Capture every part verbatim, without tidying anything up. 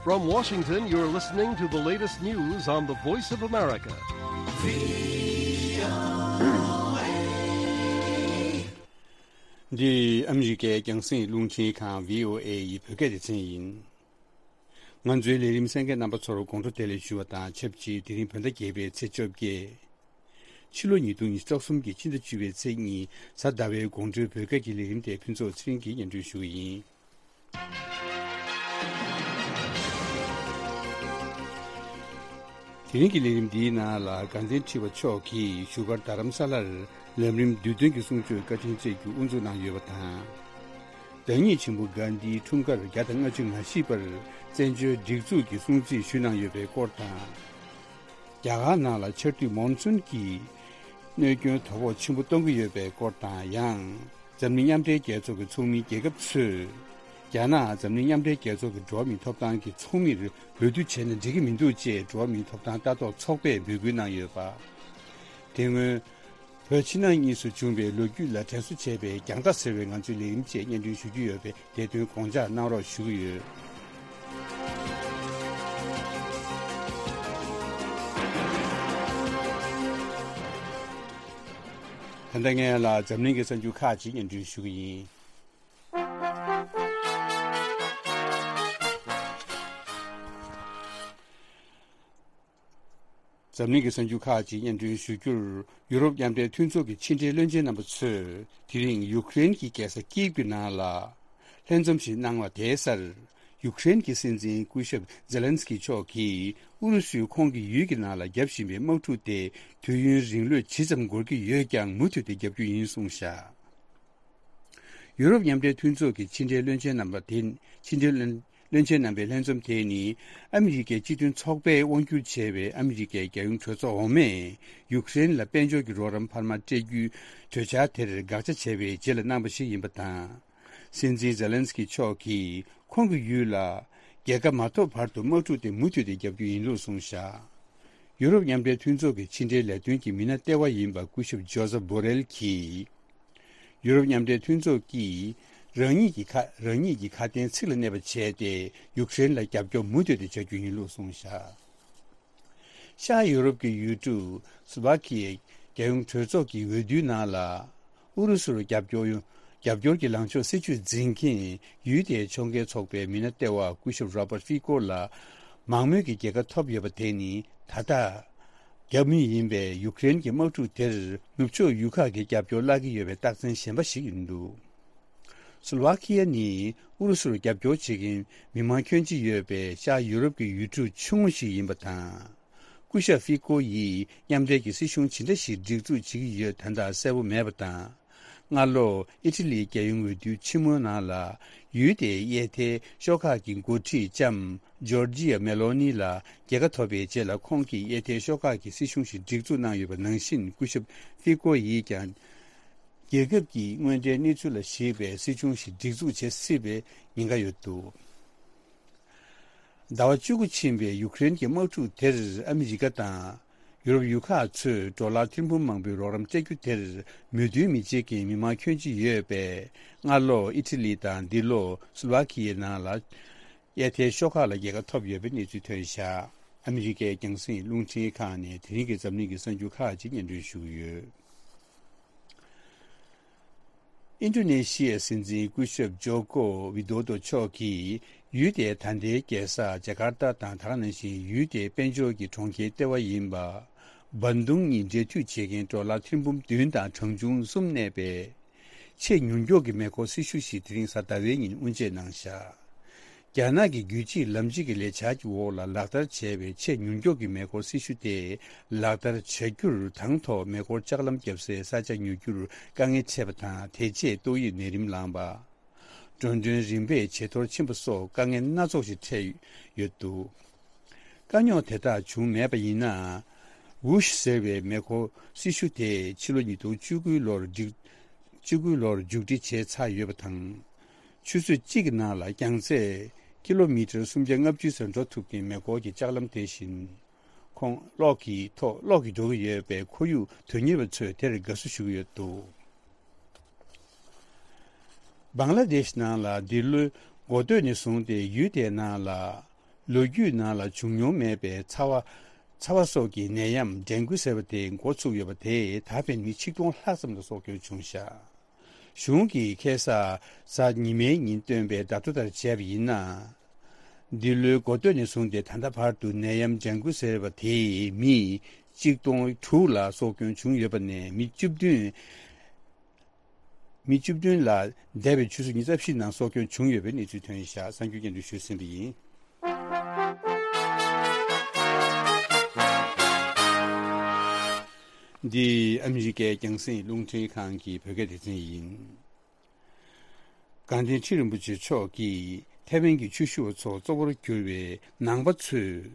From Washington, you're listening to the latest news on the Voice of America. འདི་ཨ་མི་རི་ཀའི་རྒྱང་སྲིང་རླུང་འཕྲིན་ཁང་བྷི་ཨོ་ཨེ་ཡི་བོད་སྐད་སྡེ་ཚན་ཡིན། ང་ཚོའི་ལས་རིམ་གསན་མཁན་རྣམ་པ་ཚོར་དགོང་དྲོ་བདེ་ལེགས་ཞུ་བ་དང་ཆབས་ཅིག་དེ་རིང་བོད་ཟླ་བརྒྱད་པའི་ཚེས་བཅོ་བརྒྱད། ཕྱི་ལོ་ཉིས་སྟོང་ཉི་ཤུ་རྩ་གསུམ་གྱི་ཕྱི་ཟླ་བཅུ་པའི་ཚེས་གཉིས་གཟའ་ཟླ་བའི་དགོང་དྲོའི་བོད་སྐད་ཀྱི་ལས་རིམ་དེ་ཕུན་ཚོགས་ཚེ་རིང་གིས་སྙན་སྒྲོན་ཞུ་གི་ཡིན། དེ་རིང་གི་ལས་རིམ་འདིའི་ནང་ལ་དགའ་ལྡན་ཁྲི་པ་མཆོག་གིས་བཞུགས་སྒར་རྡ་རམ་ས་ལར་ལམ་རིམ་བསྡུས་དོན་གྱི་གསུང་ཆོས་བཀའ་དྲིན་སྩལ་རྒྱུ་དབུ་འཛུགས་གནང་ཡོད་པ་དང་། བདག་ཉིད་ཆེན་པོ་གྷན་དྷིའི་འཁྲུངས་སྐར་བརྒྱ་དང་ལྔ་བཅུ་ང་བཞི་པར་བཙན་བྱོལ་སྒྲིག་འཛུགས་ཀྱིས་སྲུང་བརྩི་ཞུས་གནང་ཡོད་པའི་སྐོར་དང་། རྒྱ་གར་ནང་ལ་ཆར་དུས་མོན་སུན་གྱིས་གནོད་སྐྱོན་དོ་ཕོག་ཆེན་པོ་གཏོང་གི་ཡོད་པའི་སྐོར་དང་། ཡང་འཛམ་གླིང་མཉམ་འབྲེལ་རྒྱལ་ཚོགས་ཀྱི་ཚོགས་མི་རྒྱལ་ཁབ་ཚོས་རྒྱ་ནག་འཛམ་གླིང་མཉམ་འབྲེལ་རྒྱལ་ཚོགས་ཀྱི་འགྲོ་བ་མིའི་ཐོབ་ཐང་གི་ཚོགས་མིར་འོས་བསྡུ་བྱས་ན་འགྲིག་གི་མི་འདུག་ཅེས་འགྲོ་བ་མིའི་ཐོབ་ཐང་ལྟ་རྟོག་ཚོགས་པས་འབོད་སྐུལ་གནང་ཡོད་པ། དེ་སྔོན། བོད་ཕྱི་ནང་གཉིས་སུ་བྱུང་བའི་ལོ་རྒྱུས་ལ་དྲན་གསོ་བྱས་པའི་རྒྱང་ལྟ་ཟེར་བའི་ང་ཚོའི་ལས་རིམ་བཅས་སྙན་སྒྲོན་ཞུ་རྒྱུ་ཡོད་པས་དེ་དོན་དགོངས་འཇགས་གནང་རོགས་ཞུ་གི་ཡོད། ད་ལྟ་ངས་ལ་འཛམ་གླིང་གི་གསར་འགྱུར་ཁག་ཅིག་སྙན་སྒྲོན་ཞུ་གི་ཡིན། འཛམ་གླིང་གི་གསར་འགྱུར་ཁག་ཅིག་སྙན་སྒྲོན་ཞུ་རྒྱུར། ཡུ་རོབ་མཉམ་འབྲེལ་མཐུན་ཚོགས་ཀྱི་ཕྱི་འབྲེལ་བློན་ཆེན་རྣམ་པ་ཚོས་དེ་རིང་ཡུ་ཀེ་རེན་གྱི་རྒྱལ་ས་ཀིབ་ཀྱི་ནང་ལ་ལྷན་འཛོམས་ཤིག་གནང་བ་དེའི་སར། ཡུ་ཀེ་རེན་གྱི་སྲིད་འཛིན་སྐུ་ཞབས་ཛེ་ལན་སི་ཀི་མཆོག་གིས་ཨུ་རུ་སུས་ཁོང་གི་ཡུལ་གྱི་ནང་ལ་བརྒྱབ་བཞིན་པའི་དམག་འཁྲུག་དེ་དུས་ཡུན་རིང་ལོས་ཇི་ཙམ་འགོར་གྱི་ཡོད་ཀྱང་མུ་མཐུད་དེ་བརྒྱབ་རྒྱུ་ཡིན་གསུངས་བཞག་ཡུ་རོབ་མཉམ་འབྲེལ་མཐུན་ཚོགས་ཀྱི་ཕྱི་འབྲེལ་བློན་ཆེན་རྣམ་པ་དེ། ཕྱི་འབྲེལ་བློན། བློན་ཆེན་རྣམ་པའི་ལྷན་འཛོམས་དེ་ནི། ཨ་མི་རི་ཀའི་སྤྱི་མཐུན་ཚོགས་པས་དབང་སྒྱུར་བྱས་པའི་ཨ་མི་རི་ཀའི་རྒྱལ་ཡོངས་གྲོས་ཚོགས་འོག་མས། ཡུཀ་རེན་ལ་དཔལ་འབྱོར་གྱི་རོགས་རམ་འཕར་མ་སྤྲད་རྒྱུའི་གྲོས་འཆར་དེར་དགག་བྱ་བྱས་པའི་རྗེས་ལ་གནང་བ་ཞིག་ཡིན་པ་དང་། སྲིད་འཛིན་ཛེ་ལན་སི་ཀི་མཆོག་གིས་ཁོང་གི་ཡུལ་ལ། རྒྱལ་ཁ་མ་ཐོབ་བར་དུ་དམག་འཁྲུག་དེ་མུ་མཐུད་དེ་བརྒྱབ་རྒྱུ་ཡིན་ལུགས་གསུངས་བཞག་ཡུ་རོབ་མཉམ་འབྲེལ་མཐུན་ཚོགས་ཀྱི་ཕྱི་འབྲེལ་ལས་དོན་གྱི་མི་སྣ་ལྟེ་བ་ཡིན་པ་སྐུ་ཞབས་ཇོ་ཟབ་བྷོ་རེལ་གྱིས། ཡུ་རོབ་མཉམ་འབྲེལ་མཐུན་ཚོགས་ཀྱིས་རང་ཉིད་ཀྱི་ཁ། རང་ཉིད་ཀྱི་ཁ་དན་ཚིག་ལ་གནས་པ་བྱས་ཏེ་ཡུཀ་རེན་ལ་རྒྱབ་སྐྱོར་མུ་མཐུད་དེ་བྱ་རྒྱུ་ཡིན་ལུགས་གསུངས་བཞག་ཤར་ཡུ་རོབ་ཀྱི་ཡུལ་གྲུ་སུ་ལ་ཝ་ཁི་ཡའི་རྒྱལ་ཡོངས་གྲོས་ཚོགས་ཀྱི་འོས་བསྡུའི་ནང་ལ་ཨུ་རུ་སུར་རྒྱབ་སྐྱོར་ཡོང་། རྒྱབ་སྐྱོར་གྱི་ལངས་ཕྱོགས་སྲིད་ཇུས་འཛིན་མཁན་ཡུལ་དེའི་ཕྱོགས་འགལ་ཚོགས་པའི་མི་སྣ་ལྟེ་བ་སྐུ་ཞབས་རོ་པར་ཧྥི་ཀོ་ལ་མང་མོས་ཀྱི་རྒྱལ་ཁ་ཐོབ་ཡོད་པ་དེ་ནི་ད་ལྟ། རྒྱབ་མི་ཡིན་པས་ཡུཀ་རེན་གྱི་དམག་འཁྲུག་དེར་ནུབ་ཕྱོགས་ཡུལ་ཁག་གིས་རྒྱབ་སྐྱོར་བརླག་གི་ཡོད་པའི་རྟགས་མཚན་གཞན་པ་ཞིག་ཡིན་འདུག་སུ་ལ་ཝ་ཁི་ཡ་ནི་ཨུ་རུ་སུར་རྒྱབ་སྐྱོར་བྱེད་མཁན་མི་མང་ཁྱོན་ཆེ་ཡོད་པའི་ཤར་ཡུ་རོབ་ཀྱི་ཡུལ་གྲུ་ཆུང་ངུ་ཞིག་ཡིན་པ་དང་། སྐུ་ཞབས་ཧྥི་ཀོ་ཡིས་མཉམ་འབྲེལ་གྱི་སྲིད་གཞུང་ཇི་འདྲ་ཞིག་སྒྲིག་འཛུགས་བྱེད་ཀྱི་ཡོད་དོན་དག་གསལ་པོ་མེད་པ་དང་། སྔ་ལོ་ཨི་ཊ་ལིའི་རྒྱལ་ཡོངས་འོས་བསྡུའི་ཆེན་མོའི་ནང་ལ་ཡུལ་དེའི་གཡས་ཐལ་ཤོག་ཁག་གི་འགོ་ཁྲིད་ལྕམ་ཇོར་ཇི་ཡ་མེ་ལོ་ནི་ལ་རྒྱལ་ཁ་ཐོབ་པའི་རྗེས་ལ་ཁོང་གིས་གཡས་ཐལ་ཤོག་ཁག་གི་སྲིད་གཞུང་ཞིག་སྒྲིག་འཛུགས་གནང་ཡོད་པ་ནང་བཞིན་སྐུ་ཞབས་ཧྥི་ཀོ་ཡིས་ཀྱང་རྒྱལ་ཁབ་ཀྱི་དངོས་འབྲེལ་གནས་ཚུལ་ལ་གཞིགས་པའི་སྲིད་གཞུང་ཞིག་སྒྲིག་འཛུགས་བྱེད་སྲིད་པའི་ཉེན་ཁ་ཡོད་འདུག་ཟླ་བ་བཅུ་དགུ་ཕྱིན་པའི་ཡུཀ་རེན་གྱི་དམག་འཁྲུག་དེར་ཨ་མི་རི་ཀ་དང་ཡུ་རོབ་ཡུལ་ཁག་ཚོས་ཌོ་ལར་ཐེར་འབུམ་མང་པོའི་རོགས་རམ་སྤྲད་རྒྱུ་དེར་མོས་མཐུན་མི་བྱེད་མཁན་མི་མང་ཁྱོན་ཆེ་ཡོད་པས། སྔ་ལོ་ཨི་ཊ་ལི་དང་འདི་ལོ་སུ་ལ་ཝ་ཁི་ཡའི་ནང་ལ་གཡས་ཐལ་ཤོག་ཁག་ལ་རྒྱལ་ཁ་ཐོབ་ཡོད་པའི་གནས་ཚུལ་ཐོན་བཞག་ཨ་མི་རི་ཀའི་རྒྱང་སྲིང་རླུང་འཕྲིན་ཁང་ནས་དེ་རིང་གི་འཛམ་གླིང་གི་གསར་འགྱུར་ཁག་ཅིག་སྙན་སྒྲོན་ཞུ་གི་ཡོད། ཨིན་ཌོ་ནེ་ཤི་ཡའི་སྲིད་འཛིན་སྐུ་ཞབས་ཇོ་ཀོ་ཝི་དོ་དོ་མཆོག་གིས་ཡུལ་དེའི་ད་ལྟའི་རྒྱལ་ས་ཇ་ཀར་ཏ་དང་ད་ག་ནང་བཞིན་ཡུལ་དེའི་དཔལ་འབྱོར་གྱི་གྲོང་ཁྱེར་ལྟེ་བ་ཡིན་པ་བན་དུང་གཉིས་འབྲེལ་མཐུད་བྱེད་མཁན་ཌོ་ལར་ཐེར་འབུམ་བདུན་དང་གྲངས་ཆུང་གསུམ་གནས་པའི་ཆེས་མྱུར་མགྱོགས་ཀྱི་མེ་འཁོར་སྲི་ཞུ་ཞིག་དེ་རིང་གཟའ་ཟླ་བའི་ཉིན་དབུ་འབྱེད་གནང་བཞག་རྒྱ་ནག་གི་རྒྱུད་གཅིག་ལམ་གཅིག་གི་ལས་འཆར་གྱི་འོག་ལ་ལག་བསྟར་བྱས་པའི་ཆེས་མྱུར་མགྱོགས་ཀྱི་མེ་འཁོར་སྲི་ཞུ་དེ་ལག་བསྟར་བྱ་རྒྱུར་དང་ཐོག་མེ་འཁོར་ལྕགས་ལམ་བརྒྱབ་སའི་ས་ཆ་ཉོ་རྒྱུར་དཀའ་ངལ་འཕྲད་པ་དང་། དེ་རྗེས་ཏོག་དབྱིབས་ནད་རིམས་ལངས་པ། འགྲོ་གྲོན་རིམ་པས་ཇེ་མཐོར་ཕྱིན་པ་སོགས་དཀའ་ངལ་སྣ་ཚོགས་ཤིག་འཕྲད་ཡོད་འདུག་དཀའ་རྙོག་དེ་དག་བྱུང་མེད་པ་ཡིན་ན། ཝུ་ཤི་ཟེར་བའི་མེ་འཁོར་སྲི་ཞུ་དེ་ཕྱི་ལོ་ཉིས་སྟོང་བཅུ་དགུ་ལོར་འགྲིག་བཅུ་དགུ་ལོར་མཇུག་སྒྲིལ་བྱས་ཚར་ཡོད་པ་དང་། ཆུ་ཚོད་གཅིག་གི་ནང་ལ་རྒྱང་ཚད་ཀི་ལོ་མི་ཊར་སུམ་བརྒྱ་ལྔ་བཅུ་ཙམ་འགྲོ་ཐུབ་མཁན་མེ་འཁོར་གྱི་ལྕགས་ལམ་དེ་བཞིན། ཁོངས་གློག་གི་ཐོག་གློག་གིས་འགྲོ་གི་ཡོད་པས་ཁོར་ཡུག་དོན་གཉེར་བ་ཚོས་དེར་དགའ་བསུ་ཞུ་གི་ཡོད་འདུག་བང་ལ་དེཤ་ནང་ལ་འདི་ལོའི་འགོ་སྟོད་ནས་བཟུང་སྟེ་ཡུལ་དེའི་ནང་ལ་ ལོ་རྒྱུས་ནང་ལ་བྱུང་མྱོང་མེད་པའི་ཚ་བ། ཚ་བ་སོགས་ཀྱི་ནད་ཡམས་ཌེང་གུ་ཟེར་བ་དེ་འགོ་ཚུགས་ཡོད་པ་དེས་ད་ཕན་མི་ཆིག་སྟོང་ལྷག་ཙམ་ལ་སྲོག་སྐྱོན་བྱུང་བཞག་གཞུང་གིས་ཁ་སང་གཟའ་ཉི་མའི་ཉིན་བཏོན་པའི་བརྡ་ཐོ་ལྟར་བྱས་པ་ཡིན་ན། འདི་ལོའི་འགོ་སྟོད་ནས་བཟུང་སྟེ་ད་ལྟ་བར་དུ་ནད་ཡམས་ཌེང་གུ་ཟེར་བ་དེས་མི་གཅིག་སྟོང་དྲུག་ལ་སྲོག་སྐྱོན་བྱུང་ཡོད་པ་ནས་མི་བཅུ་བདུན། མི་བཅུ་བདུན་ལ་འདས་པའི་ཆུ་ཚོད་ཉི་ཤུ་རྩ་བཞི་ནང་སྲོག་སྐྱོན་བྱུང་ཡོད་པའི་གནས་ཚུལ་ཐོན་བཞག་གསར་འགྱུར་སྙན་སྒྲོན་ཞུས་ཟིན་པ་ཡིན། འདི་ཨ་མི་རི་ཀའི་རྒྱང་སྲིང་རླུང་འཕྲིན་ཁང་གི་བོད་སྐད་སྡེ་ཚན་ཡིན། དགའ་ལྡན་ཁྲི་རིན་པོ་ཆེ་མཆོག་གིས་ཐའེ་ཝན་གྱི་ཆོས་ཞུ་བ་ཚོ་གཙོ་བོར་གྱུར་བའི་ནང་པ་ཚོས་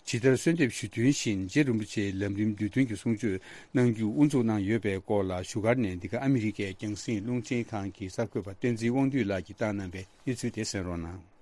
ཇི་ལྟར་གསོལ་འདེབས་ཞུ་དོན་བཞིན་རྗེ་རིན་པོ་ཆེའི་ལམ་རིམ་བསྡུས་དོན་གྱི་གསུང་ཆོས་གནང་རྒྱུ་དབུ་འཛུགས་གནང་ཡོད་པའི་སྐོར་ལ་བཞུགས་སྒར་ནས་འདི་ག་ཨ་མི་རི་ཀའི་རྒྱང་སྲིང་རླུང་འཕྲིན་ཁང་གི་གསར་འགོད་པ་བསྟན་འཛིན་དབང་འདུས་ལགས་ཀྱིས་བཏང་གནང་བའི་གནས་ཚུལ་དེ་གསན་རོགས་གནང་།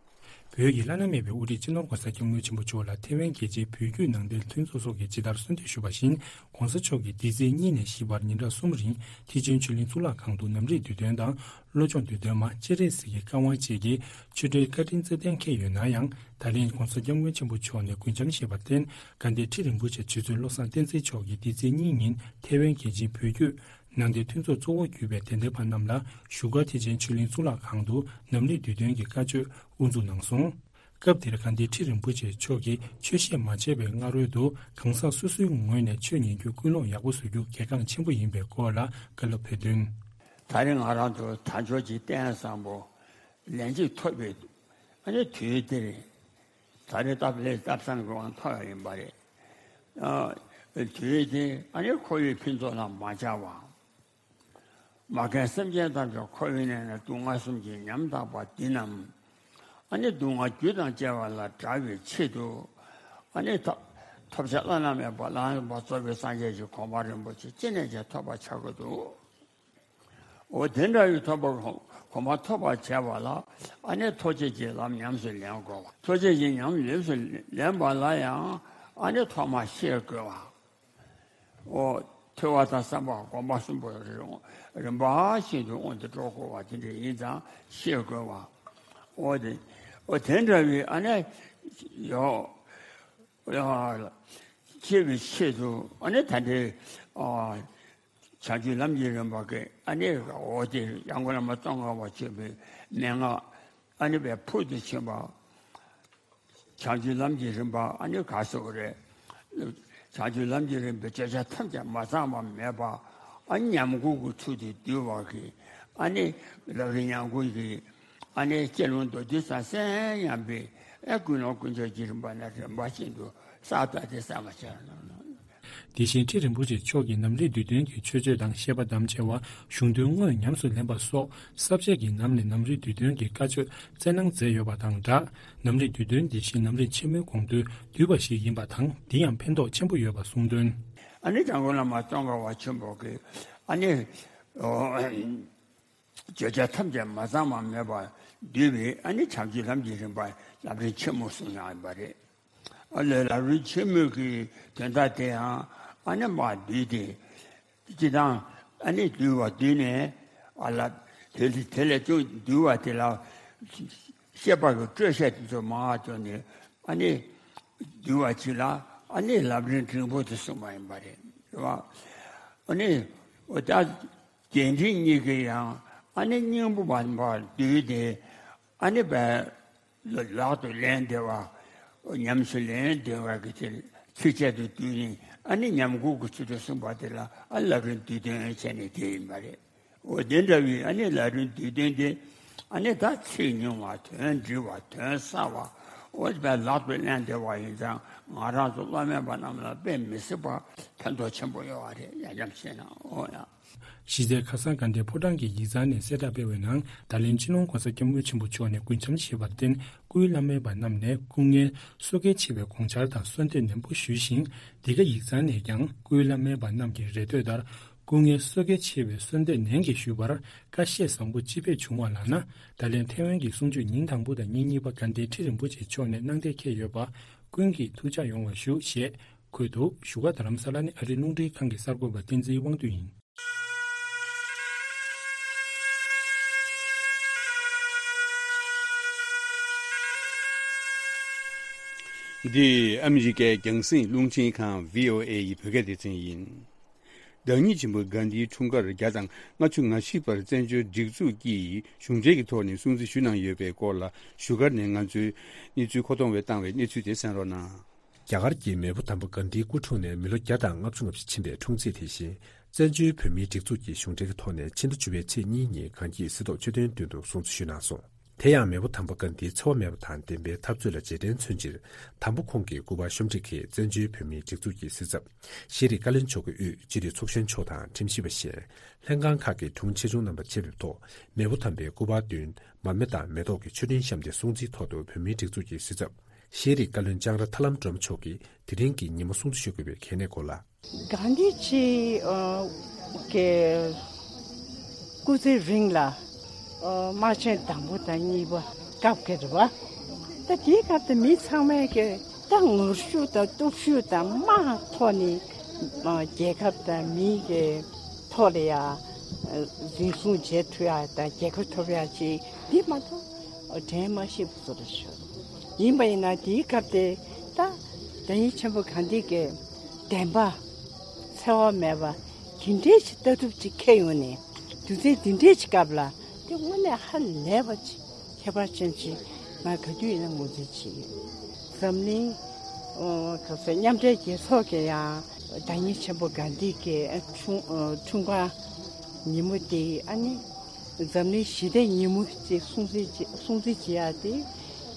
བོད་ཀྱི་བླ་ན་མེད་པའི་དབུ་ཁྲིད་སྤྱི་ནོར་༸གོང་ས་༸སྐྱབས་མགོན་ཆེན་པོ་མཆོག་ལ་ཐའེ་ཝན་རྒྱལ་སྤྱིའི་བོད་བརྒྱུད་ནང་བསྟན་མཐུན་ཚོགས་སོགས་ཀྱིས་ཇི་ལྟར་གསོལ་འདེབས་ཞུས་པ་བཞིན། ༸གོང་ས་མཆོག་གིས་འདི་ཚེས་གཉིས་ནས་བཞི་བར་ཉིན་གྲངས་གསུམ་རིང་ཐེག་ཆེན་ཆོས་གླིང་གཙུག་ལག་ཁང་དུ་ནམ་རིགས་དུས་སྟོན་དང་། བློ་སྦྱོང་དུས་སྟོན་མ་སྤྱན་རས་གཟིགས་ཀྱི་བཀའ་དབང་བཅས་ཀྱི་ཆོས་འབྲེལ་བཀའ་དྲིན་རྩ་བརྟན་འཁེལ་ཡོད་ན་ཡང་། ད་རིང་༸གོང་ས་༸སྐྱབས་མགོན་ཆེན་པོ་མཆོག་ནས་སྐུ་འཆམ་བཞེས་པར་བརྟེན། དགའ་ལྡན་ཁྲི་རིན་པོ་ཆེ་རྗེ་བཙུན་བློ་བཟང་བསྟན་འཛིན་མཆོག་གིས་འདི་ཚེས་གཉིས་ཉིན་ཐའེ་ཝན་རྒྱལ་སྤྱིའི་བོད་བརྒྱུད་ནང་བསྟན་མཐུན་ཚོགས་གཙོ་བོ་གྱུར་པའི་དད་ལྡན་པ་རྣམས་ལ་བཞུགས་སྒར་ཐེག་ཆེན་ཆོས་གླིང་གཙུག་ལག་ཁང་དུ་ནམ་རིགས་དུས་སྟོན་གྱི་བཀའ་ཆོས་དབུ་འཛུགས་གནང་སོང་། སྐབས་དེར་དགའ་ལྡན་ཁྲི་རིན་པོ་ཆེ་མཆོག་གིས་ཆོས་བཤད་མ་བྱས་པའི་སྔ་རོལ་དུ་གང་ཟག་སོ་སོའི་ངོས་ནས་ཆོས་ཉན་རྒྱུ་ཀུན་སློང་ཡག་པོ་བཟོ་རྒྱུ་གལ་འགངས་ཆེན་པོ་ཡིན་པའི་སྐོར་ལ་བཀའ་སློབ་ཕེབས་དོན། ད་རེས་ང་རང་ཚོ་དལ་འབྱོར་གྱི་རྟེན་བཟང་པོ་ལན་གཅིག་ཐོབ་པའི་ཨ་ནི་དུས་དེར། ད་རེས་སྟབས་ལེགས་སྟབས་བཟང་གི་དབང་ཐོབ་ཡ་ཡིན་པ་རེད། ཨ། དུས་དེ་ཨ་ནི་འཁོར་བའི་ཕུན་ཚོགས་ལ་མ་ཆགས་པ། མ་རྒན་སེམས་ཅན་ཐམས་ཅད་འཁོར་བའི་གནས་ན་སྡུག་བསྔལ་གསུམ་གྱིས་ཉམ་ཐག་པ་འདི་རྣམས། ཨ་ནི་སྡུག་བསྔལ་རྒྱུ་དང་བཅས་པ་ལས་བསྒྲལ་བའི་ཆེད་དུ། ཨ་ནི་ཐོབ་ཐོབ་བྱ་བླ་ན་མེད་པ་བླ་ན་མེད་པ་རྫོགས་པའི་སངས་རྒྱས་ཀྱི་གོ་འཕང་རིན་པོ་ཆེ་ཅི་ནས་ཀྱང་ཐོབ་པར་བྱ་དགོས་འདུག་འོ་དེ་འདྲ་བའི་ཐོབ་པ་གོ་འཕང་ཐོབ་པར་བྱ་བ་ལ་ཨ་ནི་ཐུགས་རྗེ་ཆེན་ལམ་ཉམས་སུ་ལེན་དགོས་པ། ཐུགས་རྗེ་ཆེན་ཉམས་ལེན་སུ་ལེན་པ་ལ་ཡང་ཨ་ནི་ཐོག་མར་ཤེས་དགོས་པ། འོ་ཐོས་པ་དང་བསམ་པ་སྒོམ་པ་གསུམ་པོ་རིམ་པ་བཞིན་དུ་སྔོན་དུ་འགྲོ་དགོས་པ་དེ་འདྲ་ཡིན་ཙང་ཤེས་དགོས་པ། འོ་དེ་འོ་དེ་འདྲ་བའི་ཨ་ནི་ཡོད། ཡང་ཤེས་པའི་ཆེད་དུ་ཨ་ནི་ད་ལྟའི་ཨ་བྱང་ཆུབ་ལམ་གྱི་རིམ་པ་གི་ཨ་ནི་འོ་དེ་ཡང་སྒོས་ལ་མ་ཙོང་ཁ་པ་ཆེན་པོའི་མན་ངག་ཨ་ནི་བས་ཕུལ་དུ་ཕྱིན་པ། བྱང་ཆུབ་ལམ་གྱི་རིམ་པ་ཨ་ནི་ག་སོགས་རེད། བྱང་ཆུབ་ལམ་གྱི་རིམ་པའི་བརྗོད་བྱ་ཐམས་ཅད་མ་ཚང་བ་མེད་པ། ཨ་ནི་ཉམས་མགུར་གྱི་ཚུལ་དུ་བསྡུས་པ་གི་ཨ་ནི་ལམ་རིམ་ཉམས་མགུར་གྱི། ཨ་ནི་སྤྱི་ལོ་མདོ་སྡེ་ས་གསན་ཡང་པའི་ཨ་ཀུན་སློང་ཀུན་སྤྱོད་ཀྱི་རིམ་པ་ནས་རིམ་པ་བཞིན་དུ་ས་ད་དེ་ས་མ་ཆགས་ན། དེ་བཞིན་ཁྲི་རིན་པོ་ཆེ་མཆོག་གིས་ནམ་རིགས་དུས་སྟོན་གྱི་མཆོད་བརྗོད་དང་བཤད་པ་དམ་བཅའ་བ་གཞུང་དོན་དངོས་ཉམས་སུ་ལེན་པ་སོགས་ས་བཅད་ཀྱི་ནང་ནས་ནམ་རིགས་དུས་སྟོན་གྱི་བཀའ་ཆོས་སྩལ་གནང་མཛད་ཡོད་པ་དང་སྦྲགས། ནམ་རིགས་དུས་སྟོན་འདི་བཞིན་ནམ་རིགས་ཆེན་མོའི་དགོངས་དོན་བསྡུས་པ་ཞིག་ཡིན་པ་དང་འདི་ཡང་ཕན་ཐོགས་ཆེན་པོ་ཡོད་པ་གསུངས་དོན། ཨ་ནི་འཇམ་མགོན་བླ་མ་ཙོང་ཁ་པ་ཆེན་པོ་གིས་ཨ་ནི། བརྗོད་བྱ་ཐམས་ཅད་མ་ཚང་བ་མེད་པར་བསྡུས་པའི་ཨ་ནི་བྱང་ཆུབ་ལམ་གྱི་རིམ་པ་ལམ་རིམ་ཆེན་མོ་གསུངས་ཡོད་པ་རེད། ཨ་ལས་ལམ་རིམ་ཆེན་མོའི་གི་དོན་དག་དེའང་ཨ་ནི་མར་བསྡུས་ཏེ། སྤྱི་དང་ཨ་ནི་བསྡུས་པ་བསྡུས་ནས་ཨ་ལ་དེ་ལས་དེ་ལས་ཅུང་བསྡུས་པ་དེ་ལ་བཤད་པ་གི་སྤྲོས་བཤད་དེ་ཚོ་མང་བ་བཏོན་ནས་ཨ་ནི་བསྡུས་པ་ཅིག་ལ་ཨ་ནི་ལམ་རིམ་འབྲིང་པོ་དེ་གསུངས་པ་ཡིན་པ་རེད། རེད་བ། ཨ་ནི་འོ་ད། རྒྱས་འབྲིང་གཉིས་ཀྱི་ཡང་ཨ་ནི་སྙིང་པོ་བར་བར་བསྡུས་ཏེ་ཨ་ནི་བས་ལག་ཏུ་ལེན་བདེ་བ། ཉམས་སུ་ལེན་བདེ་བ་གི་ཚིག་ཚིགས་བཅད་དུ་བསྡུས་ནས་ཨ་ནི་ཉམས་མགུར་གྱི་ཚུལ་དུ་གསུངས་པ་དེ་ལ་ཨ་ལམ་རིམ་བསྡུས་དོན་བྱས་ནས་དེ་ཡིན་པ་རེད། འོ་དེ་འདྲ་བའི་ཨ་ནི་ལམ་རིམ་བསྡུས་དོན་དེ་ཨ་ནི་ད་ཚིག་ཉུང་བ་དོན་འདྲིལ་བ་དོན་གསལ་བ་འོ་དེ་བས་ལག་ཏུ་ལེན་བདེ་བ་ཡིན་ཙང་ང་རང་ཚོ་བླ་མེད་པ་རྣམས་ལ་དཔེ་མི་སྲིད་པ་ཕན་ཐོགས་ཆེན་པོ་ཡོད་པ་རེད། ཡ་འཇམ་ཤེས་ན་འོ་ཡ། གཞི་རྩའི་ཁ་སང་དགའ་ལྡན་ཕོ་བྲང་གི་ཡིག་ཚང་ནས་གསལ་བསྒྲགས་སྤེལ་བའི་ནང་ད་ལན་སྤྱི་ནོར་༸གོང་ས་༸སྐྱབས་མགོན་ཆེན་པོ་མཆོག་ནས་སྐུ་འཆམ་བཞེས་པར་བརྟེན་སྐུའི་བླ་མའི་བར་རྣམས་ནས་སྐུ་ངལ་གསོ་གལ་ཆེ་བའི་དགོངས་འཆར་དང་གསོལ་འདེབས་ནན་པོ་ཞུས་ཤིང་འདི་ག་ཡིག་ཚང་ནས་ཀྱང་སྐུའི་བླ་མའི་བར་རྣམས་ཀྱི་རེ་འདོད་ལྟར་སྐུ་ངལ་གསོ་གལ་ཆེ་བའི་གསོལ་འདེབས་ནན་གྱིས་ཞུས་པར་བཀའ་བཤད་བཟང་པོ་ཅི་ཕེབས་བྱུང་བ་ལགས་ན་ད་ལན་ཐའེ་ཝན་གྱི་གསུང་ཆོས་ཉིན་དང་པོ་དང་ཉིན་གཉིས་པ་དགའ་ལྡན་ཁྲི་རིན་པོ་ཆེ་མཆོག་ནས་གནང་གཏན་འཁེལ་ཡོད་པ་ཀུན་གྱིས་ཐུགས་འཇགས་ཡོང་བ་ཞུ་ཞེས་འཁོད་འདུག་བཞུགས་སྒར་རྡ་རམ་ས་ལ་ནས་ཨ་རིའི་རླུང་འཕྲིན་ཁང་གི་གསར་འགོད་པ་བསྟན་འཛིན་དབང་འདུས་ཡིན། འདི་ཨ་མི་རི་ཀའི་རྒྱང་སྲིང་རླུང་འཕྲིན་ཁང་བྷི་ཨོ་ཨེ་ཡི་བོད་སྐད་སྡེ་ཚན་ཡིན། བདག་ཉིད་ཆེན་པོ་གྷན་དྷིའི་འཁྲུངས་སྐར་བརྒྱ་དང་ལྔ་བཅུ་ང་བཞི་པར་བཙན་བྱོལ་སྒྲིག་འཛུགས་ཀྱིས་གཞུང་འབྲེལ་གྱི་ཐོག་ནས་སྲུང་བརྩི་ཞུས་གནང་ཡོད་པའི་སྐོར་ལ་བཞུགས་སྒར་ནས་ང་ཚོའི་གནས་ཚུལ་མཁོ་གཏོང་བས་བཏང་བའི་གནས་ཚུལ་དེ་གསན་རོགས་གནང་། རྒྱ་གར་གྱི་མེས་པོ་དམ་པ་གྷན་དྷིའི་སྐུ་འཁྲུངས་ནས་མི་ལོ་བརྒྱ་དང་ལྔ་བཅུ་ང་བཞི་ཕྱིན་པའི་འཁྲུངས་ཚེས་དེ་བཞིན། བཙན་བྱོལ་བོད་མིའི་སྒྲིག་འཛུགས་ཀྱི་གཞུང་འབྲེལ་གྱི་ཐོག་ནས་ཕྱི་ཟླ་བཅུ་པའི་ཚེས་གཉིས་ཉིན་གྷན་དྷིའི་གཟི་མདོག་མཆོད་རྟེན་མདུན་དུ་སྲུང་བརྩི་ཞུས་གནང་སོང་། དེ་ཡང་མེས་པོ་དམ་པ་གྷན་དྷིའི་འཚེ་བ་མེད་པ་དང་བདེན་པའི་འཐབ་རྩོད་ལ་རྗེས་དྲན་མཚོན་ཕྱིར། དམ་པ་ཁོང་གི་སྐུ་པར་ཤོམ་སྒྲིག་གིས་བཙན་བྱོལ་བོད་མིའི་སྒྲིག་འཛུགས་ཀྱི་སྲིད་ཚབ་ཤེས་རིག་བཀའ་བློན་མཆོག་གི་དབུས་སྤྱི་འཐུས་ཚོགས་གཞོན་མཆོག་དང་ཁྲིམས་ཞིབ་པ་གཞན། ལྷན་ཁང་ཁག་གི་དྲུང་ཆེ་ཆུང་རྣམ་པ་ཆེད་ཕེབས་ཐོག་མེས་པོ་དམ་པའི་སྐུ་པར་མདུན་མར་མེ་དང་མེ་ཏོག་གི་མཆོད་སྤྲིན་བཤམས་ཏེ་སྲུང་བརྩིའི་ཐོག་ཏུ་བོད་མིའི་སྒྲིག་འཛུགས་ཀྱི་སྲིད་ཚབ་ཤེས་རིག་བཀའ་བློན་ལྕང་ར་ཐར་ལམ་སྒྲོལ་མ་མཆོག་གིས་དེ་རིང་གི་ཉིན་མོ་སྲུང་བརྩི་ཞུ་དགོས་པའི་གལ་གནད་སྐོར་ལ། གྷན་དྷི་ཇི་ཨ་གི་སྐུ་ཚེ་རིང་ལ་ཨ་དམག་ཆེན་དང་པོ་དང་གཉིས་པ་སྐབས་ཀྱི་རེད་བ། ད་དེའི་སྐབས་དུ་མི་ཚང་མས་ཀྱི་ད་ངར་ཤུགས་དང་སྟོབས་ཤུགས་དང་དམག་ཐོག་ནས་ཨ་རྒྱལ་ཁབ་དང་མི་གི་ཐོག་ལ་ཡ་འཛིན་བཟུང་བྱེད་ཐུབ་ཡ་དང་རྒྱལ་ཁ་ཐོབ་ཡ་ཅིག་འདི་མ་གཏོགས་དྲན་མ་ཤེས་པ་བཟོ་འདྲ་ཞིག་ཡིན་པ་ཡིན་ན། དེའི་སྐབས་དེ་ད་བདག་ཉིད་ཆེན་པོ་གྷན་དྷི་གི་བདེན་པ་འཚེ་བ་མེད་པ་དེ་འདྲའི་ཅིག་ལྟ་གྲུབ་ཅིག་འཁྱེར་ཡོང་ནས་དུས་ཚོད་དེ་འདྲའི་ཅིག་སྐབས་ལ་དེ་དངོས་གནས་ཧ་ལས་པ་ཅིག་ཁྱད་པར་ཅན་ཅིག་ང་ག་དུས་ཡིན་ན་ངོས་འཛིན་བྱེད་ཀྱི་ཡོད། འཛམ་གླིང་ཨོ་ག་ཚོད་མཉམ་འབྲེལ་རྒྱལ་ཚོགས་ཀྱི་ཡང་བདག་ཉིད་ཆེན་པོ་གྷན་དྷི་གི་འཁྲུངས་འཁྲུངས་སྐར་ཉིན་མོ་དེ་ཨ་ནི་འཛམ་གླིང་ཞི་བདེ་ཉིན་མོ་ཅེས་སྲུང་བརྩི་བྱེད་སྲུང་བརྩི་བྱེད་ཡ་དེ་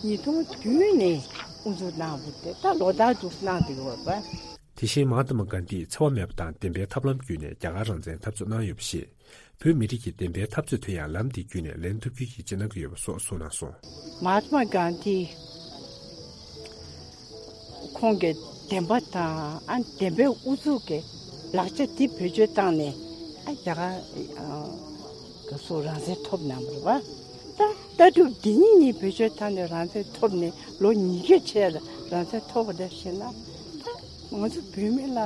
ཉིས་སྟོང་བདུན་ནས་དབུ་འཛུགས་གནང་བ་དེ་ད་ལོ་ལྟར་དུ་གནང་བསྡད་ཡོད་པ། དེ་བཞིན་མ་ཧཱ་ཏ་མ་གྷན་དྷིས་འཚེ་བ་མེད་པ་དང་བདེན་པའི་ཐབས་ལམ་བརྒྱུད་ནས་རྒྱ་གར་རང་བཙན་འཐབ་རྩོད་གནང་ཡོད་པ་ཞིག་བོད་མི་རིགས་ཀྱི་བདེན་པའི་འཐབ་རྩོད་དེ་ཡང་ལམ་འདི་བརྒྱུད་ནས་ལེན་ཐུབ་རྒྱུའི་ཡིད་ཆེས་གནང་གི་ཡོད་པ་སོགས་གསུངས་གནང་སོང་། མ་ཧཱ་ཏ་མ་གྷན་དྷི་ཁོང་གི་བདེན་པ་དང་ཨ་བདེན་པའི་ཨུ་ཚུགས་ཀྱི་ལག་ཆ་འདི་བེད་སྤྱོད་བཏང་ནས་ཨ་རྒྱ་གར་ག་སོ་རང་བཙན་ཐོབ་གནང་བ་རེད་བ། ད་ལྟ་གྲུབ་འདི་གཉིས་གཉིས་བེད་སྤྱོད་བཏང་ནས་རང་བཙན་ཐོབ་ནས་ལོ་ཉི་ཤུ་ཆེ་ལ་རང་བཙན་ཐོབ་པ་འདྲ་ཞིག་ན། ད་ང་ཚོ་བོད་མི་ལ་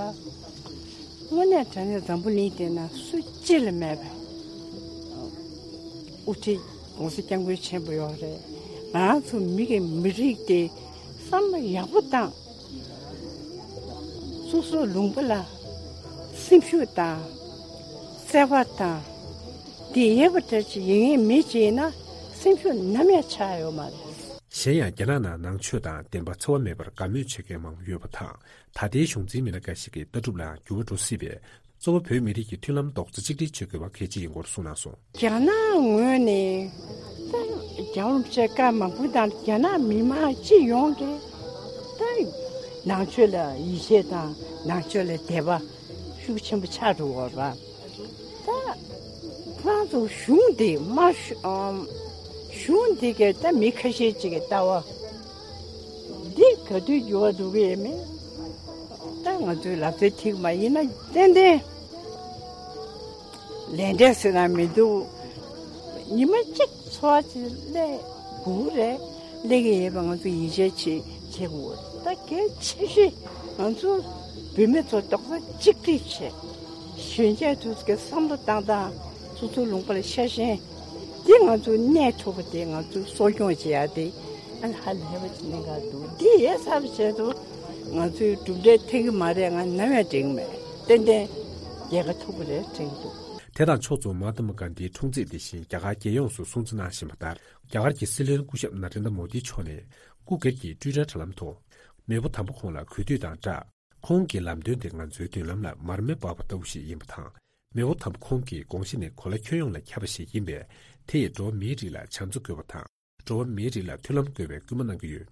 དངོས་གནས་དྲང་གནས་འཛམ་བུ་གླིང་འདི་ན་སུ་གཅིག་ལ་མེད་པའི་དབུ་ཁྲིད་༸གོང་ས་༸སྐྱབས་མགོན་ཆེན་པོ་ཡོད་རེད། ང་རང་ཚོ་མི་གི་མི་རིགས་དེ་བསམ་བློ་ཡག་པོ་བཏང་། སོ་སོའི་ལུང་པ་ལ་སེམས་ཤུགས་དང་བརྩེ་བ་དང་དེ་ཡོད་པ་འདྲ་ཅིག་ཡིན་ངེས་མི་ཅིག་ཡིན་ན་སེམས་ཤུགས་ནམ་ཡང་ཆག་ཡོད་མ་རེད། གཞན་ཡང་རྒྱ་ནག་ནང་ནང་ཆོས་དང་བདེན་པ་འཚེ་བ་མེད་པར་དགའ་མོས་བྱེད་མཁན་མང་པོ་ཡོད་པ་དང་། ད་ལྟའི་གཞུང་འཛིན་མི་སྣ་འགའ་ཞིག་གི་ལྟ་གྲུབ་ལའང་འགྱུར་བ་འགྲོ་སྲིད་པས། གཙོ་བོ་བོད་མི་རིགས་ཀྱི་མཐུན་ལམ་རྡོག་རྩ་གཅིག་སྒྲིལ་བྱེད་དགོས་པ་གལ་ཆེ་ཡིན་སྐོར་གསུངས་གནང་སོང་། རྒྱ་ནག་ངོས་ནས་ད་རྒྱལ་བ་རིན་པོ་ཆེ་བཀའ་མང་པོ་དང་རྒྱ་ནག་མི་མང་སྤྱི་ཡོངས་ཀྱིས་ད་ནང་ཆོས་ལ་ཡིད་ཆེས་དང་ནང་ཆོས་ལ་དད་པ་ཤུགས་ཆེན་པོ་ཆགས་འགྲོ་བ་རེད། ད་ཁོ་རང་ཚོ་གཞུང་འདི་དམར་ཤོག་ཨམ་གཞུང་འདི་གའི་ད་མི་ཁ་ཤས་ཅིག་གི་ལྟ་བ་འདི་ག་དུས་འགྱུར་བ་འགྲོ་གི་ཡོད་མེད། ད་ང་ཚོའི་ལབ་ཚད་ཐིག་མ་ཡིན་ན་ཏན་ཏན་ལས་འབྲས་ཟེར་ན་མི་འདུག་ཉི་མ་གཅིག་འཚོ་བ་ཅིག་སླེབས་དགོས་རེད། སླེབས་ཀྱི་ཡོད་པ་ང་ཚོ་ཡིད་ཆེས་བྱེད་བྱེད་དགོས། ད་གལ་ཆེ་ཤོས་ང་ཚོ་བུད་མེད་ཚོ་རྡོག་རྩ་གཅིག་སྒྲིལ་བྱས། གཞོན་སྐྱེས་ཚོ་གི་བསམ་བློ་བཏང་སྟངས་སོ་སོའི་ལུང་པ་ལ་ཤ་ཞེན་འདི་ང་ཚོ་གནས་ཐུབ་པ་དེ་ང་ཚོས་གསོ་སྐྱོང་བྱེད་ཡ་དེ་ཨ་ལ་ཧ་ལས་པ་ཅིག་གནད་འགག་འདུག་འདི་ཡོད་ཚར་བའི་ཆེད་དུ་ང་ཚོས་གྲུབ་འབྲས་ཐོན་གྱི་མ་རེད། ང་ནམ་ཡང་དྲན་གྱི་མེད། ཏན་ཏན་རྒྱལ་ཁ་ཐོབ་ཀྱི་རེད་དྲན་གྱི་འདུག་དེ་དང་ཕྱོགས་མཚུངས་མ་ཧཱ་ཏ་མ་གྷན་དྷིའི་འཁྲུངས་ཚེས་འདི་བཞིན་རྒྱ་གར་རྒྱལ་ཡོངས་སུ་སྲུང་བརྩི་གནང་བཞིན་པ་ལྟར། རྒྱ་གར་གྱི་སྲིད་བློན་སྐུ་ཞབས་ན་རེན་དྲ་མོ་དི་མཆོག་ནས་སྐུ་སྒེར་གྱི་ཊུའི་ཊར་དྲ་ལམ་ཐོག་མེས་པོ་དམ་པ་ཁོང་ལ་གུས་འདུད་དང་སྦྲགས། ཁོང་གི་ལམ་སྟོན་དེ་ང་ཚོའི་མདུན་ལམ་ལ་མར་མེ་སྤར་བ་ལྟ་བུ་ཞིག་ཡིན་པ་དང་། མེས་པོ་དམ་པ་ཁོང་གི་དགོངས་གཞི་ནི་གོ་ལ་ཁྱོན་ཡོངས་ལ་ཁྱབ་པ་ཞིག་ཡིན་པས། དེ་ཡིས་འགྲོ་བ་མིའི་རིགས་ལ་བྱམས་བརྩེ་དགོས་པ་དང་། འགྲོ་བ་མིའི་རིགས་ལ་མཐུན་ལམ་དགོས་པའི་སྐུལ་མ་གནང་གི་ཡོད།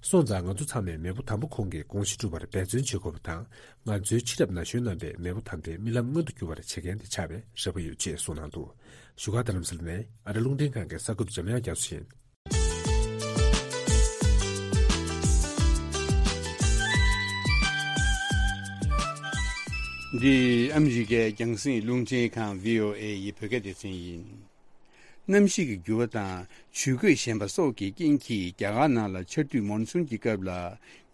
སོང་ཙང་ང་ཚོ་ཚང་མས་མེས་པོ་དམ་པ་ཁོང་གི་དགོངས་གཞི་སྒྲུབ་པར་འབད་བརྩོན་བྱེད་དགོས་པ་དང་། ང་ཚོའི་ཕྱི་རབས་ན་གཞོན་རྣམ་པས་མེས་པོ་དམ་པའི་རྨི་ལམ་མངོན་དུ་འགྱུར་བར་བྱེད་མཁན་དེ་ཆགས་པའི་རེ་བ་ཡོད་ཅེས་གསུངས་གནང་འདུག་བཞུགས་སྒར་རྡ་རམ་ས་ལ་ནས་ཨ་རི་རླུང་འཕྲིན་ཁང་གི་གསར་འགོད་པ་འཇམ་དབྱངས་རྒྱ་མཚོ་ཡིན། འདི་ཨ་མི་རི་ཀའི་རྒྱང་སྲིང་རླུང་འཕྲིན་ཁང་བྷི་ཨོ་ཨེ་ཡི་བོད་སྐད་སྡེ་ཚན་ཡིན། གནམ་གཤིས་ཀྱི་འགྱུར་བ་དང་ཇུས་འགོད་ཞན་པ་སོགས་ཀྱི་རྐྱེན་གྱིས་རྒྱ་གར་ནང་ལ་ཆར་དུས་མོན་སུན་གྱི་སྐབས་ལ་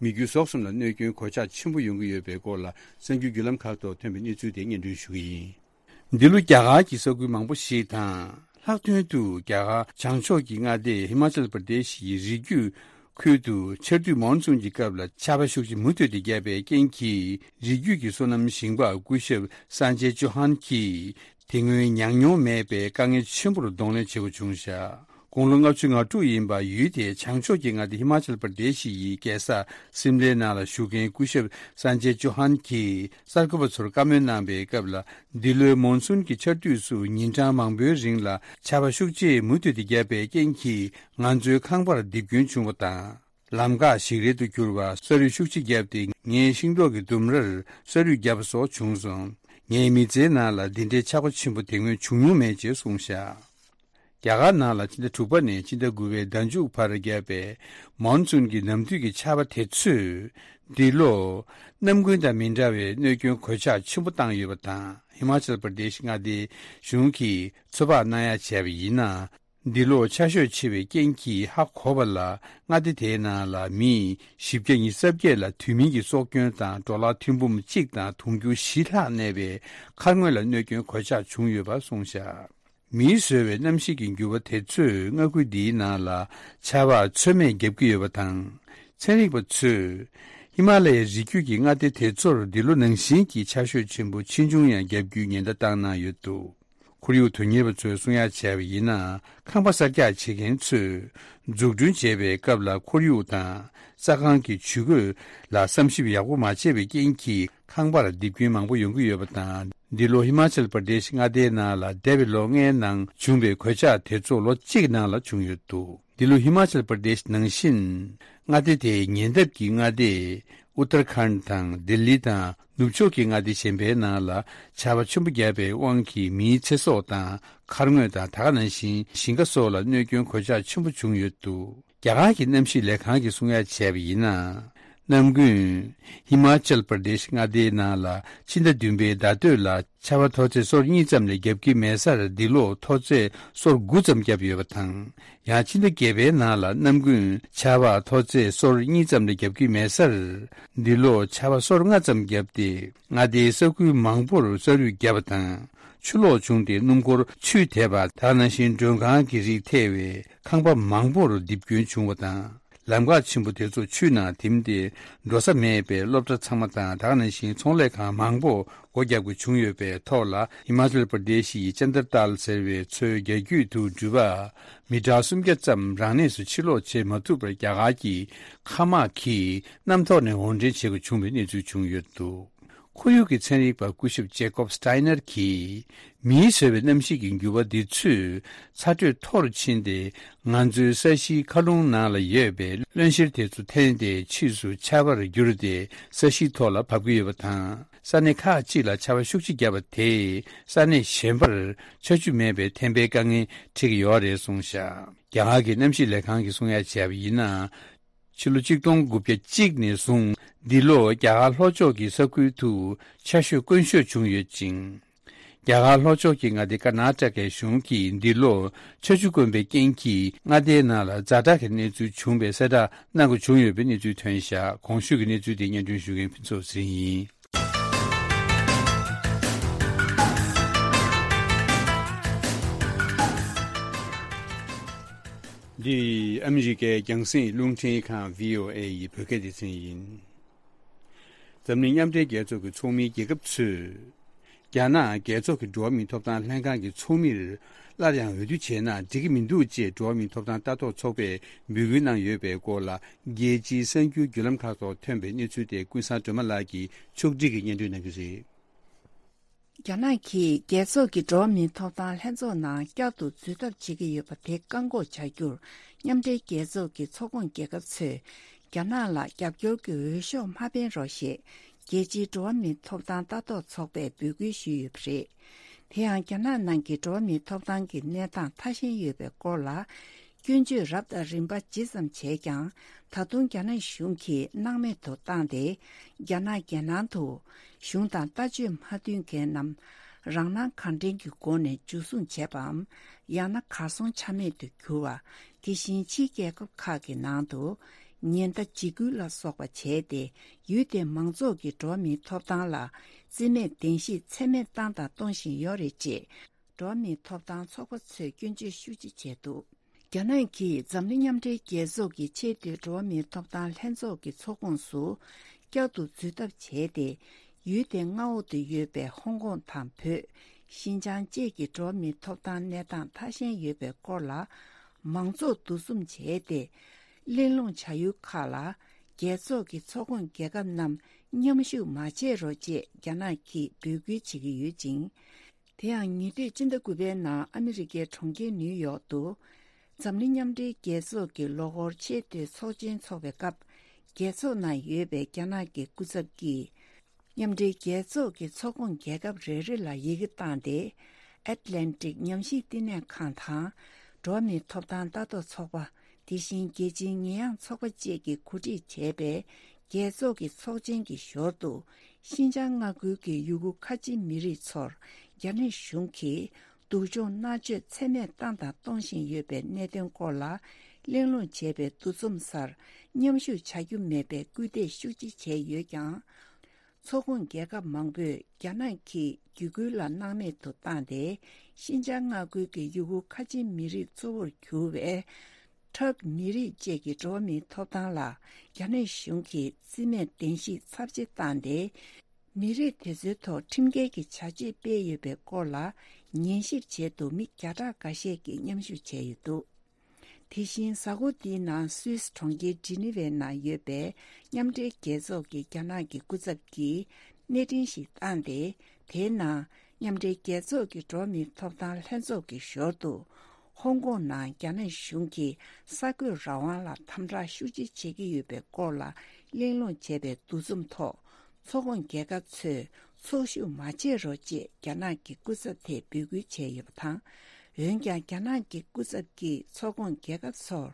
མི་རྒྱུ་ཟོག་གསུམ་ལ་གནོད་སྐྱོན་གོད་ཆག་ཆེན་པོ་ཡོང་གི་ཡོད་པའི་སྐོར་ལ་གསར་འགྱུར་བརྒྱུད་ལམ་ཁག་ཐོག་ཐོན་པའི་གནས་ཚུལ་དེ་སྙན་སྒྲོན་ཞུ་གི་ཡིན། འདི་ལོ་རྒྱ་གར་གྱི་ས་ཁུལ་མང་པོ་ཞིག་དང་། ལྷག་དོན་དུ་རྒྱ་གར་བྱང་ཕྱོགས་ཀྱི་མངའ་སྡེ་ཧི་མ་ཅལ་པར་དེ་ཤི་ཡི་རི་རྒྱུད་ ཁུལ་དུ་ཆར་དུས་མོན་སུན་གྱི་སྐབས་ལ་ཆར་པ་ཤུགས་ཆེ་མུ་མཐུད་དེ་བརྒྱབ་པའི་རྐྱེན་གྱིས། རི་རྒྱུད་ཀྱི་སོ་ནམ་ཞིང་པ་སྐུ་ཞབས་སན་ཅེ་ཅོ་ཧན་གྱིས། དེ་སྔོན་མྱངས་མྱོང་མེད་པའི་དཀའ་ངལ་ཆེན་པོར་གདོང་ལེན་བྱེད་དགོས་བྱུང་བཞག་དགུང་ལོ་ལྔ་བཅུ་ང་དྲུག་ཡིན་པ། ཡུལ་དེའི་བྱང་ཕྱོགས་ཀྱི་མངའ་སྡེ་ཧི་མ་ཅལ་པར་དེ་ཤི་ཡི་རྒྱལ་ས་སིམ་ལའི་ནང་ལ་བཞུགས་མཁན་སྐུ་ཞབས་སན་ཅེ་ཅོ་ཧན་གྱིས་གསར་འགོད་པ་ཚོར་བཀའ་མོལ་གནང་པའི་སྐབས་ལ། འདི་ལོའི་མོན་སུན་གྱི་ཆར་དུས་སུ་ཉིན་གྲངས་མང་པོའི་རིང་ལ་ཆར་པ་ཤུགས་ཆེས་མུ་མཐུད་དེ་བརྒྱབ་པའི་རྐྱེན་གྱིས། ང་ཚོའི་ཁང་པར་རྡིབ་སྐྱོན་བྱུང་བ་དང་། ལམ་འགག་ཞིག་རལ་དུ་གྱུར་བ། ས་རུད་ཤུགས་ཆེ་བརྒྱབ་སྟེ། ངའི་ཤིང་ཏོག་གི་ལྡུམ་རར་ས་རུད་བརྒྱབ་པ་སོགས་བྱུང་སོང་། ངའི་མི་ཚེའི་ནང་ལ་འདི་འདྲའི་ཆར་པ་ཆེན་པོ་དེ་སྔོན་བྱུང་མྱོང་མེད་ཅེས་གསུངས་བཞག་རྒྱ་གར་ནང་ལ་ཕྱི་ཟླ་དྲུག་པ་ནས་ཕྱི་ཟླ་དགུ་པའི་ཟླ་མཇུག་བར་བརྒྱབ་པའི་མོན་སུན་གྱི་ནམ་དུས་ཀྱི་ཆར་པ་དེ་ཚོས། འདི་ལོ་གནམ་དགུན་དང་མི་འདྲ་བའི་གནོད་སྐྱོན་གོད་ཆག་ཆེན་པོ་བཏང་ཡོད་པ་དང་། ཧི་མ་ཅལ་པར་དེ་ཤི་མངའ་སྡེའི་གཞུང་གིས་ཚོད་དཔག་གནང་ཡ་བྱས་པ་ཡིན་ན། འདི་ལོ་ཆར་ཞོད་ཆེ་བའི་རྐྱེན་གྱིས་ཧ་གོ་བ་ལ། མངའ་སྡེ་དེའི་ནང་ལ་མི་བཞི་བརྒྱ་ཉི་ཤུ་རྩ་བརྒྱད་ལ་དུས་མིན་གྱི་སྲོག་སྐྱོན་དང་། འབྲོག་ལྷ་ཐེར་འབུམ་གཅིག་དང་དུང་ཕྱུར་བཞི་ལྷག་གནས་པའི་མཁར་ངོས་ལ་གནོད་སྐྱོན་གོད་ཆག་བྱུང་ཡོད་པ་གསུངས་བཞག་མིས་བཟོས་པའི་གནམ་གཤིས་ཀྱི་འགྱུར་བ་དེ་ཚོས་མངའ་ཁུལ་འདིའི་ནང་ལ་ཆར་པ་ཚོད་མེད་བརྒྱབ་ཀྱི་ཡོད་པ་དང་། ཚན་རིག་པ་ཚོས་ཧི་མ་ལ་ཡའི་རི་རྒྱུད་ཀྱི་མངའ་སྡེ་དེ་ཚོར་འདི་ལོ་ནང་བཞིན་གྱི་ཆར་ཞོད་ཆེན་པོ་ཆེ་ཆུང་ཡང་བརྒྱབ་རྒྱུའི་ཉེན་བརྡ་བཏང་གནང་ཡོད་འདུག་ཁོར་ཡུག་དོན་གཉེར་བ་ཚོས་གསུང་ཡ་བྱས་པ་ཡིན་ན། ཁང་པ་གསར་རྒྱག་བྱེད་མཁན་ཚོས་འཛུགས་སྐྲུན་བྱེད་པའི་སྐབས་ལ་ཁོར་ཡུག་དང་ས་ཁང་གི་ཇུས་འགོད་ལ་བསམ་ཞིབ་ཡག་པོ་མ་བྱས་པའི་རྐྱེན་གྱིས། ཁང་པར་རྡིབ་སྐྱོན་མང་པོ་ཡོང་གི་ཡོད་པ་དང་། འདི་ལོ་ཧི་མ་ཅལ་པར་དེ་ཤི་མངའ་སྡེའི་ནང་ལ་འདས་པའི་ལོ་ལྔའི་ནང་བྱུང་བའི་གོད་ཆག་དེ་ཚོ་ལོ་གཅིག་ནང་ལ་བྱུང་ཡོད་འདུག་འདི་ལོ་ཧི་མ་ཅལ་པར་དེ་ཤི་ནང་བཞིན། མངའ་སྡེ་དེའི་ཉེ་འདབས་ཀྱི་མངའ་སྡེ་ཨུ་ཏར་ཁཱན་དང་ལྡི་ལི་དང་ནུབ་ཕྱོགས་ཀྱི་མངའ་སྡེ་གཞན་པའི་ནང་ལ་ཆར་པ་ཆེན་པོ་བརྒྱབ་པའི་དབང་གིས། མིའི་ཚེ་སྲོག་དང་མཁར་ངོས་དང་། ད་ག་ནང་བཞིན་ཞིང་ཁ་སོགས་ལ་གནོད་སྐྱོན་གོད་ཆག་ཆེན་པོ་བྱུང་ཡོད་འདུག་རྒྱ་གར་གྱི་གནམ་གཤིས་ལས་ཁང་གིས་གསུང་ཡ་བྱས་པ་ཡིན་ན། གནམ་དགུན་ཧི་མ་ཅལ་པར་དེ་ཤི་མངའ་སྡེའི་ནང་ལ་ཕྱི་ཟླ་བདུན་པའི་ཟླ་སྟོད་ལ་ཆར་པ་མཐོ་ཚད་སོར་གཉིས་ཙམ་ལས་བརྒྱབ་ཀྱི་མེད་སར། འདི་ལོ་མཐོ་ཚད་སོར་དགུ་ཙམ་བརྒྱབ་ཡོད་པ་དང་། ཡང་ཕྱི་ཟླ་བརྒྱད་པའི་ནང་ལ་གནམ་དགུན་ཆར་པ་མཐོ་ཚད་སོར་གཉིས་ཙམ་ལས་བརྒྱབ་ཀྱི་མེད་སར། འདི་ལོ་ཆར་པ་སོར་ལྔ་ཙམ་བརྒྱབ་སྟེ། མངའ་སྡེའི་ས་ཁུལ་མང་པོར་ས་རུད་བརྒྱབ་པ་དང་། ཆུ་ལོག་བྱུང་སྟེ་སྣུམ་འཁོར་ཆུས་དེད་པ། ད་ག་ནང་བཞིན་མགྲོན་ཁང་གི་རིགས་ཐེ་བའི་ཁང་པ་མང་པོར་རྡིབ་སྐྱོན་བྱུང་བ་དང་། ལམ་འགག་ཆེན་པོ་དེ་ཚོ་ཆུ་ནང་ཐིམ་སྟེ་འགྲོ་ས་མེད་པའི་སློབ་གྲྭ་ཚང་མ་དང་། ད་ག་ནང་བཞིན་ཚོང་ལས་ཁང་མང་པོ་སྒོ་བརྒྱབ་དགོས་བྱུང་ཡོད་པའི་ཐོག་ལ། ཧི་མ་ཅལ་པར་དེ་ཤི་ཡི་ཅན་དར་ཏཱལ་ཟེར་བའི་མཚོའི་རྒྱ་རྒྱུད་དུ་འགྲུལ་པ་མི་ཊར་སུམ་བརྒྱ་ཙམ་རང་གནས་སུ་ཕྱིར་ལོག་བྱེད་མ་ཐུབ་པར། རྒྱ་གར་གྱི་མཁའ་དམག་གིས་གནམ་ཐོག་ནས་དབོར་འདྲེན་བྱེད་དགོས་བྱུང་བའི་གནས་ཚུལ་བྱུང་ཡོད་འདུག་ཁོར་ཡུག་གི་ཚན་རིག་པ་སྐུ་ཞབས་ཇེ་ཀོབ་སི་ཏཱི་ནར་གྱིས། མིས་བཟོས་པའི་གནམ་གཤིས་ཀྱི་འགྱུར་བ་འདི་ཚོས་ཚ་དྲོད་མཐོ་རུ་ཕྱིན་ཏེ། ང་ཚོའི་ས་གཞིའི་མཁའ་རླུང་ནང་ལ་ཡོད་པའི་རློན་གཤེར་དེ་ཚོ་འཐེན་ཏེ། ཕྱིས་སུ་ཆར་པར་གྱུར་ཏེ་ས་གཞིའི་ཐོག་ལ་བབས་ཀྱི་ཡོད་པ་དང་། ས་གནས་ཁག་ཅིག་ལ་ཆར་པ་ཤུགས་ཆེ་བརྒྱབ་པ་དེས། ས་གནས་གཞན་པར་ཆར་ཆུ་མེད་པའི་ཐན་པའི་དཀའ་ངལ་འཕྲད་ཀྱི་ཡོད་རེད་གསུངས་བཞག་རྒྱ་གར་གྱི་གནམ་གཤིས་ལས་ཁང་གིས་གསུང་ཡ་བྱས་པ་ཡིན་ན། ཕྱི་ལོ་གཅིག་སྟོང་དགུ་བརྒྱ་གཅིག་ནས་བཟུང་། འདི་ལོ་རྒྱ་གར་ལྷོ་ཕྱོགས་ཀྱི་ས་ཁུལ་དུ་ཆར་ཞོད་དཀོན་ཤོས་བྱུང་ཡོད་ཅིང་། རྒྱ་གར་ལྷོ་ཕྱོགས་ཀྱི་མངའ་སྡེ་ཀར་ནཱ་ཊ་ཀའི་གཞུང་གིས། འདི་ལོ་ཆར་ཆུ་དཀོན་པའི་རྐྱེན་གྱིས། མངའ་སྡེའི་ནང་ལ་ཛ་དྲག་གི་གནས་ཚུལ་བྱུང་བའི་གསལ་བསྒྲགས་གནང་དགོས་བྱུང་ཡོད་པའི་གནས་ཚུལ་ཐོན་བཞག་གོང་ཞུས་ཀྱི་གནས་ཚུལ་དེ་སྙན་སྒྲོན་ཞུ་མཁན་ཕུན་ཚོགས་ཚེ་རིང་ཡིན། འདི་ཨ་མི་རི་ཀའི་རྒྱང་སྲིང་རླུང་འཕྲིན་ཁང་བྷི་ཨོ་ཨེ་ཡི་བོད་སྐད་སྡེ་ཚན་ཡིན། འཛམ་གླིང་མཉམ་འབྲེལ་རྒྱལ་ཚོགས་ཀྱི་ཚོགས་མིའི་རྒྱལ་ཁབ་ཚོས། རྒྱ་ནག་རྒྱལ་ཚོགས་ཀྱི་འགྲོ་བ་མིའི་ཐོབ་ཐང་ལྷན་ཁང་གི་ཚོགས་མིར་སླར་ཡང་འོས་བསྡུ་བྱས་ན་འགྲིག་གི་མི་འདུག་ཅེས་འགྲོ་བ་མིའི་ཐོབ་ཐང་ལྟ་རྟོག་ཚོགས་པས་འབོད་སྐུལ་གནང་ཡོད་པའི་སྐོར་ལ། རྒྱལ་སྤྱིའི་གསར་འགྱུར་བརྒྱུད་ལམ་ཁག་ཐོག་ཐོན་པའི་གནས་ཚུལ་དེ་ཀུན་བཟང་སྒྲོལ་མ་ལགས་ཀྱིས་ཕྱོགས་སྒྲིག་གིས་སྙན་སྒྲོན་གནང་གི་རེད། རྒྱ་ནག་གིས་རྒྱལ་ཚོགས་ཀྱི་འགྲོ་བ་མིའི་ཐོབ་ཐང་ལྷན་ཚོགས་ནང་བསྐྱར་དུ་འཛུལ་ཐབས་བྱེད་ཀྱི་ཡོད་པ་དེ་བཀག་འགོག་བྱ་རྒྱུར། མཉམ་འབྲེལ་རྒྱལ་ཚོགས་ཀྱི་ཚོགས་ཁོངས་རྒྱལ་ཁབ་ཚོས་རྒྱ་ནག་ལ་རྒྱབ་སྐྱོར་གྱི་འོས་ཤོག་མ་འཕེན་རོགས་ཞེས་རྒྱལ་སྤྱིའི་འགྲོ་བ་མིའི་ཐོབ་ཐང་ལྟ་རྟོག་ཚོགས་པས་འབོད་སྐུལ་ཞུས་ཡོད་པ་རེད། དེ་ཡང་རྒྱ་ནག་ནང་གི་འགྲོ་བ་མིའི་ཐོབ་ཐང་གི་གནས་སྟངས་ཐ་ཞན་ཡོད་པའི་སྐོར་ལ། སྐྱོན་བརྗོད་རབ་དང་རིམ་པ་ཇི་ཙམ་བྱས་ཀྱང་། ད་དུང་རྒྱ་ནག་གཞུང་གིས་སྣང་མེད་དུ་བཏང་སྟེ། རྒྱ་ནག་རྒྱལ་ནང་དུ་གཞུང་དང་ལྟ་སྤྱོད་མ་མཐུན་མཁན་རྣམས་རང་སྣང་གང་དྲན་གྱི་སྒོ་ནས་འཇུ་བཟུང་བྱས་པའམ། ཡང་ན་གར་སོང་ཆ་མེད་དུ་གྱུར་བ། དེ་བཞིན་ཕྱིའི་རྒྱལ་ཁབ་ཁག་གི་ནང་དུ་ཉེན་བརྡ་འཇིགས་སྐུལ་ལ་སོགས་པ་བྱས་ཏེ། ཡུལ་དེའི་མང་ཚོགས་ཀྱི་འགྲོ་བ་མིའི་ཐོབ་ཐང་ལ་བརྩི་མེད་བདེན་བཞི་ཚད་མེད་བཏང་དང་གཏོང་བཞིན་ཡོད་རེད་ཅེས། འགྲོ་བ་མིའི་ཐོབ་ཐང་ཚོགས་པ་ཚོས་སྐྱོན་བརྗོད་ཤུགས་ཆེ་བྱས་འདུག་རྒྱ་ནག་གིས་འཛམ་གླིང་མཉམ་འབྲེལ་རྒྱལ་ཚོགས་ཀྱི་ཆེས་མཐོའི་འགྲོ་བ་མིའི་ཐོབ་ཐང་ལྷན་ཚོགས་ཀྱི་ཚོགས་ཁོངས་སུ་བསྐྱར་དུ་འཛུལ་ཐབས་བྱས་ཏེ། ཡུལ་དེའི་མངའ་འོག་ཏུ་ཡོད་པའི་ཧོང་ཀོང་དང་བོད། ཤིན་ཅང་བཅས་ཀྱི་འགྲོ་བ་མིའི་ཐོབ་ཐང་གནས་སྟངས་ཐ་ཞན་ཡོད་པའི་སྐོར་ལ། མང་ཚོགས་འདུ་འཛོམས་བྱས་ཏེ། གླེང་སློང་བྱ་ཡུལ་ཁག་ལ། རྒྱལ་ཚོགས་ཀྱི་ཚོགས་ཁོངས་རྒྱལ་ཁབ་རྣམས་མཉམ་ཞུགས་མ་བྱེད་རོགས་ཅེས་རྒྱ་ནག་གིས་འབོད་སྐུལ་བྱེད་ཀྱི་ཡོད་ཅིང་། དེ་ཡང་ཉེ་དུས་ཕྱི་ཟླ་དགུ་པའི་ནང་ཨ་མི་རི་ཀའི་གྲོང་ཁྱེར་ནིའུ་ཡོག་ཏུ། འཛམ་གླིང་མཉམ་འབྲེལ་རྒྱལ་ཚོགས་ཀྱི་ལོ་འཁོར་ཆེས་མཐོའི་ཚོགས་ཆེན་འཚོགས་པའི་སྐབས། རྒྱལ་ཚོགས་ནང་ཡོད་པའི་རྒྱ་ནག་གི་སྐུ་ཚབ་ཀྱིས། མཉམ་འབྲེལ་རྒྱལ་ཚོགས་ཀྱི་ཚོགས་ཁོངས་རྒྱལ་ཁབ་རེ་རེ་ལ་ཡི་གེ་བཏང་སྟེ། ཨེཊ་ལན་ཊིག་ཉམས་ཞིབ་བསྟི་གནས་ཁང་དང་། འགྲོ་བ་མིའི་ཐོབ་ཐང་ལྟ་རྟོག་ཚོགས་པ། དེ་བཞིན་རྒྱལ་སྤྱིའི་ཉེས་ཡངས་ཚོགས་པ་བཅས་ཀྱིས་གོ་སྒྲིག་བྱས་པའི་རྒྱལ་ཚོགས་ཀྱི་ཚོགས་ཆེན་གྱི་ཞོར་དུ། ཤིན་ཅང་མངའ་ཁུལ་གྱི་ཡུ་གུར་ཁ་ཆེ་མི་རིགས་ཚོར་རྒྱ་ནག་གཞུང་གིས་སྡུག་སྦྱོང་མནར་གཅོད་ཚད་མེད་བཏང་དང་གཏོང་བཞིན་ཡོད་པའི་གནད་དོན་སྐོར་ལ་གླེང་སློང་བྱས་པའི་འདུ་འཛོམས་སར་མཉམ་ཞུགས་བྱ་རྒྱུ་མེད་པའི་སྐུལ་འདེད་ཤུགས་ཆེ་བྱས་ཡོད་ཀྱང་། ཚོགས་ཁོངས་རྒྱལ་ཁབ་མང་པོས་རྒྱ་ནག་གིས་བརྒྱུད་སྐུལ་ལ་སྣང་མེད་དུ་བཏང་སྟེ། ཤིན་ཅང་མངའ་ཁུལ་གྱི་ཡུ་གུར་ཁ་ཆེ་མི་རིགས་གཙོ་བོར་གྱུར་བའི་ཁྲག་མི་རིགས་བཅས་ཀྱི་འགྲོ་བ་མིའི་ཐོབ་ཐང་ལ་རྒྱ་ནག་གཞུང་གིས་རྩིས་མེད་བདེན་བཞི་ཚབས་ཆེ་བཏང་སྟེ། མི་རིགས་དེ་ཚོའི་ཐོག་ཁྲིམས་འགལ་གྱི་བྱ་སྤྱོད་སྤེལ་ཡོད་པའི་སྐོར་ལ་ཉན་ཞིབ་བྱེད་དུ་མི་བརྒྱ་ཕྲག་འགའ་ཤས་ཀྱིས་མཉམ་ཞུགས་བྱས་ཡོད་འདུག་དེ་བཞིན་གཟའ་འཁོར་འདིའི་ནང་སུད་སི་གྲོང་ཁྱེར་ཇི་ནི་ཝའི་ནང་ཡོད་པའི་མཉམ་འབྲེལ་རྒྱལ་ཚོགས་ཀྱི་རྒྱ་ནག་གི་སྐུ་ཚབ་ཀྱིས་གནས་འཕྲིན་ཞིག་བཏང་སྟེ། དེའི་ནང་མཉམ་འབྲེལ་རྒྱལ་ཚོགས་ཀྱི་འགྲོ་བ་མིའི་ཐོབ་ཐང་ལྷན་ཚོགས་ཀྱི་ཞོར་དུ། ཧོང་ཀོང་ནང་རྒྱ་ནག་གཞུང་གིས་གསར་འགོད་རང་དབང་ལ་དམ་དྲག་ཤུགས་ཆེ་བྱེད་ཀྱི་ཡོད་པའི་སྐོར་ལ་གླེང་སློང་བྱས་པའི་འདུ་འཛོམས་ཐོག་ཚོགས་ཁོངས་རྒྱལ་ཁབ་ཚོས་ཚོགས་ཞུགས་མ་བྱེད་རོགས་ཅེས་རྒྱ་ནག་གི་སྐུ་ཚབ་དེས་འབོད་སྐུལ་བྱས་ཡོད་པ་དང་། འོན་ཀྱང་རྒྱ་ནག་གི་སྐུ་ཚབ་ཀྱིས་ཚོགས་ཁོངས་རྒྱལ་ཁབ་ཚོར་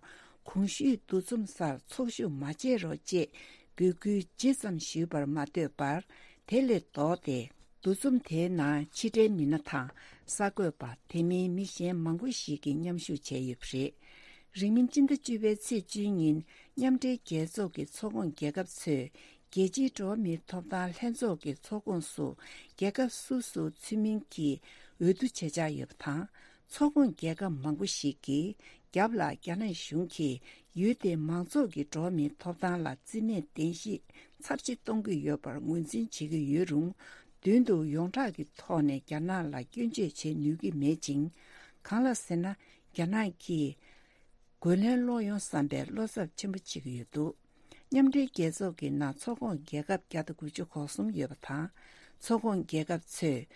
གོང་ཞུས་འདུ་འཛོམས་སར་ཚོགས་ཞུགས་མ་བྱེད་རོགས་ཅེས་འབོད་སྐུལ་ཇི་ཙམ་ཞུས་པར་མ་ལྟོས་པར། དེ་ལས་ལྡོག་སྟེ། འདུ་འཛོམས་དེའི་ནང་ཕྱི་འབྲེལ་མི་སྣ་དང་གསར་འགོད་པ། དེ་མིན་མི་གཞན་མང་པོ་ཞིག་གིས་མཉམ་ཞུགས་བྱས་ཡོད་པ་རེད། རིང་མིན་སྤྱི་ཟླ་བཅུ་པའི་ཚེས་བཅུའི་ཉིན་མཉམ་འབྲེལ་རྒྱལ་ཚོགས་ཀྱི་ཚོགས་ཁོངས་རྒྱལ་ཁབ་ཚོས་རྒྱལ་སྤྱིའི་འགྲོ་བ་མིའི་ཐོབ་ཐང་ལྷན་ཚོགས་ཀྱི་ཚོགས་ཁོངས་སུ་རྒྱལ་ཁབ་སོ་སོའི་ཚུལ་མིན་གྱི་འོས་བསྡུ་བྱེད་འཆར་ཡོད་པ་དང་། ཚོགས་ཁོངས་རྒྱལ་ཁབ་མང་པོ་ཞིག་གིས་རྒྱབ་ལ་རྒྱ་ནག་གཞུང་གིས་ཡུལ་དེའི་མང་ཚོགས་ཀྱི་འགྲོ་བ་མིའི་ཐོབ་ཐང་ལ་རྩིས་མེད་བདེན་བཞི་ཚབས་ཆེ་གཏོང་གི་ཡོད་པར་ངོས་འཛིན་བྱེད་ཀྱི་ཡོད་རུང་། མདུན་དུ་ཡོངས་གྲགས་ཀྱི་ཐོག་ནས་རྒྱ་ནག་ལ་སྐྱོན་བརྗོད་བྱེད་ནུས་ཀྱི་མེད་ཅིང་། གང་ལ་ཟེར་ན། རྒྱ་ནག་གིས་རྒོལ་ལན་སློག་ཡོང་བསམ་པའི་བློ་འཚབ་ཆེན་པོ་བྱེད་ཀྱི་ཡོད་འདུག་མཉམ་འབྲེལ་རྒྱལ་ཚོགས་ཀྱི་ནང་ཚོགས་ཁོངས་རྒྱལ་ཁབ་བརྒྱ་དང་དགུ་བཅུ་གོ་གསུམ་ཡོད་པ་དང་། ཚོགས་ཁོངས་རྒྱལ་ཁབ་ཚོས་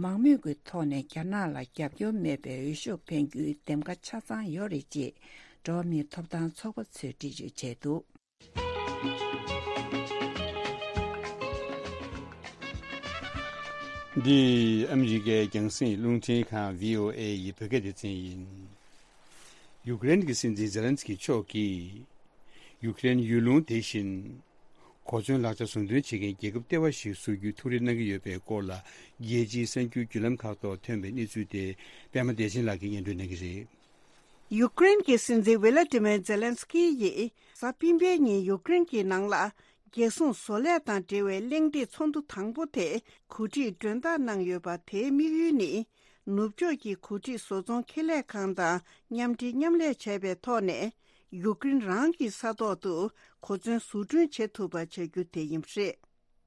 མང་མོས་ཀྱི་ཐོག་ནས་རྒྱ་ནག་ལ་རྒྱབ་སྐྱོར་མེད་པའི་འོས་ཤོག་འཕེན་རྒྱུའི་འདེམས་ཀ་ཆ་ཚང་ཡོད་རེད་ཅེས་འགྲོ་བ་མིའི་ཐོབ་ཐང་ཚོགས་པ་ཚོས་འགྲེལ་བརྗོད་བྱས་འདུག་འདི་ཨ་མི་རི་ཀའི་རྒྱང་སྲིང་རླུང་འཕྲིན་ཁང་བྷི་ཨོ་ཨེ་ཡི་བོད་སྐད་སྡེ་ཚན་ཡིན། ཡུཀ་རེན་གྱི་སྲིད་འཛིན་ཛེ་ལན་སི་ཀི་མཆོག་གིས། ཡུཀ་རེན་ཡུལ་ལུང་དེ་བཞིན། གོ་མཚོན་ལག་ཆ་བཟོ་འདོན་བྱེད་མཁན་རྒྱལ་ཁབ་ལྟེ་བ་ཞིག་བཟོ་རྒྱུའི་ཐུགས་རེ་གནང་གི་ཡོད་པའི་སྐོར་ལ། རྒྱལ་སྤྱིའི་གསར་འགྱུར་བརྒྱུད་ལམ་ཁག་ཐོག་ཐོན་པའི་གནས་ཚུལ་དེ། པད་མ་བདེ་ཆེན་ལགས་ཀྱིས་སྙན་སྒྲོན་གནང་གི་རེད། ཡུཀ་རེན་གྱི་སྲིད་འཛིན་ཝི་ལ་ཏི་མེར་ཛེ་ལན་སི་ཀི་ཡིས་གཟའ་སྤེན་པའི་ཉིན་ཡུཀ་རེན་གྱི་ནང་ལ་རྒྱལ་སྲུང་བཟོ་ལས་དང་འབྲེལ་བའི་གླེང་སྟེགས་ཚོགས་འདུ་དང་པོ་དེ་གོ་སྒྲིག་མགྲོན་བདག་གནང་ཡོད་པ་དེའི་དམིགས་ཡུལ་ནི། ནུབ་ཕྱོགས་ཀྱི་གོ་སྒྲིག་བཟོ་ཚོང་ཁེ་ལས་ཁང་དང་མཉམ་འབྲེལ་མཉམ་ལས་བྱས་པའི་ཐོག་ནས་ཡུཀ་རེན་རང་གི་ས་ཐོག་ཏུ་གོ་མཚོན་བཟོ་སྐྲུན་བྱེད་ཐུབ་པ་བྱ་རྒྱུ་དེ་ཡིན་པ་རེད།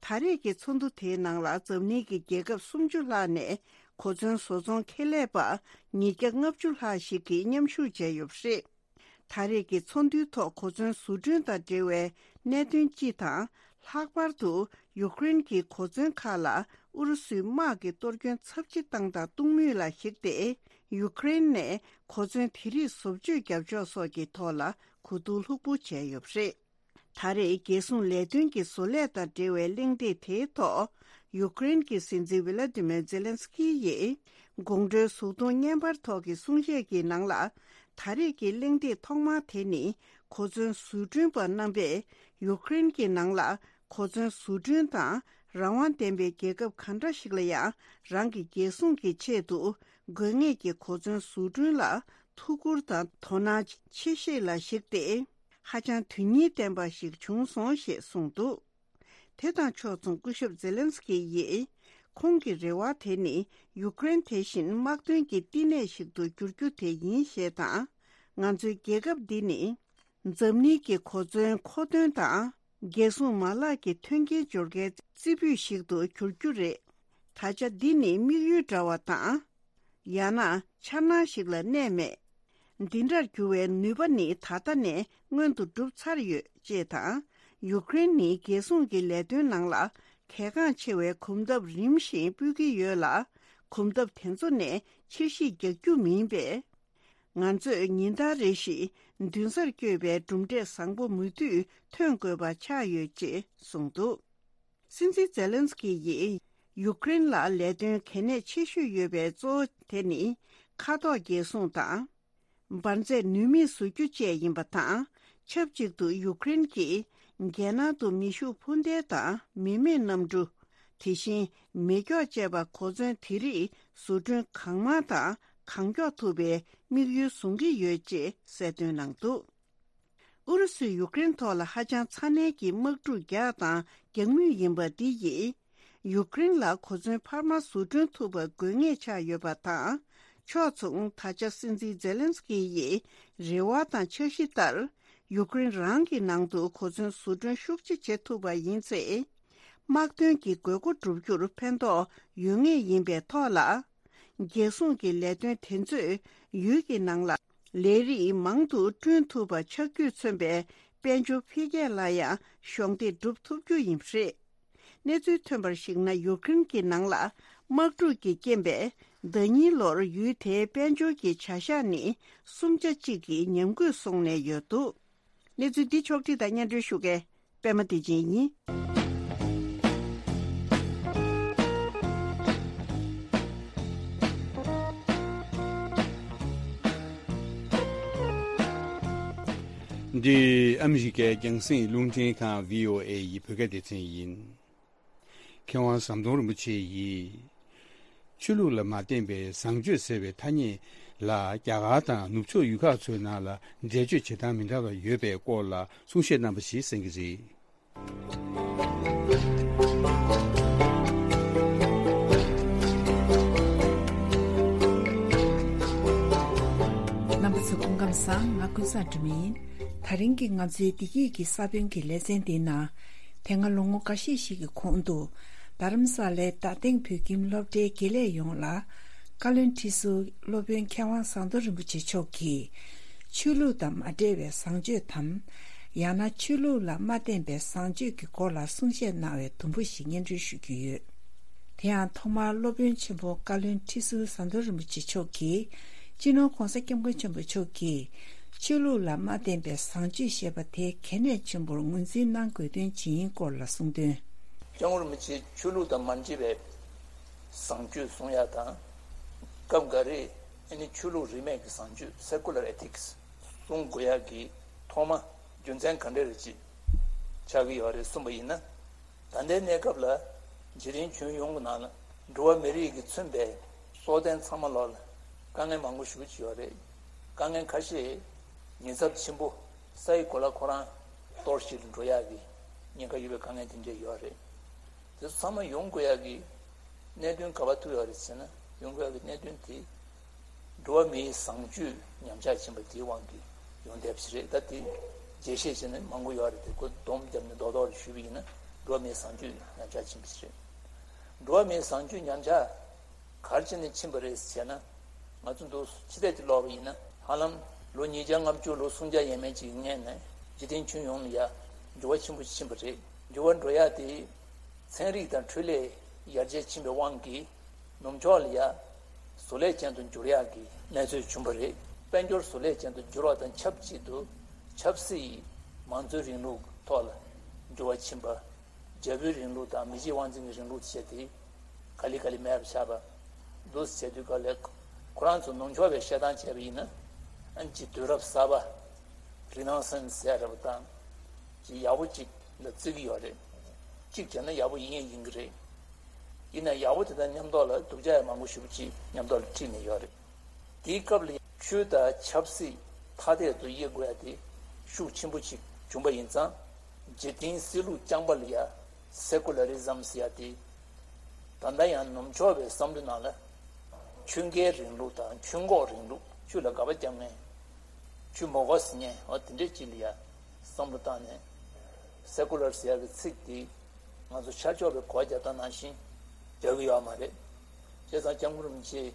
ད་རེས་ཀྱི་ཚོགས་འདུ་དེའི་ནང་ལ་འཛམ་གླིང་གི་རྒྱལ་ཁབ་སུམ་ཅུ་ལྷག་ནས་གོ་མཚོན་བཟོ་ཚོང་ཁེ་ལས་པ་ཉིས་བརྒྱ་ལྔ་བཅུ་ལྷག་ཞིག་གིས་མཉམ་ཞུགས་བྱས་ཡོད་པ་རེད། ད་རེས་ཀྱི་ཚོགས་འདུའི་ཐོག་གོ་མཚོན་བཟོ་སྐྲུན་དང་འབྲེལ་བའི་གནད་དོན་སྤྱི་དང་། ལྷག་པར་དུ་ཡུཀ་རེན་གྱི་གོ་མཚོན་ཁག་ལ་ཨུ་རུ་སུའི་དམག་གི་གཏོར་སྐྱོན་ཚབས་ཆེ་བཏང་དང་གཏོང་མུས་ལ་གཞིགས་ཏེ། ཡུཀ་རེན་ནས་གོ་མཚོན་དེ་རིགས་བཟོ་བཅོས་རྒྱབ་ཕྱོགས་སོགས་ཀྱི་ཐོག་ལ་གོ་བསྡུར་ལྷུག་པོ་བྱས་ཡོད་པ་རེད། ད་རེས་རྒྱལ་སྲུང་ལས་དོན་གྱི་བཟོ་ལས་དང་འབྲེལ་བའི་གླེང་སྟེགས་དེའི་ཐོག་ཡུཀ་རེན་གྱི་སྲིད་འཛིན་ཝི་ལ་ཏི་མེར་ཛེ་ལན་སི་ཀི་ཡིས་དགོང་དྲོའི་གཟུགས་མཐོང་བརྙན་པར་ཐོག་གི་གསུང་བཤད་ཀྱི་ནང་ལ། ད་རེས་ཀྱི་གླེང་སྟེགས་ཐོག་མ་དེ་ནི་གོ་མཚོན་བཟོ་སྐྲུན་པ་རྣམ་པས་ཡུཀ་རེན་གྱི་ནང་ལ་གོ་མཚོན་བཟོ་སྐྲུན་དང་རང་དབང་ལྡན་པའི་རྒྱལ་ཁབ་གང་འདྲ་ཞིག་ལ་ཡང་རང་གི་རྒྱལ་སྲུང་གི་ཆེད་དུ་དགོས་ངེས་ཀྱི་གོ་མཚོན་བཟོ་སྐྲུན་ལ་ཐུགས་ཁུར་དང་དོ་སྣང་ཆེ་བཞེས་ལ་གཞིགས་ཏེ། ཧ་ཅང་དོན་སྙིང་ལྡན་པ་ཞིག་བྱུང་སོང་ཞེས་གསུངས་འདུག་དེ་དང་ཕྱོགས་མཚུངས་སྐུ་ཞབས་ཛེ་ལན་སི་ཀི་ཡིས། ཁོང་གི་རེ་བ་དེ་ནི་ཡུཀ་རེན་དེ་བཞིན་དམག་དོན་གྱི་བསྟི་གནས་ཤིག་ཏུ་འགྱུར་རྒྱུ་དེ་ཡིན་ཞེས་དང་། ང་ཚོའི་རྒྱལ་ཁབ་འདི་ནི་འཛམ་གླིང་གི་གོ་མཚོན་མཁོ་འདོན་དང་རྒྱལ་སྲུང་མ་ལག་གི་མཐུན་རྐྱེན་སྦྱོར་མཁན་རྩེ་ཕུད་ཞིག་ཏུ་འགྱུར་རྒྱུ་རེད། ད་ཆ་འདི་ནི་དམིགས་ཡུལ་འདྲ་བ་དང་། ཡང་ན་འཆར་སྣང་ཞིག་ལ་གནས་མེད། འདི་འདྲར་འགྱུར་བའི་ནུས་པ་ནི་ད་ལྟ་ནས་མངོན་དུ་གྲུབ་ཚར་ཡོད་ཅེས་དང་། ཡུཀ་རེན་ནི་རྒྱལ་སྲུང་གི་ལས་དོན་ནང་ལ་གལ་འགངས་ཆེ་བའི་གོམ་སྟབས་རིམ་བཞིན་སྤོས་ཀྱི་ཡོད་ལ། གོམ་སྟབས་དེ་ཚོ་ནས་ཕྱིར་བཤིག་རྒྱག་རྒྱུ་མིན་པས། ང་ཚོས་ཉིན་ལྟར་རེ་བཞིན་མདུན་སར་བསྐྱོད་པའི་གྲུབ་འབྲས་བཟང་པོ་མུ་མཐུད་ཐོན་དགོས་པ་ཆགས་ཡོད་ཅེས་གསུངས་འདུག། སྲིད་འཛིན་ཛེ་ལན་སི་ཀི་ཡིས་ཡུཀ་རེན་ལ་ལས་དོན་གལ་གནད་ཆེ་ཤོས་ཡོད་པའི་གཙོ་བོ་དེ་ནི་མཁའ་ཐོག་རྒྱལ་སྲུང་དང་། འབར་རྫས་ནུས་མེད་བཟོ་རྒྱུ་བཅས་ཡིན་པ་དང་། ཆབས་ཅིག་ཏུ་ཡུཀ་རེན་གྱིས་རྒྱལ་ནང་དུ་མེ་ཤུགས་འཕུར་མདེལ་དང་མི་མེད་གནམ་གྲུ། དེ་བཞིན་མེ་སྒྱོགས་བཅས་པ་གོ་མཚོན་དེ་རིགས་བཟོ་སྐྲུན་གང་མང་དང་གང་མགྱོགས་ཐུབ་པའི་དམིགས་ཡུལ་བཟུང་གི་ཡོད་ཅེས་གསལ་སྟོན་གནང་འདུག། ཨུ་རུ་སུས་ཡུཀ་རེན་ཐོག་ལ་ཧ་ཅང་ཚ་ནན་གྱིས་དམག་འཁྲུག་རྒྱག་དང་རྒྱག་མུས་ཡིན་པ་འདི་ཡིས། ཡུཀ་རེན་ལ་གོ་མཚོན་འཕར་མ་བཟོ་སྐྲུན་ཐུབ་པ་དགོས་ངེས་ཆགས་ཡོད་པ་དང་། ཕྱོགས་མཚུངས་ད་ཆ་སྲིད་འཛིན་ཛེ་ལན་སི་ཀི་ཡི་རེ་བ་དང་འཆར་གཞི་ལྟར། ཡུཀ་རེན་རང་གི་ནང་དུ་གོ་མཚོན་བཟོ་སྐྲུན་ཤུགས་ཆེ་བྱེད་ཐུབ་པ་ཡིན་ཚེ། དམག་དོན་གྱི་དགོས་མཁོ་བསྒྲུབ་རྒྱུར་ཕན་ཐོགས་ཡོད་ངེས་ཡིན་པའི་ཐོག་ལ། རྒྱལ་སྲུང་གི་ལས་དོན་དེ་ཚོས་ཡུལ་གྱི་ནང་ལ་ལས་རིགས་མང་དུ་བསྐྲུན་ཐུབ་པ་ཆགས་རྒྱུས་མཚོན་པའི་དཔལ་འབྱོར་འཕེལ་རྒྱས་ལ་ཡང་གཞོགས་འདེགས་སྒྲུབ་ཐུབ་རྒྱུ་ཡིན་པ་རེད། གནས་ཚུལ་ཐོན་པར་གཞིགས་ན། ཡུཀ་རེན་གྱི་ནང་ལ་དམག་འཁྲུག་གི་རྐྱེན་པས་ཟླ་ཉིན་ལོར་ཡུལ་དེའི་དཔལ་འབྱོར་གྱི་བྱ་གཞག་ནི་གསུམ་ཆ་གཅིག་གི་ཉམས་རྒུད་སོང་ནས་ཡོད་འདུག། གནས་ཚུལ་འདི་ཕྱོགས་བསྒྲིགས་དང་སྙན་སྒྲོན་ཞུ་མཁན་པད་མ་བདེ་ཆེན་ཡིན། འདི་ཨ་མི་རི་ཀའི་རྒྱང་སྲིང་རླུང་འཕྲིན་ཁང་བྷི་ཨོ་ཨེ་ཡི་བོད་སྐད་སྡེ་ཚན་ཡིན། མཁས་དབང་ཟམ་གདོང་རིན་པོ་ཆེ་ཡིས། ཆོས་ལུགས་ལ་མ་བརྟེན་པའི་བཟང་སྤྱོད་ཟེར་བའི་ཐ་སྙད་ལ་རྒྱ་གར་དང་ནུབ་ཕྱོགས་ཡུལ་ཁག་ཚོའི་ནང་ལ་འགྲེལ་བརྗོད་བྱེད་སྟངས་མི་འདྲ་བ་ཡོད་པའི་སྐོར་ལ་གསུང་བཤད་གནང་བ་ཞིག་གསན་གྱི་རེད། རྣམ་པ་ཚོ་སྐུ་ཁམས་བཟང་། ང་ཀུན་བཟང་སྒྲོལ་མ་ཡིན། ད་རིང་གི་ང་ཚོའི་བདེ་སྐྱིད་ཀྱི་ས་བོན་གྱི་ལེ་ཚན་འདིའི་ནང་། དེ་སྔ་ལོ་ངོ་འགའ་ཤས་ཤིག་གི་གོང་དུ། རྡ་རམ་ས་ལའི་རྡ་སྟེང་བོད་ཁྱིམ་སློབ་གྲྭའི་དགེ་ལས་ཡོངས་ལ། བཀའ་བློན་ཁྲི་ཟུར་སློབ་དཔོན་མཁས་དབང་ཟམ་གདོང་རིན་པོ་ཆེ་མཆོག་གིས། ཆོས་ལུགས་དང་མ་འབྲེལ་བའི་བཟང་སྤྱོད་དམ། ཡང་ན་ཆོས་ལུགས་ལ་མ་བརྟེན་པའི་བཟང་སྤྱོད་ཀྱི་སྐོར་ལ་གསུང་བཤད་གནང་བའི་དུམ་བུ་ཞིག་སྙན་སྒྲོན་ཞུ་རྒྱུ་ཡོད། དེ་ཡང་ཐོག་མར་སློབ་དཔོན་ཆེན་པོ་བཀའ་བློན་ཁྲི་ཟུར་ཟམ་གདོང་རིན་པོ་ཆེ་མཆོག་གིས། སྤྱི་ནོར་༧གོང་ས་༧སྐྱབས་མགོན་ཆེན་པོ་མཆོག་གིས། ཆོས་ལུགས་ལ་མ་བརྟེན་པའི་བཟང་སྤྱོད་ཞེས་པ་དེ་གལ་གནད་ཆེན་པོར་ངོས་འཛིན་གནང་དགོས་དོན་ཇི་ཡིན་སྐོར་ལ་གསུངས་དོན། སྐྱབས་མགོན་རིན་པོ་ཆེས་ཆོས་ལུགས་དང་མ་འདྲེས་པའི་བཟང་སྤྱོད་སྲུང་ཡ་དང་། སྐབས་འགའ་རེ་ཨ་ནི་ཆོས་ལུགས་རིས་མེད་ཀྱི་བཟང་སྤྱོད་Secular Ethics སྲུང་དགོས་ཡ་གི་ཐོག་མ་རྒྱུ་མཚན་ག་འདྲ་རེ་ཅིག་ཆགས་ཀྱི་ཡོད་རེད་གསུངས་པ་ཡིན་ན། ད་ལྟའི་གནས་སྐབས་ལ་འཇིག་རྟེན་ཁྱོན་ཡོངས་ཀྱི་ནང་ལ་འགྲོ་བ་མི་རིགས་ཀྱི་མཚོན་པའི་སྲོག་ལྡན་ཚང་མ་ལོག་ལ་དཀའ་ངལ་མང་པོ་ཞེ་པོ་ཅིག་ཡོད་རེད། དཀའ་ངལ་ཁ་ཤས་ཉེན་ཚབས་ཆེན་པོ་ས་ཡི་གོ་ལ་ཁོ་རང་གཏོར་བཤིག་ལ་འགྲོ་ཡག་གི་ཉེན་ཁ་ཡོད་པའི་དཀའ་ངལ་དེ་འདྲས་ཡོད་རེད། དེ་ཚོ་ཚང་མ་ཡོང་དགོས་ཡག་གི་གནད་དོན་ག་པར་ཐུག་ཡོད་རེད་ཟེར་ན། ཡོང་དགོས་ཡག་གི་གནད་དོན་དེ་འགྲོ་བ་མིའི་བཟང་སྤྱོད་ཉམས་ཆག་ཕྱིན་པ་དེའི་དབང་གིས་ཡོང་བསྡད་པ་ཞིག་རེད། ད་དེ་རྒྱས་བཤད་བྱས་ན་མང་པོ་ཡོད་རེད། དེ་ཁོ་སྡོམ་བརྒྱབ་ནས་རྡོག་རྡོག་རེ་ཞུས་པ་ཡིན་ན། འགྲོ་བ་མིའི་བཟང་སྤྱོད་ཉམས་ཆག་ཕྱིན་པ་ཞིག་རེད། འགྲོ་བ་མིའི་བཟང་སྤྱོད་ཉམས་ཆག་ག་རེ་བྱས་ནས་ཕྱིན་པ་རེད་ཟེར་ན། ང་ཚོ་འདུག་ཕྱི་བལྟས་ཀྱིས་ཀློག་པ་ཡིན་ན། ཧ་ལམ་ལོ་ཉིས་བརྒྱ་ལྔ་བཅུ་ལོ་སུམ་བརྒྱ་ཡས་མས་ཅིག་གི་སྔོན་ནས་འཇིག་རྟེན་ཁྱོན་ཡོངས་ལ་ཡ་འགྱུར་བ་ཆེན་པོ་ཕྱིན་པ་རེད། འགྱུར་བ་འགྲོ་ཡ་དེ་ཚན་རིག་དང་འཕྲུལ་ལས་ཡར་རྒྱས་ཕྱིན་པའི་དབང་གིས། ནུབ་ཕྱོགས་ལ་ཡ་བཟོ་ལས་ཅན་དུ་འགྱུར་ཡག་གི་གནས་ཚུལ་བྱུང་བ་རེད། དཔལ་འབྱོར་བཟོ་ལས་ཅན་དུ་འགྱུར་བ་དང་ཆབས་ཅིག་ཏུ་ཆབ་སྲིད་མང་གཙོའི་རིང་ལུགས་ཐོག་ལ་འགྱུར་བ་ཕྱིན་པ། རྒྱལ་པོའི་རིང་ལུགས་དང་མི་གཅིག་དབང་འཛིན་གྱི་རིང་ལུགས་བྱས་ཏེ་ག་ལེ་ག་ལེ་མེད་པ་ཆགས་པ། འདུག་སེ་བྱས་དུས་ག་ལེ་ཁོ་རང་ཚོ་ནུབ་ཕྱོགས་པའི་བཤད་སྟངས་བྱས་པ་ཡིན་ན། ཨ་ནི་ཅིག་དུས་རབས་གསར་པ་Renaissance ཟེར་ཡ་འདྲ་པོ་དང་། ཅིག་ཡག་པོ་ཅིག་ལ་བརྩི་གི་ཡོད་རེད། གཅིག་བྱས་ན་ཡག་པོ་ཡིན་ཡང་ཡིན་གྱི་རེད། ཡིན་ན་ཡག་པོ་དེ་དང་མཉམ་དུ་ལ་སྡུག་ཅག་ཡང་མང་པོ་ཞེ་པོ་ཅིག་མཉམ་དུ་ལ་འཁྲིད་ནས་ཡོད་རེད། དེའི་སྐབས་ལ་ཆོས་དང་ཆབ་སྲིད་ཐ་དད་དུ་དབྱེ་དགོས་ཡ་དེ་ཤུགས་ཆེན་པོ་ཅིག་བྱུང་པ་ཡིན་ཙང་། འཇིག་རྟེན་སྲིད་ལུགས་རྐྱང་པ་ལ་ཡ་Secularism ཟེར་ཡ་དེ། ད་ལྟ་ཡང་ནུབ་ཕྱོགས་པའི་བསམ་བློའི་ནང་ལ་ཆོས་འགལ་རིང་ལུགས་དང་ཆོས་འགོག་རིང་ལུགས། ཆོས་ལ་དགག་པ་རྒྱག་མཁན། ཆུ་མོག་གོ་ཟེར་མཁན་འོ་དེ་འདྲས་ཅིག་ལ་ཡ་བསམ་བློ་བཏང་ནས་སེ་ཀུ་ལར་ཟེར་ཡག་གི་ཚིག་དེ་ང་ཚོ་ཤར་ཕྱོགས་པའི་གོ་བ་རྒྱག་སྟངས་ནང་བཞིན་རྒྱག་གི་ཡོད་མ་རེད། བྱས་ཙང་སྐྱབས་མགོན་རིན་པོ་ཆེས་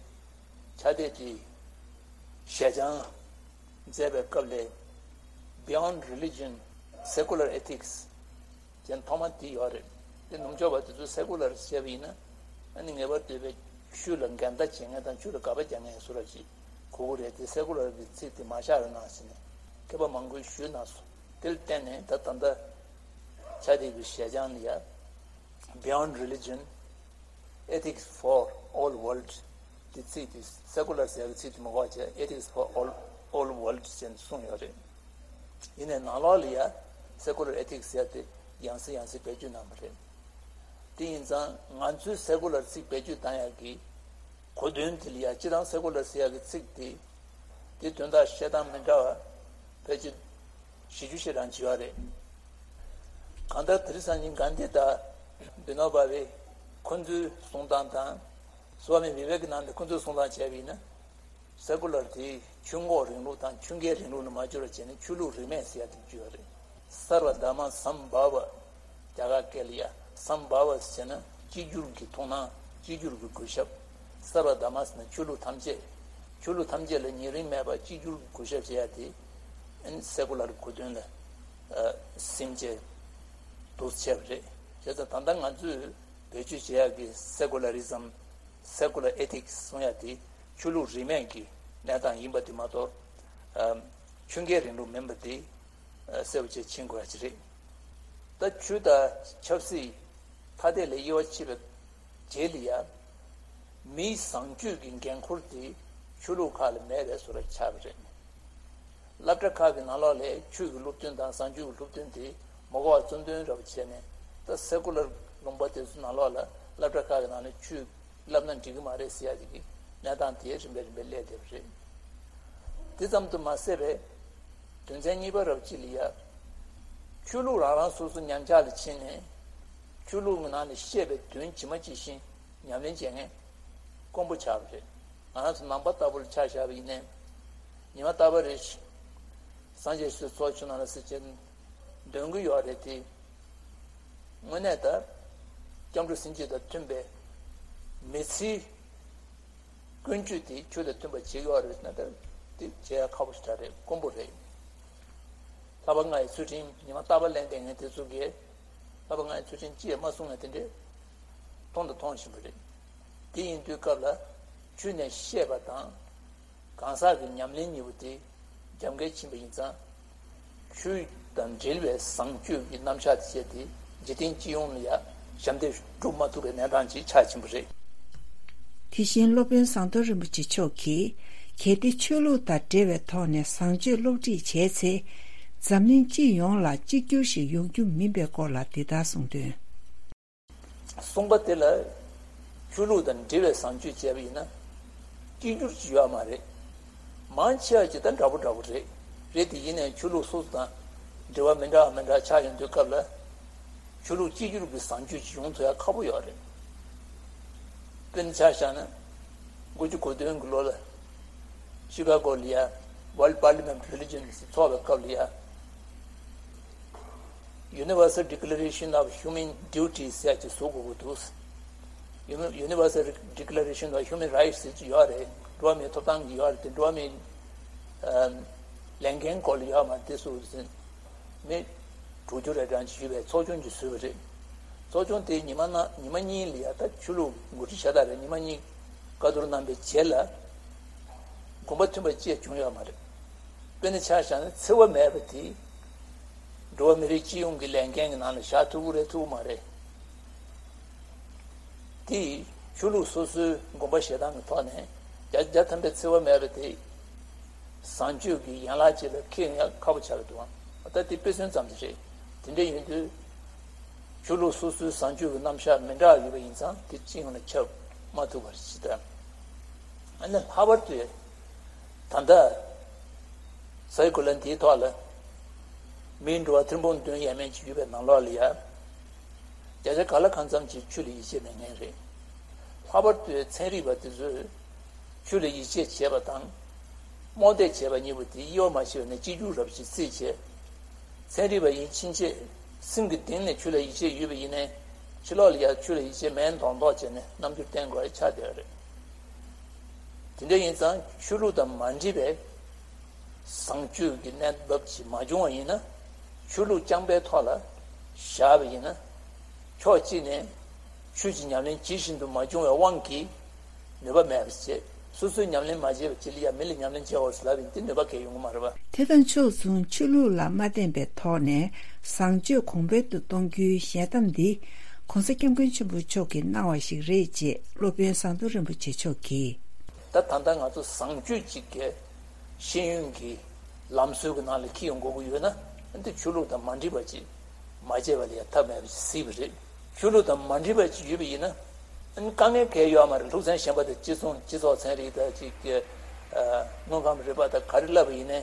ཕྱག་དེབ་དེ་ཞལ་བྱང་མཛད་པའི་སྐབས་ལས་Beyond Religion, Secular Ethics ཅན་ཐོག་མ་དེ་ཡོད་རེད། དེ་ནུབ་ཕྱོགས་པ་དེ་ཚོས་སེ་ཀུ་ལར་བཤད་པ་ཡིན་ན་ཨ་ནི་ངེས་པར་དུ་བའི་ཆོས་ལ་འགལ་ཟླ་བྱེད་མཁན་དང་ཆོས་ལ་དགག་པ་རྒྱག་མཁན་སུ་ར་ཞིག་གོ་གི་རེད། དེ་སེ་ཀུ་ལར་གྱི་ཚིག་དེ་མ་བཞག་རོགས་གནང་ཟེར་ནས་མཁས་པ་མང་པོས་ཞུས་གནང་སོང་། དེ་ལ་བརྟེན་ནས་ད་ད་ལྟ་ཕྱག་དེབ་ཀྱི་ཞལ་བྱང་ལ་ཡ་Beyond Religion, Ethics for All World དེ་ཚིག་དེ་སེ་ཀུ་ལར་ཟེར་བའི་ཚིག་དེ་མ་གོ་བྱས་Ethics for All, All World ཅེས་གསུངས་ཡོད་རེད། ཡིན་ནའི་ནང་ལོགས་ལ་ཡ་Secular Ethics ཟེར་དེ་ཡང་སེ་ཡང་སེ་བེད་སྤྱོད་གནང་བ་རེད། དེ་ཡིན་ཙང་ང་ཚོས་སེ་ཀུ་ལར་ཚིག་བེད་སྤྱོད་གཏང་ཡག་གི་གོ་དོན་དེ་ལ་ཡ་སྤྱིར་བཏང་སེ་ཀུ་ལར་ཟེར་ཡག་གི་ཚིག་དེ་དེ་དོན་དག་བཤད་སྟངས་མི་འདྲ་བ་ཕལ་ཆེར་བཞི་བཅུ་ཞེ་གྲངས་བྱེད་ཡོད་རེད། གང་ལྟར་དེ་རིང་སང་ཉིན་གྷན་དྷི་དང་བི་ནོ་བྷ་བྷེ་ཁོ་ཚོའི་གསུང་སྟངས་དང་སྭ་མི་བི་བེ་ཀ་ནན་དྷ་ཁོ་ཚོའི་གསུང་སྟངས་བྱས་པ་ཡིན་ན། སེ་ཀུ་ལར་དེ་ཆོས་འགོག་རིང་ལུགས་དང་ཆོས་འགལ་རིང་ལུགས་ནས་མ་བསྒྱུར་བ་བྱས་ནས་ཆོས་ལུགས་རིས་མེད་ཟེར་ཡ་དེ་བསྒྱུར་བ་རེད། སརྦ་དྷརྨ་སམ་བྷ་བ། རྒྱ་གར་སྐད་ལ་ཡ་སམ་བྷ་བ་ཟེར་ན་གཅིག་གྱུར་གྱི་མཐོང་སྣང་གཅིག་གྱུར་གྱི་གུས་ཞབས། སརྦ་དྷརྨ་ཟེར་ན་ཆོས་ལུགས་ཐམས་ཅད། ཆོས་ལུགས་ཐམས་ཅད་ལ་ཉེ་རིང་མེད་པ་གཅིག་གྱུར་གྱི་གུས་ཞབས་བྱེད་ཡ་དེ་ཨ་ནི་སེ་ཀུ་ལར་གོ་དོན་ལ་ཨ་སིམ་བྱས་འདུག་བྱས་པ་རེད། བྱས་ཙང་ད་ལྟ་ང་ཚོས་བེད་སྤྱོད་བྱེད་ཡ་གི་སེ་ཀུ་ལ་རི་ཛམ། Secular Ethics གསུང་ཡ་དེ་ཆོས་ལུགས་རིས་མེད་ཀྱི་གནས་སྟངས་ཡིན་པ་དེ་མ་གཏོགས། ཨ་ཆོས་འགལ་རིང་ལུགས་མིན་པ་དེ་ཨ་གསལ་པོ་བྱས་ཕྱིན་དགོས་ཡ་ཅིག་རེད། ད་ཆོས་དང་ཆབ་སྲིད་ཐ་དད་ལས་དབྱེ་བ་ཕྱེ་བའི་རྗེས་ལ་ཡ། མིའི་བཟང་སྤྱོད་ཀྱི་འགན་འཁུར་དེ་ཆོས་ལུགས་ཁག་ལ་མེད་པའི་བཟོ་འདྲ་ཆགས་པ་རེད། སློབ་གྲྭ་ཁག་གི་ནང་ལོགས་ལ་ཆོས་ཀྱི་སློབ་སྟོན་དང་བཟང་སྤྱོད་ཀྱི་སློབ་སྟོན་དེ་མ་གོ་བ་རྩོམ་སྟོན་འདྲ་པོ་བྱས་ནས་ད་སེ་ཀུ་ལར་ལུང་པ་དེ་ཚོ་ནང་ལོགས་ལ་སློབ་གྲྭ་ཁག་གི་ནང་ནས་ཆོས་བསླབ་ན་འགྲིག་གི་མ་རེད་ཟེར་ཡ་ཅིག་གི་གནས་སྟངས་དེ་རིམ་པས་རིམ་པས་སླེབས་བསྡད་པ་རེད། དེ་ཙམ་དུ་མ་ཟད་པའི་དོན་ཚན་གཉིས་པ་རབ་སྤྱི་ལ་ཡ། ཆོས་ལུགས་རང་རང་སོ་སོ་ཉམས་ཆག་ལ་ཕྱིན་ནས་ཆོས་ལུགས་ཀྱི་ནང་ནས་བཤད་པའི་དོན་ཇི་མ་ཇི་བཞིན་ཉམས་ལེན་བྱེད་མཁན་དཀོན་པོ་ཆགས་པ་རེད། ང་རང་ཚོ་ནང་པ་ལྟ་བུ་ལ་ཆ་བཞག་པ་ཡིན་ནའི་ཉི་མ་རྟག་པར་རེ་སངས་རྒྱས་ཆོས་ཚོགས་ཆུང་ནང་ལ་སྲིད་ཆེན་འདོན་གྱི་ཡོད་རེད་དེ། དངོས་གནས་ད་སྐྱབས་འགྲོ་སེམས་བསྐྱེད་དང་མཐུན་པའི་མི་ཚེའི་ཀུན་སྤྱོད་དེ་ཆོས་དང་མཐུན་པ་བྱེད་ཀྱི་ཡོད་རེད་ན་ད་དེ་བྱེད་ཡ་ཁག་པོ་ཞིག་རེད། དཀོན་པོ་རེད། ལྷག་པར་ང་ཡི་ཚུལ་ཁྲིམས་ཉི་མ་རྟག་པར་ལེན་བསྡད་མཁན་དེ་ཚོ་གིས་ལྷག་པར་ང་ཡི་ཚུལ་ཁྲིམས་ཅི་ཡང་མ་བསྲུངས་ན་དེ་འདྲས་མཐོང་དང་མཐོང་བཞིན་པ་རེད། དེ་ཡིན་དུས་སྐབས་ལ་ཆོས་ནས་བཤད་པ་དང་གང་ཟག་གི་ཉམས་ལེན་གཉིས་པོ་དེ་རྒྱབ་འགལ་ཕྱིན་པ་ཡིན་ཙང་། ཆོས་དང་འབྲེལ་བའི་བཟང་སྤྱོད་ཀྱི་རྣམ་གཞག་དེ་བྱས་ཏེ་འཇིག་རྟེན་སྤྱི་ཡོངས་ལ་ཡང་ཞབས་འདེགས་སྒྲུབ་མ་ཐུབ་པའི་གནས་སྟངས་ཅིག་ཆགས་ཕྱིན་པ་རེད། དེ་བཞིན་སློབ་དཔོན་ཟམ་གདོང་རིན་པོ་ཆེ་མཆོག་གིས་གལ་ཏེ་ཆོས་ལུགས་དང་འབྲེལ་བའི་ཐོག་ནས་བཟང་སྤྱོད་སློབ་ཁྲིད་བྱས་ཚེ། འཛམ་གླིང་སྤྱི་ཡོངས་ལ་གཅིག་གྱུར་ཞིག་ཡོང་རྒྱུ་མིན་པའི་སྐོར་ལ་འདི་ལྟར་གསུངས་དོན། གསུངས་པ་དེ་ལ་ཆོས་ལུགས་དང་འབྲེལ་བའི་བཟང་སྤྱོད་བྱས་པ་ཡིན་ན་གཅིག་གྱུར་ཅིག་ཡོད་མ་རེད། མང་ཆེ་བ་ཅིག་ད་འདྲ་པོ་འདྲ་པོ་རེད། རེད་དེ་ཡིན་ནའི་ཆོས་ལུགས་སོ་སོ་དང་འབྲེལ་བ་མི་འདྲ་བ་མི་འདྲ་ཆགས་ཡོང་དུས་སྐབས་ལ་ཆོས་ལུགས་གཅིག་གྱུར་གྱི་བཟང་སྤྱོད་ཅིག་ཡོང་ཐུབ་ཡ་ཁག་པོ་ཡོད་རེད། དཔེར་ན་ཆ་བཞག་ན་དགུ་བཅུ་གོ་བདུན་གྱི་ལོ་ལ་ཤི་ཀ་གོ་ལ་ཡ་World Parliament Religion ཚོགས་པའི་སྐབས་ལ་ཡ། Universal Declaration of Human Duties ཟེར་ཅིག་བཟོ་དགོས་ཀྱི་འདུག Uni- Universal Declaration of Human Rights ཟེར་ཅིག་ཡོད་རེད། འགྲོ་བ་མིའི་ཐོབ་ཐང་གི་ཡོད་རེད་དེ། འགྲོ་བ་མིའི་ཨམ་ལས་འགན་སྐོར་ལ་ཡོད་མ་རེད། དེ་ཚོ་ཟིན་མི་དྲུག་ཅུ་རེ་གྲངས་ཅིག་ཡོད་པའི་ཚོགས་ཆུང་ཅིག་བཟོས་པ་རེད། ཚོགས་ཆུང་དེ་ཉི་མ་ན་ཉི་མ་གཉིས་ལ་ཡ་ད་ཆོས་ལུགས་འགོ་ཁྲིད་བྱ་དག་རེད། ཉི་མ་གཉིས་བཀའ་བསྡུར་གནང་པའི་རྗེས་ལ་དགོངས་པ་མཐུན་པ་ཅིག་བྱུང་ཡོད་མ་རེད། དཔེར་ན་ཆ་བཞག་ན་འཚེ་བ་མེད་པ་དེ་འགྲོ་བ་མི་རིགས་སྤྱི་ཡོངས་ཀྱི་ལས་འགན་གྱི་ནང་ལ་བཞག་ཐུབ་ཀྱི་རེད་ཐུབ་ཀྱི་མ་རེད། དེ་ཆོས་ལུགས་སོ་སོའི་དགོངས་པ་བཞེས་སྟངས་ཀྱི་ཐོག་ནས་བརྒྱ་ཆ་བརྒྱ་ཐམ་པའི་འཚེ་བ་མེད་པ་དེ་བཟང་སྤྱོད་ཀྱི་ཡན་ལག་ཅིག་ལ་འཁེལ་ཡག་ཁག་པོ་ཆགས་ཀྱི་འདུག་ད་དེ་དཔེ་མཚོན་ཙམ་ཞིག་རེད། དེ་འདྲ་ཡིན་དུས་ཆོས་ལུགས་སོ་སོའི་བཟང་སྤྱོད་ཀྱི་རྣམ་གཞག་མི་འདྲ་ཡོད་པ་ཡིན་ཙང་དེ་སྤྱི་ཡོངས་ལ་ཁྱབ་མ་ཐུབ་པ་ཞིག་དང་། ཨ་ནི་ལྷག་པར་དུ་ད་ལྟ་ས་ཡི་གོ་ལ་འདིའི་ཐོག་ལ་མིའི་འགྲོ་བ་ཐེར་འབུམ་བདུན་ཡས་མས་ཅིག་ཡོད་པའི་ནང་ལོགས་ལ་ཡ། བརྒྱ་ཆ་ག་ལ་གང་འཚམ་ཅིག་ཆོས་ལ་ཡིད་ཆེས་མེད་མཁན་རེད། ལྷག་པར་དུ་ཚན་རིག་པ་དེ་ཚོས་ཆོས་ལ་ཡིད་ཆེས་བྱས་པ་དང་། རྨོངས་དད་བྱས་པ་གཉིས་པོ་དེ་དབྱེ་བ་མ་ཕྱེ་བ་ནས་གཅིག་གྱུར་རབ་ཅིག་རྩིས་བྱས། ཚན་རིག་པ་ཡིན་ཕྱིན་ཆད་སེམས་ཀྱི་གཏིང་ནས་ཆོས་ལ་ཡིད་ཆེས་ཡོད་པ་ཡིན་ནའི་ཕྱི་ལོགས་ལ་ཡང་ཆོས་ལ་ཡིད་ཆེས་མེད་མདོག་མདོག་བྱས་ནས་རྣམ་འགྱུར་བསྟན་དགོས་ཡ་ཆགས་བསྡད་ཡོད་རེད། དེ་འདྲ་ཡིན་ཙང་ཆོས་ལུགས་དང་མ་འདྲེས་པའི་བཟང་སྤྱོད་ཀྱི་གནས་བབ་ཅིག་མ་བྱུང་བ་ཡིན་ན། ཆོས་ལུགས་རྐྱང་པའི་ཐོག་ལ་བཞག་པ་ཡིན་ན། ཕྱོགས་གཅིག་ནས་ཆོས་ཀྱི་ཉམས་ལེན་ཇི་བཞིན་དུ་མ་བྱུང་བའི་དབང་གིས་ནུས་པ་མེད་པ་བྱེད། སོ་སོས་ཉམས་ལེན་མ་བྱས་པ་ཅིག་ལ་ཡང་མི་ལ་ཉམས་ལེན་བྱེད་འོ་ཟེར་ལབ་ཡིན་དེ་ནུས་པ་གང་ཡང་ཡོང་གི་མ་རེད་པ། དེ་དང་ཕྱོགས་མཚུངས་ཆོས་ལུགས་ལ་མ་བརྟེན་པའི་ཐོག་ནས་བཟང་སྤྱོད་གོང་འཕེལ་དུ་གཏོང་རྒྱུའི་ཞལ་གདམས་འདི་༸གོང་ས་༸སྐྱབས་མགོན་ཆེན་པོ་མཆོག་གིས་གནང་བ་ཞིག་རེད་ཅེས་སློབ་དཔོན་ཟམ་གདོང་རིན་པོ་ཆེ་མཆོག་གིས། ད་ད་ལྟ་ང་ཚོ་བཟང་སྤྱོད་ཅིག་གི་ཤེས་ཡོན་གྱི་ལམ་སྲོལ་གྱི་ནང་ལ་འཁྱེར་ཡོང་དགོས་ཀྱི་ཡོད་ན། འདི་ཆོས་ལུགས་དང་མ་འདྲེས་པ་ཅིག་མ་བྱས་པ་ལ་ཡང་ཐབས་མེད་པ་ཞིག་སྲིད་པ་རེད། ཆོས་ལུགས་དང་མ་འདྲེས་པ་ཅིག་ཡོད་པ་ཡིན་ན། དཀའ་ངལ་གང་ཡང་ཡོད་མ་རེད། སློབ་ཚན་གཞན་པ་དང་སྤྱི་ཚོགས་སྤྱི་ཚོགས་ཚན་རིག་དང་ཅིག་གི་དངོས་ཁམས་རིག་པ་དང་ག་རེ་བསླབ་པ་ཡིན་ནའི།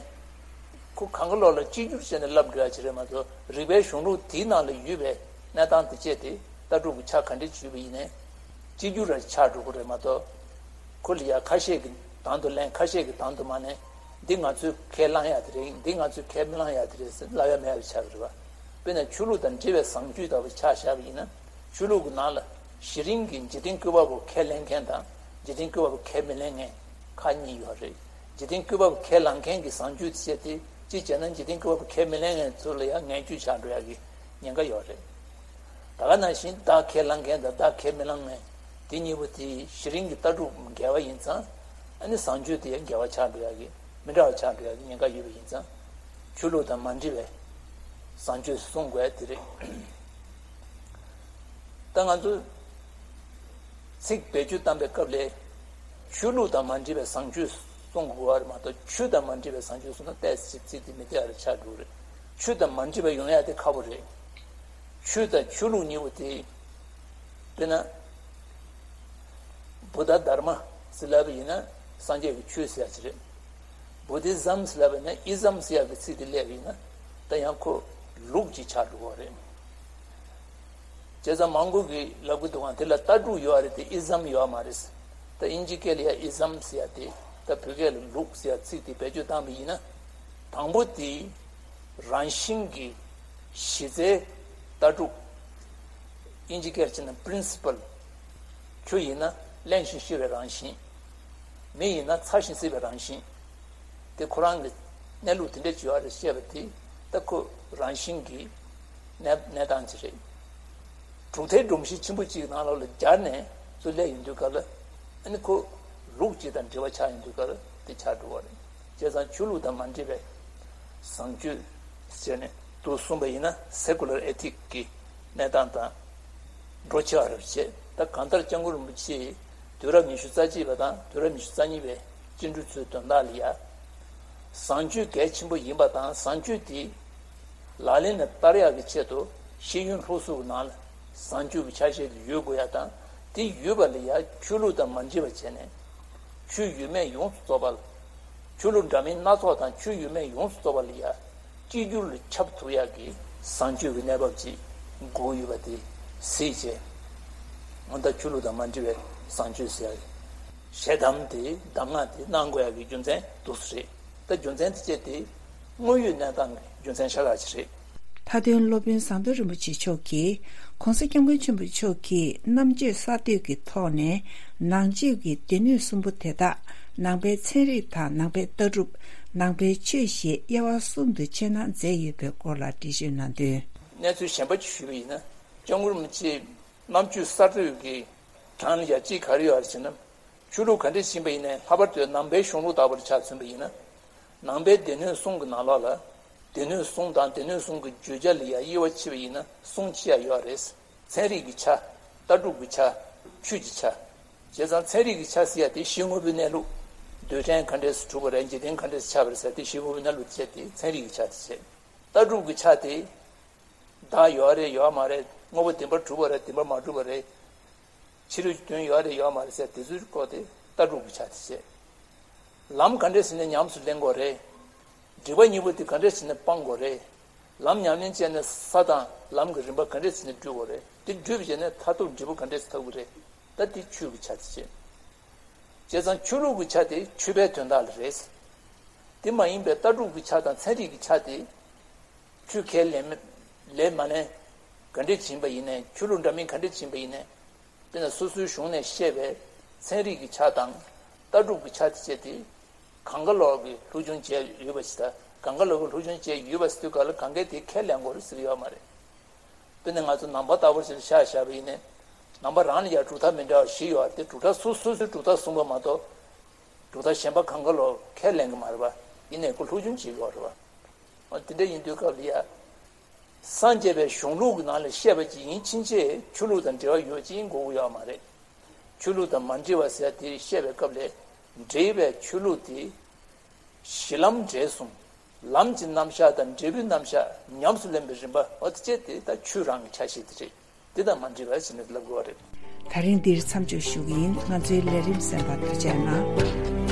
ཁོ་གང་གི་ལོག་ལ་གཅིག་གྱུར་བྱས་ནས་བསླབ་དགོས་ཡ་ཅིག་རེད་མ་གཏོགས། རིག་པའི་གཞུང་ལུགས་དེའི་ནང་ལ་ཡོད་པའི་གནས་སྟངས་དེ་བཅས་ཏེ་ལྟ་གྲུབ་ཀྱི་ཆ་ག་འདྲ་ཅིག་ཡོད་པ་ཡིན་ནའི། གཅིག་གྱུར་ར་ཆགས་འགྲོ་གི་རེད་མ་གཏོགས། ཁོ་ལ་ཡ་ཁ་ཤས་ཀྱིས་དང་དུ་ལེན། ཁ་ཤས་ཀྱིས་དང་དུ་མ་ལེན། འདི་ང་ཚོས་ཁས་བླངས་ཡ་དེ་རེད། འདི་ང་ཚོས་ཁས་མི་བླངས་ཡ་དེ་རེད་ཟེར་ལབ་ཡ་མེད་པ་ཆགས་ཀྱི་རེད་པ། དཔེར་ན་ཆོས་ལུགས་དང་འབྲེལ་བའི་བཟང་སྤྱོད་ལྟ་བུ་ཆ་བཞག་པ་ཡིན་ན། ཆོས་ལུགས་ཀྱི་ནང་ལ་གཞི་རིམ་གྱི་འཇིག་རྟེན་བཀོད་པ་པོ་ཁས་ལེན་མཁན་དང་འཇིག་རྟེན་བཀོད་པ་པོ་ཁས་མི་ལེན་མཁན་ཁག་གཉིས་ཡོད་རེད། འཇིག་རྟེན་བཀོད་པ་པོ་ཁས་བླངས་མཁན་གྱི་བཟང་སྤྱོད་དེ་བྱས་ཏེ་གཅིག་བྱས་ན་འཇིག་རྟེན་བཀོད་པ་པོ་ཁས་མི་ལེན་མཁན་ཚོ་ལ་ཡང་ངན་སྤྱོད་ཆགས་འགྲོ་ཡ་གི་ཉེན་ཁ་ཡོད་རེད། ད་ག་ནང་བཞིན་བདག་ཁས་བླངས་མཁན་དང་བདག་ཁས་མི་བླངས་མཁན་དེ་གཉིས་པོ་དེ་གཞི་རིམ་གྱི་ལྟ་གྲུབ་འགལ་བ་ཡིན་ཙང་། ཨ་ནི་བཟང་སྤྱོད་དེ་ཡང་འགལ་བ་ཆགས་འགྲོ་ཡ་གི་མི་འདྲ་བ་ཆགས་འགྲོ་ཡ་གི་ཉེན་ཁ་ཡོད་པ་ཡིན་ཙང་། ཆོས་ལུགས་དང་མ་འདྲེས་པའི་བཟང་སྤྱོད་གསུང་དགོས་དེ་རེད། ད་ང་ཚོ་ཚིག་བེད་སྤྱོད་བཏང་པའི་སྐབས་ལ་ཆོས་ལུགས་དང་མ་འདྲེས་པའི་བཟང་སྤྱོད་གསུང་དགོས་པ་རེད་མ་གཏོགས། ཆོས་དང་མ་འདྲེས་པའི་བཟང་སྤྱོད་གསུངས་ན་ཏོག་ཙམ་ཚིག་དེ་མི་བདེ་བ་རེ་ཆགས་འགྲོ་གི་རེད། ཆོས་དང་མ་འདྲེས་པ་ཡོང་ཡ་དེ་ཁག་པོ་རེད། ཆོས་དང་ཆོས་ལུགས་གཉིས་པོ་དེ། དཔེར་ན། བུདྡྷ་དྷརྨ་ཟེར་ལབ་པ་ཡིན་ན་སངས་རྒྱས་ཀྱི་ཆོས་ཟེར་ཡ་ཅིག་རེད། བུ་དྷི་ཛམ་ཟེར་ལབ་པ་ཡིན་ན་ཨི་ཛམ་ཟེར་ཡ་གི་ཚིག་དེ་སླེབས་པ་ཡིན་ན། ད་ཡང་ཁོ་ལུགས་ཅིག་ཆགས་འགྲོ་གི་རེད། བྱས་ཙང་མང་པོ་གིས་ལབ་ཀྱི་འདུག་ག་དེ་ལ་ལྟ་གྲུབ་ཡོད་རེད་དེ་ཨི་ཛམ་ཡོད་མ་རེད། ད་དབྱིན་ཇི་སྐད་ལ་ཡ་ཨི་ཛམ་ཟེར་ཡ་དེ། ད་བོད་སྐད་ལ་ལུགས་ཟེར་ཡ་ཚིག་དེ་བེད་སྤྱོད་བཏང་པ་ཡིན་ན། དང་པོ་དེ་རང་བཞིན་གྱི་གཞི་རྩའི་ལྟ་གྲུབ། དབྱིན་ཇི་སྐད་བྱས་ན་principle། ཆུ་ཡིན་ན་བརླན་ཞིང་གཤེར་བའི་རང་བཞིན། མེ་ཡིན་ན་ཚ་ཞིང་བསིལ་བའི་རང་བཞིན། དེ་ཁོ་རང་གི་གནས་ལུགས་དེ་འདྲ་ཅིག་ཡོད་རེད་བཤད་པ་དེ། ད་ཁོ་རང་བཞིན་གྱི་གནས་གནས་སྟངས་ཅིག་རེད། གྲུབ་མཐའི་སྒྲོམ་གཞི་ཆེན་པོ་གཅིག་ནང་ལོགས་ལ་སྦྱར་ནས་ཚུར་སླེབས་ཡོང་དུས་སྐབས་ལ། ཨ་ནི་ཁོ་ལུགས་གཅིག་དང་འབྲེལ་བ་ཆགས་ཡོང་དུས་སྐབས་ལ་དེ་ཆགས་འགྲོ་བ་རེད། བྱས་ཙང་ཆོས་ལུགས་དང་མ་འདྲེས་པའི་བཟང་སྤྱོད་ཟེར་ནས་དུ་གསུངས་པ་ཡིན་ན་secular ethic གི་གནས་སྟངས་དང་འགྲོ་ཆེ་བ་རེད་བྱས། ད་གང་ལྟར་སྐྱབས་མགོན་རིན་པོ་ཆེས་དུས་རབས་ཉི་ཤུ་རྩ་གཅིག་པ་དང་དུས་རབས་ཉི་ཤུ་རྩ་གཉིས་པའི་བཅིངས་འགྲོལ་ཚོའི་དོན་དག་ལ་ཡ། བཟང་སྤྱོད་གལ་ཆེན་པོ་ཡིན་པ་དང་བཟང་སྤྱོད་དེ་ལག་ལེན་ལ་བསྟར་ཡག་གི་ཆེད་དུ་ཤེས་ཡོན་སློབ་གསོ་གི་ནང་ལ་བཟང་སྤྱོད་ཀྱི་ཆ་ཤས་དེ་ཡོད་དགོས་ཡ་དང་། དེ་ཡོད་པ་ལ་ཡ་ཆོས་ལུགས་དང་མ་འདྲེས་པ་བྱས་ནས་ཆོས་ཡོད་མེད་ཡོངས་སུ་རྫོགས་པ་ལ། ཆོས་ལུགས་འདྲ་མིན་སྣ་ཚོགས་དང་ཆོས་ཡོད་མེད་ཡོངས་སུ་རྫོགས་པ་ལ་ཡ་གཅིག་གྱུར་ལ་ཁྱབ་ཐུབ་ཡག་གི་བཟང་སྤྱོད་ཀྱི་གནས་བབ་ཅིག་དགོས་ཡོད་པ་དེ་གཟིགས་བྱས། ང་ད་ཆོས་ལུགས་དང་མ་འདྲེས་པའི་བཟང་སྤྱོད་ཟེར་ཡག་གི་ཞལ་གདམས་དེ་གདམས་ངག་དེ་གནང་དགོས་ཡག་གི་རྒྱུ་མཚན་འདུག་སེ་རེད། ད་རྒྱུ་མཚན་དེ་བཅས་དེ་དངོས་ཡོད་གནས་སྟངས་ཀྱི་རྒྱུ་མཚན་ཤ་སྟག་ཅིག་རེད། མཐའ་དོན་སློབ་དཔོན་ཟམ་གདོང་རིན་པོ་ཆེ་མཆོག་གིས་༸གོང་ས་༸སྐྱབས་མགོན་ཆེན་པོ་མཆོག་གིས་རྣམ་དཔྱོད་གསར་གཏོད་ཀྱི་ཐོག་ནས་ནང་ཆོས་ཀྱི་སྡེ་སྣོད་གསུམ་པོ་དེ་དག་ནང་པའི་ཚན་རིག་དང་ནང་པའི་ལྟ་གྲུབ། ནང་པའི་ཆོས་ཞེས་དབྱེ་བ་གསུམ་དུ་ཕྱེ་ན་མཛད་ཡོད་པའི་སྐོར་ལ་འགྲེལ་བརྗོད་གནང་དོན། གནས་ཚུལ་གཞན་པ་ཅིག་ཞུས་པ་ཡིན་ན། སྐྱབས་མགོན་རིན་པོ་ཆེ་རྣམ་དཔྱོད་གསར་གཏོད་ཀྱི་གྲངས་ལ་ཡ་གཅིག་ག་རེ་ཡོད་རེད་ཟེར་ན། ཆོས་ལུགས་ག་འདྲ་ཞིག་ཡིན་པ་ཡིན་ནའི་ལྷག་པར་དུ་ནང་པའི་གཞུང་ལུགས་ལྟ་བུར་ཆ་མཚོན་པ་ཡིན་ན། ནང་པའི་སྡེ་སྣོད་གསུམ་གྱི་ནང་ལོགས་ལ། སྡེ་སྣོད་གསུམ་དང་སྡེ་སྣོད་གསུམ་གྱི་བརྗོད་བྱ་ལ་ཡ་དབྱེ་བ་ཕྱེ་བ་ཡིན་ན་གསུམ་ཕྱེ་ཡ་ཡོད་རེད། ཚན་རིག་གི་ཆ། ལྟ་གྲུབ་ཀྱི་ཆ། ཆོས་ཀྱི་ཆ། བྱས་ཙང་ཚན་རིག་གི་ཆ་ཟེར་ཡ་དེ་གཞི་དངོས་པོའི་གནས་ལུགས། རྡུལ་ཕྲན་ག་འདྲས་སུ་གྲུབ་པ་རེད། འཇིག་རྟེན་ག་འདྲས་སུ་ཆགས་པ་རེད་ཟེར་ཡ་དེ་གཞི་དངོས་པོའི་གནས་ལུགས་བྱས་ཏེ་ཚན་རིག་གི་ཆ་དེ་བྱས། ལྟ་གྲུབ་ཀྱི་ཆ་དེ། བདག་ཡོད་རེད་ཡོད་མ་རེད། དངོས་པོ་བདེན་པར་གྲུབ་པ་རེད་བདེན་པར་མ་གྲུབ་པ་རེད། ཕྱི་རོལ་གྱི་དོན་ཡོད་རེད་ཡོད་མ་རེད་ཟེར་དེ་ཚོའི་སྐོར་དེ་ལྟ་གྲུབ་ཀྱི་ཆ་དེ་བྱས། ལམ་ག་འདྲས་བྱས་ནས་ཉམས་སུ་ལེན་དགོས་རེད། སྒྲིབ་པ་གཉིས་པོ་དེ་ག་འདྲས་བྱས་ནས་སྤང་དགོས་རེད། ལམ་ཉམས་ལེན་བྱས་ནས་ས་དང་ལམ་གྱི་རིམ་པ་ག་འདྲས་བྱས་ནས་བགྲོད་དགོས་རེད། དེ་བགྲོད་པ་བྱས་ནས་མཐར་ཐུག་འབྲས་བུ་ག་འདྲས་ཐོབ་ཀྱི་རེད། ད་དེ་ཆོས་ཀྱི་ཆ་དེ་བྱས། བྱས་ཙང་ཆོས་ལུགས་ཀྱི་ཆ་དེ་ཆོས་པའི་དོན་དག་ལ་རེད། དེ་མ་ཡིན་པའི་ལྟ་གྲུབ་ཀྱི་ཆ་དང་ཚན་རིག་གི་ཆ་དེ། ཆོས་ཁས་ལེན་མ་ལེན་མ་ལེན། ག་འདྲས་བྱིན་པ་ཡིན་ནའི་ཆོས་ལུགས་འདྲ་མིན་ག་འདྲས་བྱིན་པ་ཡིན་ནའི། དཔེར་ན་སོ་སོའི་གཞུང་ནས་བཤད་པའི་ཚན་རིག་གི་ཆ་དང་ལྟ་གྲུབ་ཀྱི་ཆ་དེ་བཅས་དེ། གང་ག་ལོག་གི་སློབ་སྦྱོང་བྱས་ཡོད་པ་ཞིག་དང་གང་ག་ལོག་གི་སློབ་སྦྱོང་བྱས་ཡོད་པ་ཟེར་དུས་ག་ལ་གང་གས་དེ་ཁས་ལེན་དགོས་རེད་ཟེར་གྱི་ཡོད་མ་རེད། དཔེར་ན་ང་ཚོ་ནང་པ་ལྟ་བུ་ཞིག་ལ་ཆ་བཞག་པ་ཡིན་ནའི། ནང་པ་རང་ལ་ཡང་གྲུབ་མཐའ་མི་འདྲ་བ་བཞི་ཡོད་རེད་དེ་གྲུབ་མཐའ་སོ་སོ་སོའི་གྲུབ་མཐའ་གསུངས་པ་མ་གཏོགས། གྲུབ་མཐའ་གཞན་པ་གང་ག་ལོག་ཁས་ལེན་གྱི་མ་རེད་པ། ཡིན་ནའི་ཁོ་སློབ་སྦྱོང་བྱེད་དགོས་རེད་པ། འོ་དེ་འདྲ་ཡིན་དུས་སྐབས་ལ་ཡ། སངས་རྒྱས་པའི་གཞུང་ལུགས་ཀྱི་ནང་ལ་བཤད་པ་ཅིག་ཡིན་ཕྱིན་ཆད་ཆོས་ལུགས་དང་འབྲེལ་བ་ཡོད་ཅིག་ཡིན་དགོས་ཀྱི་ཡོད་མ་རེད། ཆོས་ལུགས་དང་མ་འབྲེལ་བ་ཟེར་དེ་བཤད་པའི་སྐབས་ལ། འབྲེལ་བའི་ཆོས་ལུགས་དེ། གཞི་ལམ་འབྲས་གསུམ། ལམ་གྱི་རྣམ་གཞག་དང་འབྲས་བུའི་རྣམ་གཞག་ཉམས་སུ་ལེན་པའི་རིམ་པ་འོ་དེ་བཅས་དེ་ད་ཆོས་རང་གི་ཆ་ཤས་དེ་རེད། དེ་དང་མ་འབྲེལ་བ་ཞིག་ནས་ལབ་དགོས་པ་རེད། ད་རིང་འདིར་མཚམས་འཇོག་ཞུ་གི་ཡིན། ང་ཚོའི་ལས་རིམ་གསན་པར་ཐུགས་རྗེ་གནང་།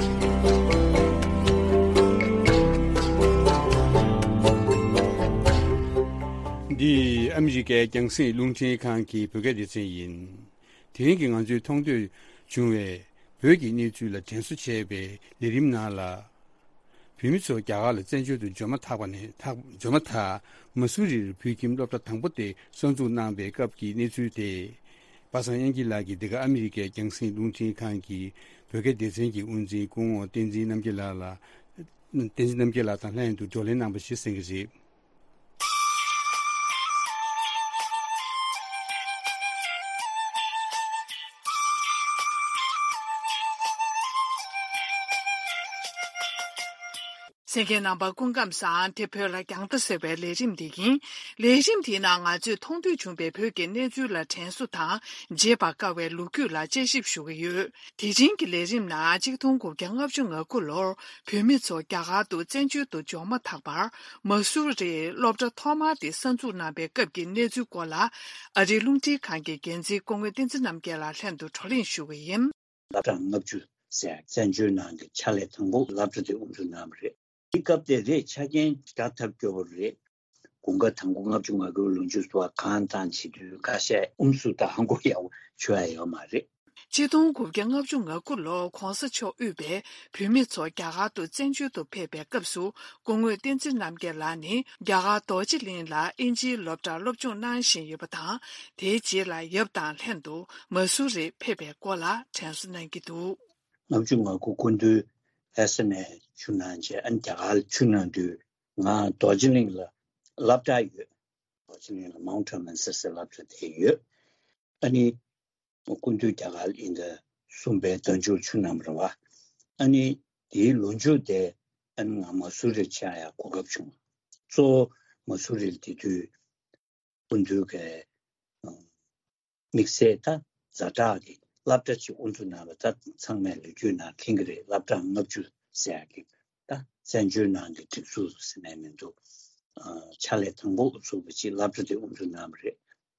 འདི་ཨ་མི་རི་ཀའི་རྒྱང་སྲིང་རླུང་འཕྲིན་ཁང་གི་བོད་སྐད་སྡེ་ཚན་ཡིན། དེ་རིང་གི་ང་ཚོའི་མཐོང་ཐོས་བྱུང་བའི་བོད་ཀྱི་གནས་ཚུལ་ལ་དྲན་གསོ་བྱས་པའི་ལས་རིམ་ནང་ལ། བོད་མི་ཚོ་རྒྱ་གར་ལ་བཙན་བྱོལ་དུ་འབྱོར་མ་ཐག་པ་ནས་ཐག་འབྱོར་མ་ཐག་མ་སུ་རིར་བོད་ཁྱིམ་སློབ་གྲྭ་དང་པོ་དེ་གསར་འཛུགས་གནང་པའི་སྐབས་ཀྱི་གནས་ཚུལ་དེ། པ་སངས་དབྱངས་སྐྱིད་ལགས་ཀྱིས་འདི་ག་ཨ་མི་རི་ཀའི་རྒྱང་སྲིང་རླུང་འཕྲིན་ཁང་གི་བོད་སྐད་སྡེ་ཚན་གྱི་དབུ་འཛིན་སྐུ་ངོ་བསྟན་འཛིན་རྣམ་རྒྱལ་ལགས་ལ། བསྟན་འཛིན་རྣམ་རྒྱལ་ལགས་དང་ལྷན་དུ་བགྲོ་གླེང་གནང་པ་ཞིག་གསན་གྱི་རེད། གསན་མཁན་རྣམ་པ་སྐུ་ཁམས་བཟང་། དེ་བོད་ལ་རྒྱང་ལྟ་ཟེར་བའི་ལས་རིམ་འདི་ཡིན། ལས་རིམ་འདིའི་ནང་ང་ཚོས་མཐོང་ཐོས་བྱུང་བའི་བོད་ཀྱི་གནས་ཚུལ་ལ་དྲན་གསོ་དང་བརྗེད་པར་དཀའ་བའི་ལོ་རྒྱུས་ལ་དཔྱད་ཞིབ་ཞུ་གི་ཡོད། དེ་རིང་གི་ལས་རིམ་ནང་གཅིག་སྟོང་དགུ་བརྒྱ་ལྔ་བཅུ་ང་དགུ་ལོར་བོད་མི་ཚོ་རྒྱ་གར་དུ་བཙན་བྱོལ་དུ་འབྱོར་མ་ཐག་པར་མ་སུ་རིའི་སློབ་གྲྭ་ཐོག་མ་དེ་གསར་འཛུགས་གནང་པའི་སྐབས་ཀྱི་གནས་ཚུལ་སྐོར་ལ་ཨ་རིའི་རླུང་འཕྲིན་ཁང་གི་འགན་འཛིན་སྐུ་ངོ་བསྟན་འཛིན་རྣམ་རྒྱལ་ལགས་ལྷན་དུ་བགྲོ་གླེང་ཞུ་གི་ཡིན། སློབ་གྲྭ་ལྔ་བཅུ་ཟེར་བཙན་བྱོལ་ནང་གི་ཕྱག་ལས་དང་པོ་སློབ་གྲྭ་དེ་དབུ་འཛུགས་གནང་བ་རེད། དེ་སྐབས་དེ་རེད། ཆ་རྐྱེན་དགའ་ཐབས་སྐྱོ་པོ་རེད། དགུན་ཁ་དང་པོ་ལྔ་བཅུ་ང་དགུའི་ལོ་མཇུག་ཏུ་གང་དང་བྱེད་དུས་ཁ་ཤས་ཨུམ་སུ་དང་མགོ་ཡག་པོ་ཆོད་ཡ་ཡོད་མ་རེད། ཆིག་སྟོང་དགུ་བརྒྱ་ལྔ་བཅུ་ང་དགུ་ལོར་གོང་ས་མཆོག་དབུས་པའི་བོད་མི་ཚོ་རྒྱ་གར་དུ་བཙན་བྱོལ་དུ་ཕེབས་པའི་སྐབས་སུ་སྐུ་ངོ་བསྟན་འཛིན་རྣམ་རྒྱལ་ལགས་ནི་རྒྱ་གར་རྡོ་རྗེ་གླིང་ལ་ཨིན་ཇིའི་སློབ་གྲྭར་སློབ་སྦྱོང་གནང་བཞིན་ཡོད་པ་དང་། དེའི་རྗེས་ལ་ཡབ་དང་ལྷན་དུ་མ་སུ་རིར་ཕེབས་པའི་སྐོར་ལ་དྲན་གསོ་གནང་གི་འདུག། ལྔ་བཅུ་ང་དགུ་སྐུ་མདུན་ལྷ་ས་ནས་ཆིབས་གནང་རྗེས་ཨ་ནི་རྒྱ་གར་ལ་ཆིབས་གནང་དུས་ང་རྡོ་རྗེ་གླིང་ལ་སློབ་གྲྭ་ཡོད། རྡོ་རྗེ་གླིང་ལ་མའུན་ཊ་མན་སི་ཟེར་སློབ་གྲྭ་དེ་ཡོད། ཨ་ནི་སྐུ་མདུན་རྒྱ་གར་ལ་ཨིན་ཟླ་གསུམ་པའི་ཟླ་མཇུག་ཆིབས་གནང་བ་རེད་བ། ཨ་ནི་དེའི་ལོ་མཇུག་དེ་ཨ་ནི་ང་མ་སུ་རིར་ཆིབས་ཡ་གོ་སྐབས་བྱུང་། གཙོ་བོ་མ་སུ་རི་ལ་དེ་དུས་སྐུ་མདུན་གྱི་དམིགས་བསལ་ད་ཛ་དྲག་གི་སློབ་གྲྭ་ཅིག་དབུ་འཛུགས་གནང་བ་ད་ཚང་མས་ལོ་རྒྱུས་ནང་མཁྱེན་གྱི་རེད། སློབ་གྲྭ་ལྔ་བཅུ་ཟེར་ཡག་གི་ད་བཙན་བྱོལ་ནང་གི་སྒྲིག་འཛུགས་ཟེར་ནས་མི་འདུག། ཕྱག་ལས་དང་པོ་དབུ་ཚུགས་པ་ཅིག་སློབ་གྲྭ་དེ་དབུ་འཛུགས་གནང་བ་རེད།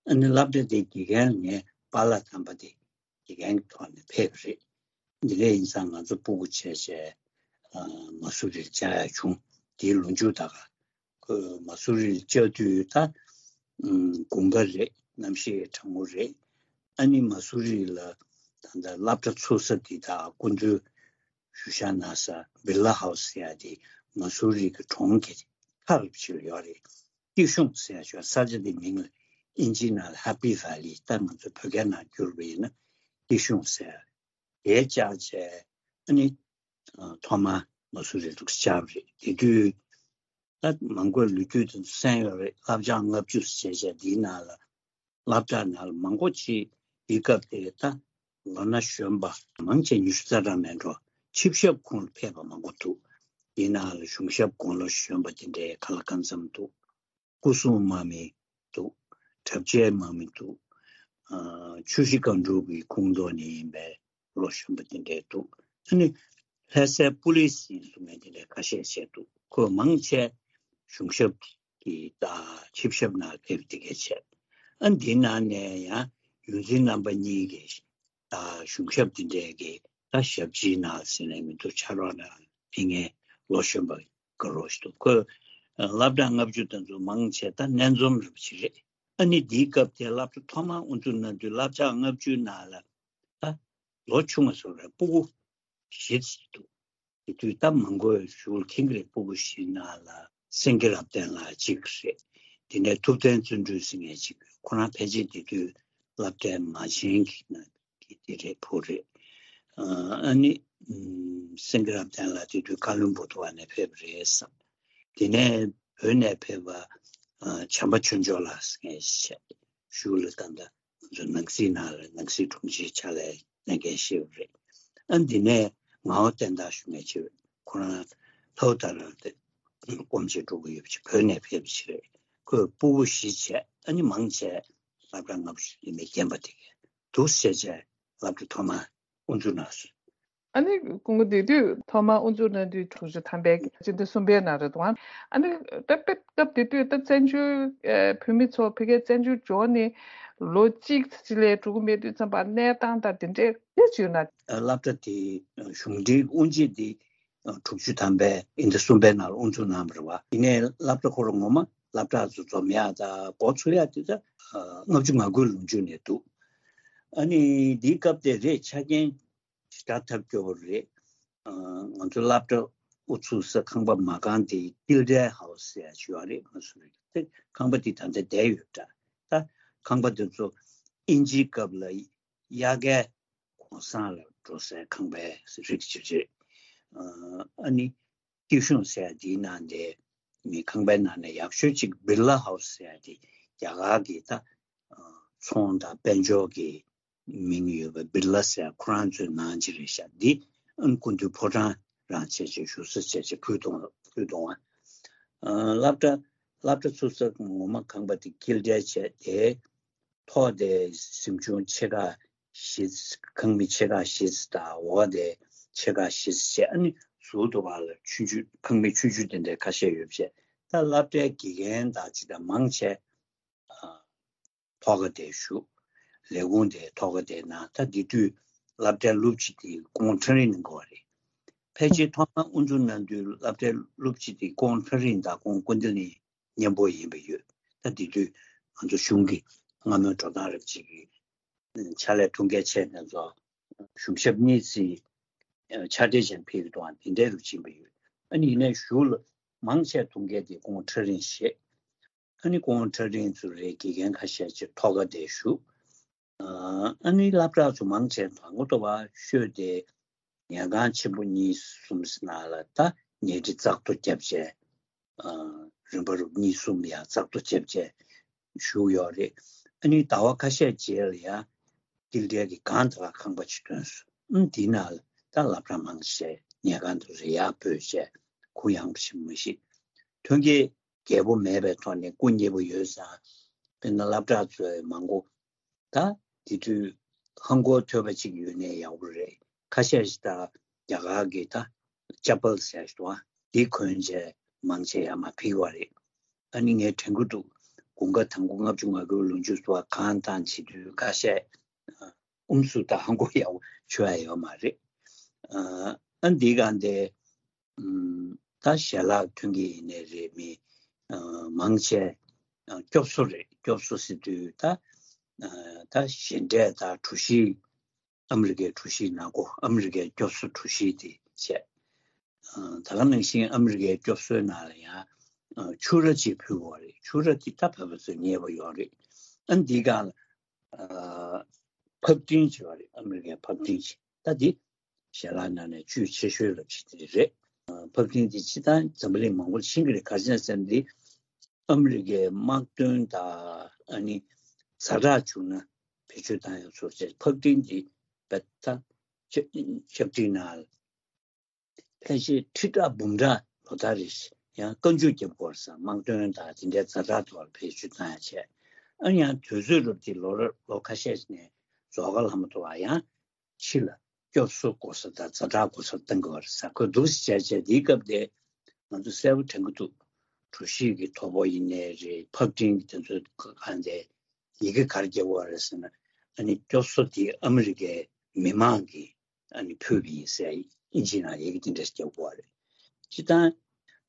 ཨ་ནི་སློབ་གྲྭ་དེ་དགེ་རྒན་ངའི་པཱ་ལགས་དམ་པ་དེ་དགེ་རྒན་གྱི་ཐོག་ནས་ཕེབས་པ་རེད། འདི་འདྲ་ཡིན་ཙང་ང་ཚོ་སྤུ་གུ་བྱས་བྱས་མ་སུ་རིར་བཅར་ཡ་བྱུང་། དེའི་ལོ་མཇུག་ད་ག་ཁོས་མ་སུ་རི་ལ་བཅར་དུས་ད་དགུན་ཁ་རེད། གནམ་གཤིས་གྲང་མོ་རེད། ཨ་ནི་མ་སུ་རི་ལ་ད་ལྟ་སློབ་གྲྭ་ཚུགས་ས་དེ་དང་སྐུ་མདུན་བཞུགས་ཤག་གནང་ས་བིར་ལ་ཧའུ་སི་ཟེར་ཡ་དེ་མ་སུ་རི་གི་གྲོང་གི་མཐའ་རུ་ཕྱིར་ཡོད་རེད། སྐྱིད་གཤོངས་ཟེར་ཡ་ཞོ་ས་ཆ་དེ་མིང་ལ་ཨིན་ཇི་ནང་ལ་ཧེ་པི་ཝེ་ལི་ད་ང་ཚོ་བོད་སྐད་ནང་བསྒྱུར་བ་ཡིན་ན་སྐྱིད་གཤོངས་ཟེར་ཡ་དེ་བཅར་བྱས་ཨ་ནི། ཐོག་མ་མ་སུ་རི་ལ་བཅར་བ་རེད། དེ་དུས་ད་མང་པོའི་ལོ་རྒྱུས་དེ་ཚོ་གསན་ཡོད་རེད། བསླབ་བྱ་ལྔ་བཅུ་ཟེར་བྱས་འདིའི་ནང་ལ་བསླབ་གྲྭ་ནང་ལ་མང་པོ་ཅིག་དེའི་སྐབས་དེ་ད་ལོ་ན་གཞོན་པ་མང་ཆེ་ཉི་ཤུ་རྩ་གྲངས་མེད་འགྲོ་ཆིབས་ཞབས་ཁོངས་ལ་ཕེབས་པ་མང་པོ་འདུག། དེའི་ནང་ལ་གཞུང་ཞབས་དགུང་ལོ་གཞོན་པ་དེ་འདྲའི་ག་ལ་གང་འཚམ་འདུག། སྐུ་སྲུང་དམག་མི་འདུག། གྲབས་ཆའི་དམག་མི་འདུག། ཨ་ཆུ་བཞི་སྒང་དྲུག་གི་ཁོངས་གཏོགས་ནས་ཡིན་པའི་ལོ་གཞོན་པ་དེ་འདྲས་འདུག། ཨ་ནི་ལྷ་སའི་པུ་ལི་སི་ཡིན་གསུང་མཁན་དེ་འདྲས་ཁ་ཤས་བཤད་འདུག། ཁོས་མང་ཆེ་གཞུང་ཞབས་ཀྱི་ད་ཆིབས་ཞབས་ནང་ཕེབས་དེ་གས་བྱས། ཨ་འདི་ནང་ནས་ཡང་ཡོངས་འཛིན་རྣམ་པ་གཉིས་ཀྱི་ད་གཞུང་ཞབས་དེ་འདྲས་ཀྱི་ད་ཞབས་ཕྱིའི་ནང་ཟེར་ནས་མི་འདུག། ཕྱག་རོགས་ནང་ཕེབས་མཁན་ལོ་གཞོན་པ་དགའ་རོགས་ཞིག་འདུག། ཁོས་སློབ་གྲྭ་ལྔ་བཅུ་དེ་ཚོ་མང་ཆེ་ད་སྣེ་འཛོམས་རུ་ཅིག་རེད། ཨ་ནི་འདིའི་སྐབས་དེ་སློབ་གྲྭ་ཐོག་མར་དབུ་འཛུགས་གནང་དུས་བསླབ་བྱ་ལྔ་བཅུའི་ནང་ལ་ད་ལོ་ཆུང་བ་ཚོ་རེད། སྤུ་གུ་བཞི་ཙམ་འདུག། དེ་དུས་སྟབས་མང་པོས་ཞུ་ལ་མཁྱེན་གྱི་རེད། སྤུ་གུ་བཞི་ནང་ལ་སེང་གེ་རབ་བརྟན་ལགས་གཅིག་རེད། དེ་ནས་ཐུབ་བསྟན་བརྩོན་འགྲུས་ཟེར་མཁན་གཅིག་ཁོ་རང་ཕལ་ཆེར་དེ་དུས་སློབ་གྲྭའི་མ་བྱན་གྱི་ནང་གི་དེ་རེད། བུ་རེད། ཨ་ནི་སེང་གེ་རབ་བརྟན་ལགས་དེ་དུས་ཀ་ལོན་སྦུག་ཏོ་བ་ནས་ཕེབས་པ་རེད་བསམ། དེ་ནས་བོད་ནས་ཕེབས་པ་བྱམས་པ་ཆོས་འབྱོར་ལགས་ཟེར་མཁན་ཞིག་ཞུ་ལ་ད་ལྟ་ང་ཚོ་ནང་སྲིད་ནང་ལ་ནང་སྲིད་དྲུང་ཆེའི་ཕྱག་ལས་གནང་མཁན་ཞིག་རེད། ཨ་འདི་ནས་ངག་དབང་བསྟན་དར་ཞུ་མཁན་ཞིག་རེད། ཁོ་རང་ལྷོ་ད་ར་དེ་སྐོམ་ཆེ་འགྲོ་གི་ཡོད་པ་ཞིག་བོད་ནས་ཕེབས་པ་ཞིག་རེད། ཁོས་སྤུ་གུ་བཞི་བྱས། ཨ་ནི་མང་ཆེ་སློབ་གྲྭ་ལྔ་བཅུ་ལས་མེད་རྒན་པ་དེ་གས་འདུག་བྱས་བྱས་སློབ་གྲྭ་ཐོག་མ་དབུ་འཛུགས་གནང་སོང་། ཨ་ནི་སྐུ་ངོ་དེ་དུས་ཐོག་མར་དབུ་འཛུགས་གནང་དུས་དྲུག་ཅུ་ཐམ་པའི་སྤྱི་ཟླ་གསུམ་པའི་ནང་རེད་འདུག་ཨ་ནི་ད་དཔེ་སྐབས་དེ་དུས་ད་བཙན་བྱོལ་ཨེ་བོད་མི་ཚོ་ཕ་གིའི་བཙན་བྱོལ་འབྱོར་ནས་ལོ་གཅིག་ཙམ་ལས་འགྲོ་གི་མེད་དུས་ཙམ་པ་གནས་སྟངས་དང་དེ་འདྲའི་དཔེ་བརྗོད་ན། སློབ་གྲྭ་དེ་གཞུང་འབྲེལ་དབུ་འབྱེད་དེ་དྲུག་ཅུ་ཐམ་པའི་དབྱིན་ཟླ་གསུམ་པའི་ནང་ལ་དབུ་འཛུགས་གནང་བ་རེད་བ། ཡིན་ནའི་སློབ་གྲྭ་ཁོ་རང་ངོ་མ་སློབ་གྲྭ་ཚོ་འཛོམས་ཡག་དང་འགོ་ཚུགས་ཡག་དེ་ད་ལྔ་བཅུ་ང་དགུའི་ལོ་མཇུག་ནས་འདུག་ཨ་ནི་འདིའི་སྐབས་དེ་རེད། ཆ་རྐྱེན་ཞེ་དྲག་ཐབས་སྐྱོ་བོ་རེད། ཨ་ང་ཚོ་སློབ་གྲྭ་དབུ་ཚུགས་ས་ཁང་པ་མ་རྐང་དེ་ཀིལ་ཌེ་ཧའུ་སི་ཟེར་ཡ་ཞིག་ཡོད་རེད། ང་ཚོ་རེད་དེ་ཁང་པ་དེ་ད་ལྟ་བསྡད་ཡོད་འདྲ། ད་ཁང་པ་དེ་ཚོ་དབྱིན་ཇིའི་སྐབས་ལ་དབྱར་ཁའི་གུང་སེང་ལ་འགྲོ་སའི་ཁང་པའི་རིགས་ཅིག་རེད། ཨ་ནི་སྐྱིད་གཤོངས་ཟེར་ཡ་དེའི་ནང་དེ་མི་ཁང་པའི་ནང་ནས་ཡག་ཤོས་ཅིག་བིར་ལ་ཧའུ་སི་ཟེར་ཡ་དེ་རྒྱ་གར་གྱི་ད་ཚོང་དང་དཔལ་འབྱོར་གྱི་མིང་ཡོད་པའི་བིར་ལ་ཟེར་ཁོ་རང་ཚོའི་ནང་ཅི་རེད་ཤག་འདི་ཨ་ནི་སྐུ་མདུན་ཕོ་བྲང་རང་བྱས་བྱས་བཞུགས་ས་བྱས་བྱས་ཕུལ་གཏོང་ཕུལ་གཏོང་བ། སློབ་གྲྭ་སློབ་གྲྭ་ཚུགས་ས་ངོ་མ་ཁང་པ་དེ་ཀིལ་ཌེ་བྱས་དེ་ཐོག་དེ་གཟིམ་ཆུང་ཆེ་ཁག་བཞི་ཁང་མིག་ཆེ་ཁག་བཞི་དང་འོག་དེ་ཆེ་ཁག་བཞི་བྱས་ཨ་ནི་ཟུར་དུ་བ་ལ་ཆུང་ཆུང་ཁང་མིག་ཆུང་ཆུང་དེ་འདྲའི་ཁ་ཤས་ཡོད་བྱས། ད་སློབ་གྲྭའི་དགེ་རྒན་དང་ཅི་དང་མང་ཆེ་ཐོག་ཁ་དེ་བཞུགས། ལས་ཁུངས་དེ་ཐོག་ཁ་དེ་ན་ད་དེ་དུས་སློབ་གྲྭའི་སློབ་སྤྱི་དེ་ཀོང་ཁྲ་རིང་གནང་གི་ཡོད་རེད། ཕལ་ཆེར་ཐོག་མར་དབུ་འཛུགས་གནང་དུས་སློབ་གྲྭའི་སློབ་སྤྱི་དེ་ཀོང་ཁྲ་རིང་དང་ཀོང་ཀུན་བདེ་གླིང་མཉམ་པོ་ཡིན་པ་ཡོད། ད་དེ་དུས་ང་ཚོ་གཞུང་གི་སྔ་མོའི་འགྲོ་སྟངས་རབ་ཅིག་གི་ཕྱག་ལས་ཐུགས་འགན་ཆེ་ན་ཚོ་གཞུང་ཞབས་གཉིས་ཙམ་ཕྱག་སྦྲེལ་ཅན་ཕེབས་ཀྱི་འདུག་ཨང་། དེ་འདྲའི་རུ་ཕྱིན་པ་ཡོད། ཨ་ནི་ཡིན་ནའི་གཞུག་ལ་མང་ཆེ་ཐུགས་འགན་དེ་ཀོང་ཁྲ་རིང་བཞེས། ཨ་ནི་ཀོང་ཁྲ་རིང་ཚོ་རེད། དགེ་རྒན་ཁ་ཤས་ཅིག་ཐོག་ཁ་དེ་བཞུགས། ཨ་ནི་སློབ་གྲྭ་ཚོ་མང་ཆེ་དང་པོ་ཏོ་བ་ཤོད་དེ་ཉལ་ཁང་ཆེན་པོ་གཉིས་གསུམ་ནང་ལ་ད་ཉལ་ཁྲི་ཙག་ཏོ་བརྒྱབ་བྱས། རིམ་པ་རུ་གཉིས་གསུམ་ཡང་ཙག་ཏོ་བརྒྱབ་བྱས་བཞུགས་ཡོད་རེད། ཨ་ནི་ཟླ་བ་ཁ་ཤས་རྗེས་ལ་ཡང་ཀིལ་ཌེ་གི་སྒང་དེ་ལ་ཁང་པ་ཅིག་བཏོན་སོང་། ཨ་ནི་དེའི་ནང་ལ་ད་སློབ་གྲྭ་མང་ཆེ་ཉལ་ཁང་དུ་རེ་ཡག་སྤོས་བྱས་གུ་ཡངས་པོ་ཞིག་མ་གཞི་ཐོན་སྐྱེད་རྒྱས་པོ་མེད་པའི་ཐོག་ནས་སྐུ་མཉེལ་པོ་ཡོད་ཙང་། དཔེར་ན་སློབ་གྲྭ་ཚོའི་མང་པོ་ད་དེ་དུས་ཧང་གོ་ཐོད་པ་གཅིག་ཡོད་ནའི་ཡག་པོ་རེད། ཁ་ཤས་ཤིག་ད་རྒྱ་གར་གྱི་ད་ཅ་པལ་ཟེར་ཞིག་འདུག་ཨ། འདི་གོན་བྱས་མང་ཆེ་ཡར་མར་ཕེབས་པ་རེད། ཨ་ནི་ངས་དྲན་གྱི་འདུག་དགུན་ཁ་དང་པོ་ལྔ་བཅུ་ང་དགུའི་ལོ་མཇུག་ཏུ་གང་དང་བྱེད་དུས་ཁ་ཤས་ཨུམ་སུ་ད་ཧང་གོ་ཡག་པོ་ཆོད་ཡ་ཡོད་མ་རེད། ཨ་འདི་གང་དེ་ད་ཞལ་ལག་ཐོན་གྱི་ཡིན་ནའི་རེད། མི་མང་ཆེ་སྐྱོབ་གསོ་རེད། སྐྱོབ་གསོ་ཟེར་དུས་ད་ད་ཞལ་འབྲས་དང་གྲོ་ཞིབ། ཨ་མི་རི་ཀའི་གྲོ་ཞིབ་ནང་སྒོ། ཨ་མི་རི་ཀའི་སྐྱོབ་གསོ་གྲོ་ཞིབ་དེ་བྱས། ད་ག་ནང་བཞིན་ཨ་མི་རི་ཀའི་སྐྱོབ་གསོའི་ནང་ལ་ཡང་ཕྱུ་ར་ཅིག་ཕུལ་བ་རེད། ཕྱུ་ར་དེ་ད་བོད་པ་ཚོས་མཉེས་པོ་ཡོད་རེད། ཨ་འདི་གང་ལ་ཕབ་སྟེང་བྱས་པ་རེད། ཨ་མི་རི་ཀའི་ཕབ་སྟེང་ཅིག་ད་འདི་ཞལ་ལག་ནང་ནས་བཅུད་ཆེ་ཤོས་ལ་བྱེད་དེ་རེད། ཕབ་སྟེང་དེ་སྤྱིར་བཏང་འཛམ་བུ་གླིང་མང་པོར་ཤེས་ཀྱི་རེད། ག་རེ་ཟེར་ན་འདི་ཨ་མི་རི་ཀའི་དམག་དོན་དང་ཨ་ནི་ཛ་དྲག་བྱུང་ན་བེད་སྤྱོད་བཏང་ཡག་ཚོར་བྱས། ཕབ་སྟེང་དེ་བེད་ད་ཕྱག་བྲིས་ནང་ཕལ་ཆེར་ཁྲི་ཕྲག་འབུམ་ཕྲག་ལོ་ལྟར་རེ་བཞིན་ཡང་བཀའ་འཇུག་རྒྱབ་དགོས་ས། དམག་དོན་དང་དེ་འདྲའི་ཛ་དྲག་ཐོག་ལ་བེད་སྤྱོད་བཏང་ཡག་བྱས། ཨ་ཡང་དུས་ཚོད་རབ་དེ་ལོ་རབས་ལོ་ཁ་ཤས་ནས་རྫོགས་ཁ་ལྷ་མོ་ཐོ་བ་ཡང་ཕྱི་ལ་སྐྱོབ་གསོ་དགོས་ས་དང་ཛ་དྲག་དགོས་ས་བཏང་དགོས་རེད་ས། ཁོས་འདུག་སེ་བྱས་བྱས་དེའི་སྐབས་དེ་ང་ཚོ་གསལ་པོ་དྲན་གྱི་འདུག་གྲོ་ཞིབ་ཀྱི་ཐོ་ཕོག་ཡིན་ནའི་རེད། ཕབ་སྟེང་གི་དེ་ཚོ་གང་དེ་ཡི་གེ་ག་རེ་རྒྱབ་པ་རེད་ཟེར་ན། ཨ་ནི་སྐྱོབ་གསོ་དེ་ཨ་མི་རི་ཀའི་མི་མང་གིས་ཨ་ནི་ཕུལ་བ་ཡིན་ཟེར་དབྱིན་ཇིའི་ནང་ཡི་གེ་དེ་འདྲ་ཞིག་རྒྱབ་པ་རེད། སྤྱིར་བཏང་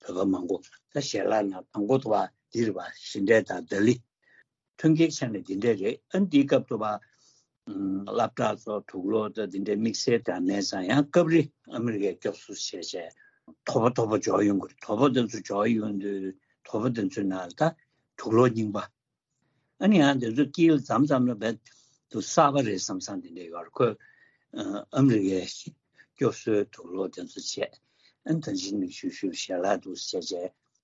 བོད་པ་མང་པོ་ད་ཞལ་ལག་ནང་དང་པོ་དུ་བ་འདི་རེད་པ། ཞལ་འབྲས་དང་ཟླ་ལི་ཐོན་སྐྱེད་ཆ་ནས་འདི་འདྲ་རེད། ཨ་ནི་འདིའི་སྐབས་དུ་བ་ སློབ་གྲྭ་ཚོ་དུག་ལོག་དང་དེ་འདྲའི་དམིགས་བསལ་དང་མེད་ཙང་ཡང་སྐབས་རེ་ཨ་མི་རི་ཀས་སྐྱོབ་གསོ་བྱས་བྱས་དོགས་པ་དོགས་པ་འཇོག་ཡོང་གི་རེད། དོགས་པ་དེ་ཚོ་འཇོག་ཡོང་དུས་དོགས་པ་དེ་ཚོའི་ནང་ལ་ད་དུག་ལོག་རྙིང་པ། ཨ་ནི་ཡང་དེ་ཚོ་དཀྱིལ་ཙམ་ཙམ་ལ་རྦད་དུ་གསར་པ་རེད་བསམ་བསམ་དེ་འདྲ་ཡོད་རེད། ཁོས་ཨ་མི་རི་ཀའི་སྐྱོབ་གསོའི་དུག་ལོག་དེ་ཚོ་བྱས། ཨ་ནི་ད་ཅི་ནས་ཞུ་ཞུ་ཞལ་ལག་འདུག་བྱས་བྱས་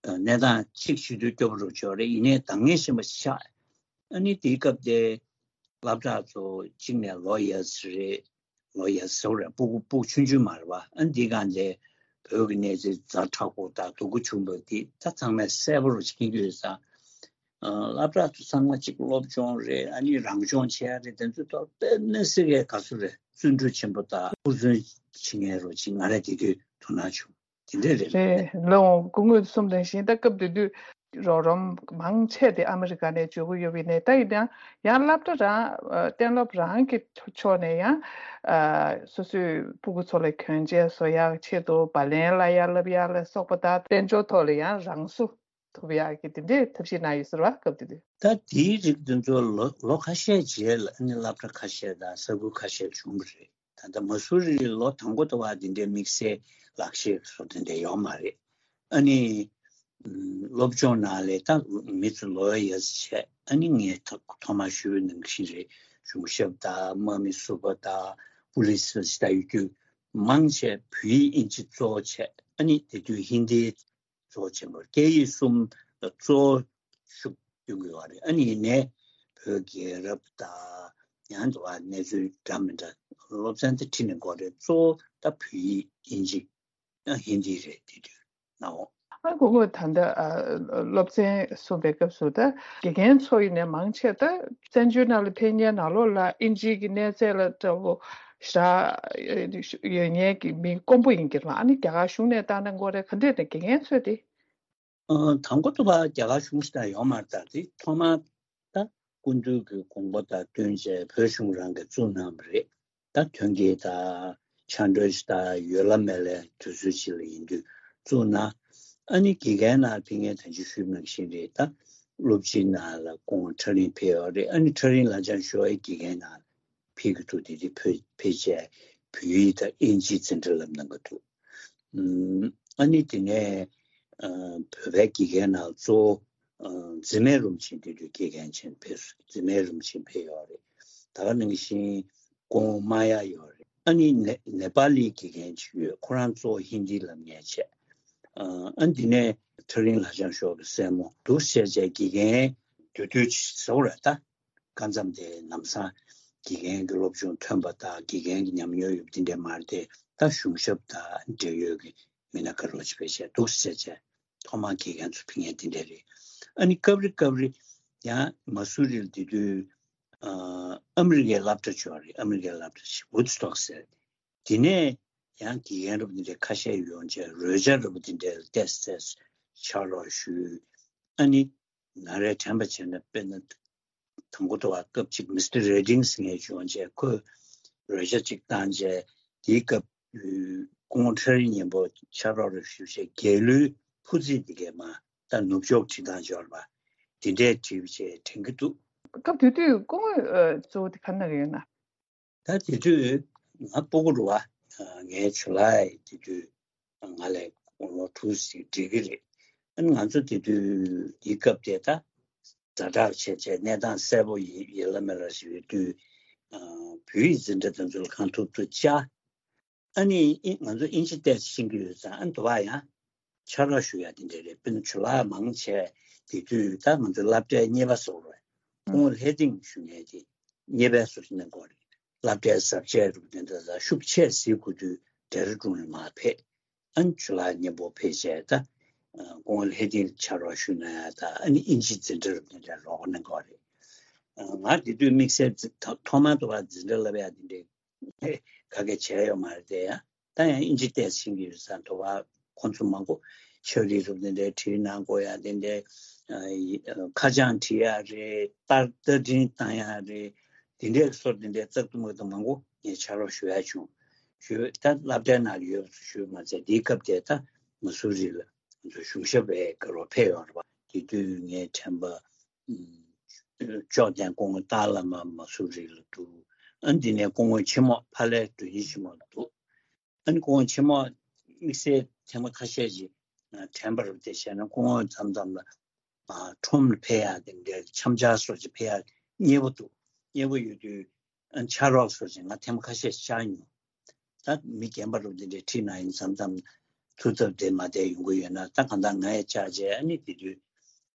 གནས་སྟངས་གཅིག་ཞུ་དུས་སྐྱོབ་རོགས་བྱོས་རེད། ཡིན་ནའི་འདང་ངེས་ཤེས་པ་ཆགས། ཨ་ནི་དེའི་སྐབས་དེ་སློབ་གྲྭ་ཚོ་གཅིག་ནས་ལོ་ཡ་ཙི་རེད། ལོ་ཡ་ཙི་རེད། སྤུ་གུ་སྤུ་གུ་ཆུང་ཆུང་མ་རེད་པ། ཨ་ནི་འདི་གང་དེ་བོད་ཀྱི་གནས་ཚུལ་ཛ་དྲག་པོ་དང་སྡུག་གུ་བྱུང་བ་དེ་ད་ཚང་མས་གསལ་པོ་རུ་མཁྱེན་གྱི་ཡོད་ཙང་། ཨ་སློབ་གྲྭ་ཚོ་ཚང་མ་གཅིག་སློབ་སྦྱོང་རེད། ཨ་ནི་རང་སྦྱོང་བྱེད་ཡ་རེད། དེ་ཚོ་ཐོག་དཔེ་མི་སྲིད་པའི་དགའ་བསུ་རེད། བརྩོན་འགྲུས་ཆེན་པོ་དང་ཧུར་བརྩོན་བྱེད་མཁན་རུ་ཅིག་ང་རང་དེ་དུས་དོ་སྣང་བྱུང་། དེ་འདྲ་རེད། རེད། ལགས་འོང་། སྐུ་ངོ་གསུངས་དོན་བཞིན་ད་སྐབས་དེ་དུས་རོགས་རམ་མང་ཆེ་དེ་ཨ་མི་རི་ཀ་ནས་འཇུག་གི་ཡོད་པ་ཡིན་ནའི་ད་ཡིན་ན་ཡང་སློབ་གྲྭ་རང་ཨ་གཏན་སློབ་རང་གི་ཕྱོགས་ནས་ཡང་ཨ་སོ་སོའི་སྤུ་གུ་ཚོ་ལ་གྱོན་ཆས་བཟོ་ཡག་ཆེད་དུ་བ་ལན་བསླབ་ཡག་བསླབ་ཡག་ལ་སོགས་པ་དང་དཔལ་འབྱོར་ཐོག་ལ་ཡང་རང་བཟོ་ཐུབ་ཡག་གི་དེ་འདྲའི་ཐབས་ཤེས་གནང་ཡོད་ཟེར་བ། སྐབས་དེ་དུས། ད་དེའི་རིགས་དེ་ཚོ་ལོ་ལོ་ཁ་ཤས་རྗེས་ལ་ཨ་ནི་སློབ་གྲྭ་ཁ་ཤས་དང་ས་ཁུལ་ཁ་ཤས་བྱུང་བ་རེད། ད་ལྟ་མ་སུ་རི་ལོ་དང་པོ་དུ་བ་འདི་འདྲའི་དམིགས་བསལ་ལག་ཤེས་སོགས་དེ་འདྲ་ཡོད་མ་རེད། ཨ་ནི་ཨམ་སློབ་སྦྱོང་ནང་ལས་ད་མི་ཚོ་ལོ་ཡ་ཡ་བྱས། ཨ་ནི་ངས་ཐོ་ཐོག་མར་ཞུས་པའི་ནང་བཞིན་རེད། གཞུང་ཞབས་དང་དམག་མི་ཟུར་པ་དང་པུ་ལི་སི་ཟེར་ད་ཡོད་རྒྱུ་མང་ཆེ་བོད་ཡིག་དབྱིན་ཇི་གཙོ་བོ་བྱས། ཨ་ནི་དེ་དུས་ཧིན་དི་གཙོ་བོ་ཆེན་པོ་སྐད་ཡིག་གསུམ་ལ་གཙོ་བོ་ཤུགས་སྐྱོན་གྱི་ཡོད་རེད། ཨ་ནི་ཡིན་ནའི་བོད་རྒྱལ་རབས་དང་ཡང་དུ་བ་གནས་ཚུལ་འདྲ་མི་འདྲ་སློབ་ཚན་དེ་ཁྲིད་ནས་འགོ་རེད། གཙོ་བོ་ད་བོད་ཡིག་དབྱིན་ཇི་ཡང་ཧིན་དི་རེད། དེ་དུས་ནའོ། ཨ་ཁོ་ཁོ་ད་ལྟ་ཨ་སློབ་ཚན་གསུངས་པའི་སྐབས་སུ་ད་དགེ་རྒན་ཚོ་ཡིན་ནའི་མང་ཆེ་ད་བཙན་བྱོལ་ནང་ལ་ཕེབས་མཁན་ནང་ལོགས་ལ་དབྱིན་ཇིའི་གི་གནས་ཚད་ལ་འདྲ་བོ་ཞེ་དྲག་ཡོད་མཁན་གྱི་མི་དཀོན་པོ་ཡིན་གྱི་རེད་པ། ཨ་ནི་རྒྱ་གར་གཞུང་ནས་བཏང་ན་འགོ་རེད། ག་འདྲས་ནས་དགེ་རྒན་ཚོས་དེ། ཨ་དང་པོ་དུ་བ་རྒྱ་གར་གཞུང་ཞིག་དང་ཡོད་མ་རེད། ད་དེ་ཐོག་མར་ད་སྐུ་མདུན་གྱི་དགོངས་པ་དང་བསྟུན་བྱས་བོད་གཞུང་རང་གིས་བཙུགས་གནང་བ་རེད། ད་ཐོན་སྐྱེད་དང་ཕྱག་འབྲེལ་ཞིག་དང་ཡོད་ལ་མེད་ལ་དུས་ཚོད་ཅིག་ལ་ཡིན་དུས་བཙུགས་གནང་། ཨ་ནི་དགེ་རྒན་ནང་ཕེབས་མཁན་ད་ཅི་ཞུས་ནང་བཞིན་རེད། ད་སློབ་སྤྱི་ནང་ལ་སྐུ་ངོ་ཁྲ་རིང་ཕེབས་ཡོད་རེད། ཨ་ནི་ཁྲ་རིང་ལགས་ཀྱང་ཞོ་ཨེ་དགེ་རྒན་ནང་ཕེབས་ཀྱི་འདུག་དེ་དུས་ཕེབས་ཕེབས་བྱས་བོད་ཡིག་དང་དབྱིན་ཇི་འཛིན་གྲྭ་བསླབ་གནང་གི་འདུག་ཨ་ནི་དེ་ནས་ཨ་བོད་པའི་དགེ་རྒན་ནང་གཙོ་བོ་ཨ་འཛིན་མའི་རུམ་ཆེན་དེ་དུས་དགེ་རྒན་ཆེན་ཕེབས་སོང་། འཛིན་མའི་རུམ་ཆེན་ཕེབས་ཡོད་རེད། ད་ག་ནང་བཞིན་སྐུ་ངོ་མ་ཡ་ཡོད་རེད། ཨ་ནི་ནེ་ནེ་པ་ལི་དགེ་རྒན་ཅིག་ཡོད། ཁོ་རང་གཙོ་བོ་ཧིན་དི་ལབ་མཁན་བྱས། ཨ་ཨ་འདི་ནས་ཁྲ་རིང་ལགས་ཀྱང་ཞོགས་ཀྱི་སྲས་མོ་འདུག་བཤད་བྱས་དགེ་རྒན་དུས་དུས་ཅིག་ཟེར་བ་རེད། ད་སྐབས་མཚམས་དེ་ལམ་སང་དགེ་རྒན་གྱི་སློབ་སྦྱོང་ཐོན་པ་དང་དགེ་རྒན་གྱི་ཉམས་མྱོང་ཡོད་པ་འདི་འདྲས་མ་རེད་དེ། ད་གཞུང་ཞབས་དང་འབྲེལ་ཡོད་ཀྱི་མི་སྣ་ག་རེ་ཅིག་ཕེབས་བྱས་འདུག་བཤད་བྱས་ཐོག་མར་དགེ་རྒན་ཚོ་ཕེབས་མཁན་འདི་འདྲས་རེད། ཨ་ནི་སྐབས་རེ་སྐབས་རེ་ཡང་མ་སུ་རི་ལ་དེ་དུས་ཨ་ཨ་མི་རི་ཀའི་སློབ་གྲྭ་ཅིག་ཡོད་རེད། ཨ་མི་རི་ཀའི་སློབ་གྲྭ་ཞིག་Woodstock་ཟེར། དེ་ནས་ཡང་དགེ་རྒན་རབ་འདི་འདྲའི་ཁ་ཤས་ཡོང་བྱས་རོལ་ཆ་རབ་འདི་འདྲའི་ཏོག་ཙམ་ཕྱག་རོགས་ཞུས། ཨ་ནི་ང་རའི་དྲན་པ་བྱས་ན་དཔེར་ན་དང་པོ་དུ་བ་སྐབས་གཅིག་Mister Redding་ཟེར་མཁན་ཅིག་ཡོང་བྱས་ཁོས་རོལ་ཆ་གཅིག་བཏང་བྱས་དེའི་སྐབས་སྐུ་ངོ་ཁྲ་རིང་མཉམ་པོ་ཕྱག་རོགས་རེ་ཞུས་བྱས་རྒྱལ་གླུའི་ཕུར་ཚིགས་འདི་གས་མ་ད་ནུབ་ཕྱོགས་བྲིས་སྟངས་ཅིག་ཡོད་རེད་པ། དེ་འདྲས་བྲིས་བྱས་དྲན་གྱི་འདུག་སྐབས་དེ་དུས་སྐུ་ངོས་ཨ་གཙོ་བོ་དེ་ག་རེ་གནང་གི་ཡོད་ན། ད་དེ་དུས་ང་སྤུ་གུ་རེད་པ། ངའི་ཇུ་ལའི་དེ་དུས་ང་ལས་ལོ་དྲུག་ཙམ་འགྲིག་གི་རེད། ཨ་ནི་ང་ཚོ་དེ་དུས་དེའི་སྐབས་དེ་ད་ཛ་དྲག་བྱས་བྱས་གནས་སྟངས་གསལ་པོ་ཡི་ཡི་ལ་མེ་ལ་ཞིག་ཡོད་དུས་བོད་ཡིག་འཛིན་གྲྭ་དེ་ཚོ་ལ་གང་ཐུབ་ཐུབ་བཅར། ཨ་ནི་ཨི་ང་ཚོ་དབྱིན་ཇི་ཏོག་ཙམ་ཤེས་ཀྱི་ཡོད་ཙང་། ཨ་ནི་དུ་བ་ཡང་ཕྱག་རོགས་ཞུ་ཡ་དེ་འདྲ་རེད། དཔེར་ན་ཇུ་ལའི་མང་ཆེ་དེ་དུས་ད་ང་ཚོ་སློབ་གྲྭའི་གཉེར་པ་ཟེར་བ་རེད། སྐུ་ངོ་ལྷས་ལྡན་ཞུ་མཁན་དེ་གཉེར་པའི་ཟུར་ནས་འགོ་རེད། སློབ་གྲྭའི་གཟབ་རྒྱས་རུ་དེ་འདྲ་ད་ཤུགས་ཆེ་ཟིག་དགོས་དུས་ཌེ་ར་ཌུན་ལ་མར་ཕེབས། ཨ་ནི་ཇུ་ལའི་མཉམ་པོ་ཕེབས་བྱས་ད་སྐུ་ངོ་ལྷས་ལྡན་ལ་ཕྱག་རོགས་ཞུ་ན་ཡ་ད་ཨ་ནི་དབྱིན་ཇི་འཛིན་གྲྭ་རུ་དེ་འདྲ་རོགས་གནང་འགོ་རེད། ང་དེ་དུས་དམིགས་བསལ་ཐོག་མར་དུ་བ་འཛིན་གྲྭ་བསླབ་ཡ་དེ་འདྲའི་ག་གེ་བྱས་ཡོད་མ་རེད་དེ། ཡང་ད་ཡང་དབྱིན་ཇི་ཏོག་ཙམ་ཤེས་ཀྱི་ཡོད་ཙང་དུ་བ་ཁོང་ཚོ་མང་པོ་ཕྱག་བྲིས་རུ་དེ་འདྲའི་བྲིས་གནང་དགོས་ཡ་དེ་འདྲའི་ཨ་ཁ་བྱང་བྲིས་ཡ་རེད། རྟ་རྟ་འཕྲིན་བཏང་ཡ་རེད། དེ་འདྲའི་སོར་དེ་འདྲའི་ཙག་ཏུ་མུག་ཏུ་མང་པོ་ངས་ཕྱག་རོགས་ཞུ་ཡ་བྱུང་། ཞུ་ད་སློབ་གྲྭའི་ནང་ཡོད་པ་ཞུ་མ་ཚད་དེའི་སྐབས་དེ་ད་མ་སུ་རི་ལ་ང་ཚོ་གཞུང་ཞབས་པའི་སྐབས་རོགས་ཕེབས་ཡོང་རེད་པ། དེ་དུས་ངའི་དྲན་པ་ཅོག་ལྡན་སྐུ་ངོ་ཏཱ་བླ་མ་མ་སུ་རི་ལ་འདུག་ཨ་འདི་ནས་སྐུ་ངོ་ཆེན་མོ་ཕ་ལའི་མགྲོན་གཉེར་ཆེན་མོ་ལ་འདུག་ཨ་ནི་སྐུ་ངོ་ཆེན་མོ་དམིགས་བསལ་ཐེངས་མ་ཁ་ཤས་ཤིག་དྲན་པ་རུ་དེ་བྱས་ན། སྐུ་ངོ་མཚམས་མཚམས་ལ་ཨ་ཁྲོམ་ལ་ཕེབས་ཡག་དེ་འདྲའི་འཆམ་འཆར་སོགས་ཅིག་ཕེབས་ཡག་མཉེས་པོ་འདུག་མཉེས་པོ་ཡོད་དུས་ཨ་ཕྱག་རོགས་སོགས་ཅིག་ང་ཐེངས་མ་ཁ་ཤས་ཤིག་བཅར་མྱོང་། ད་མི་རྒན་པ་རུ་དེ་འདྲའི་ཁྲིད་ན་ཡིན། མཚམས་མཚམས་ཐུགས་འཚབ་དེ་མ་བསྡད་ཡོང་གི་ཡོད་ན། ད་གང་ལྟར་ང་ཡང་བཅར་བྱས། ཨ་ནི་དེ་དུས་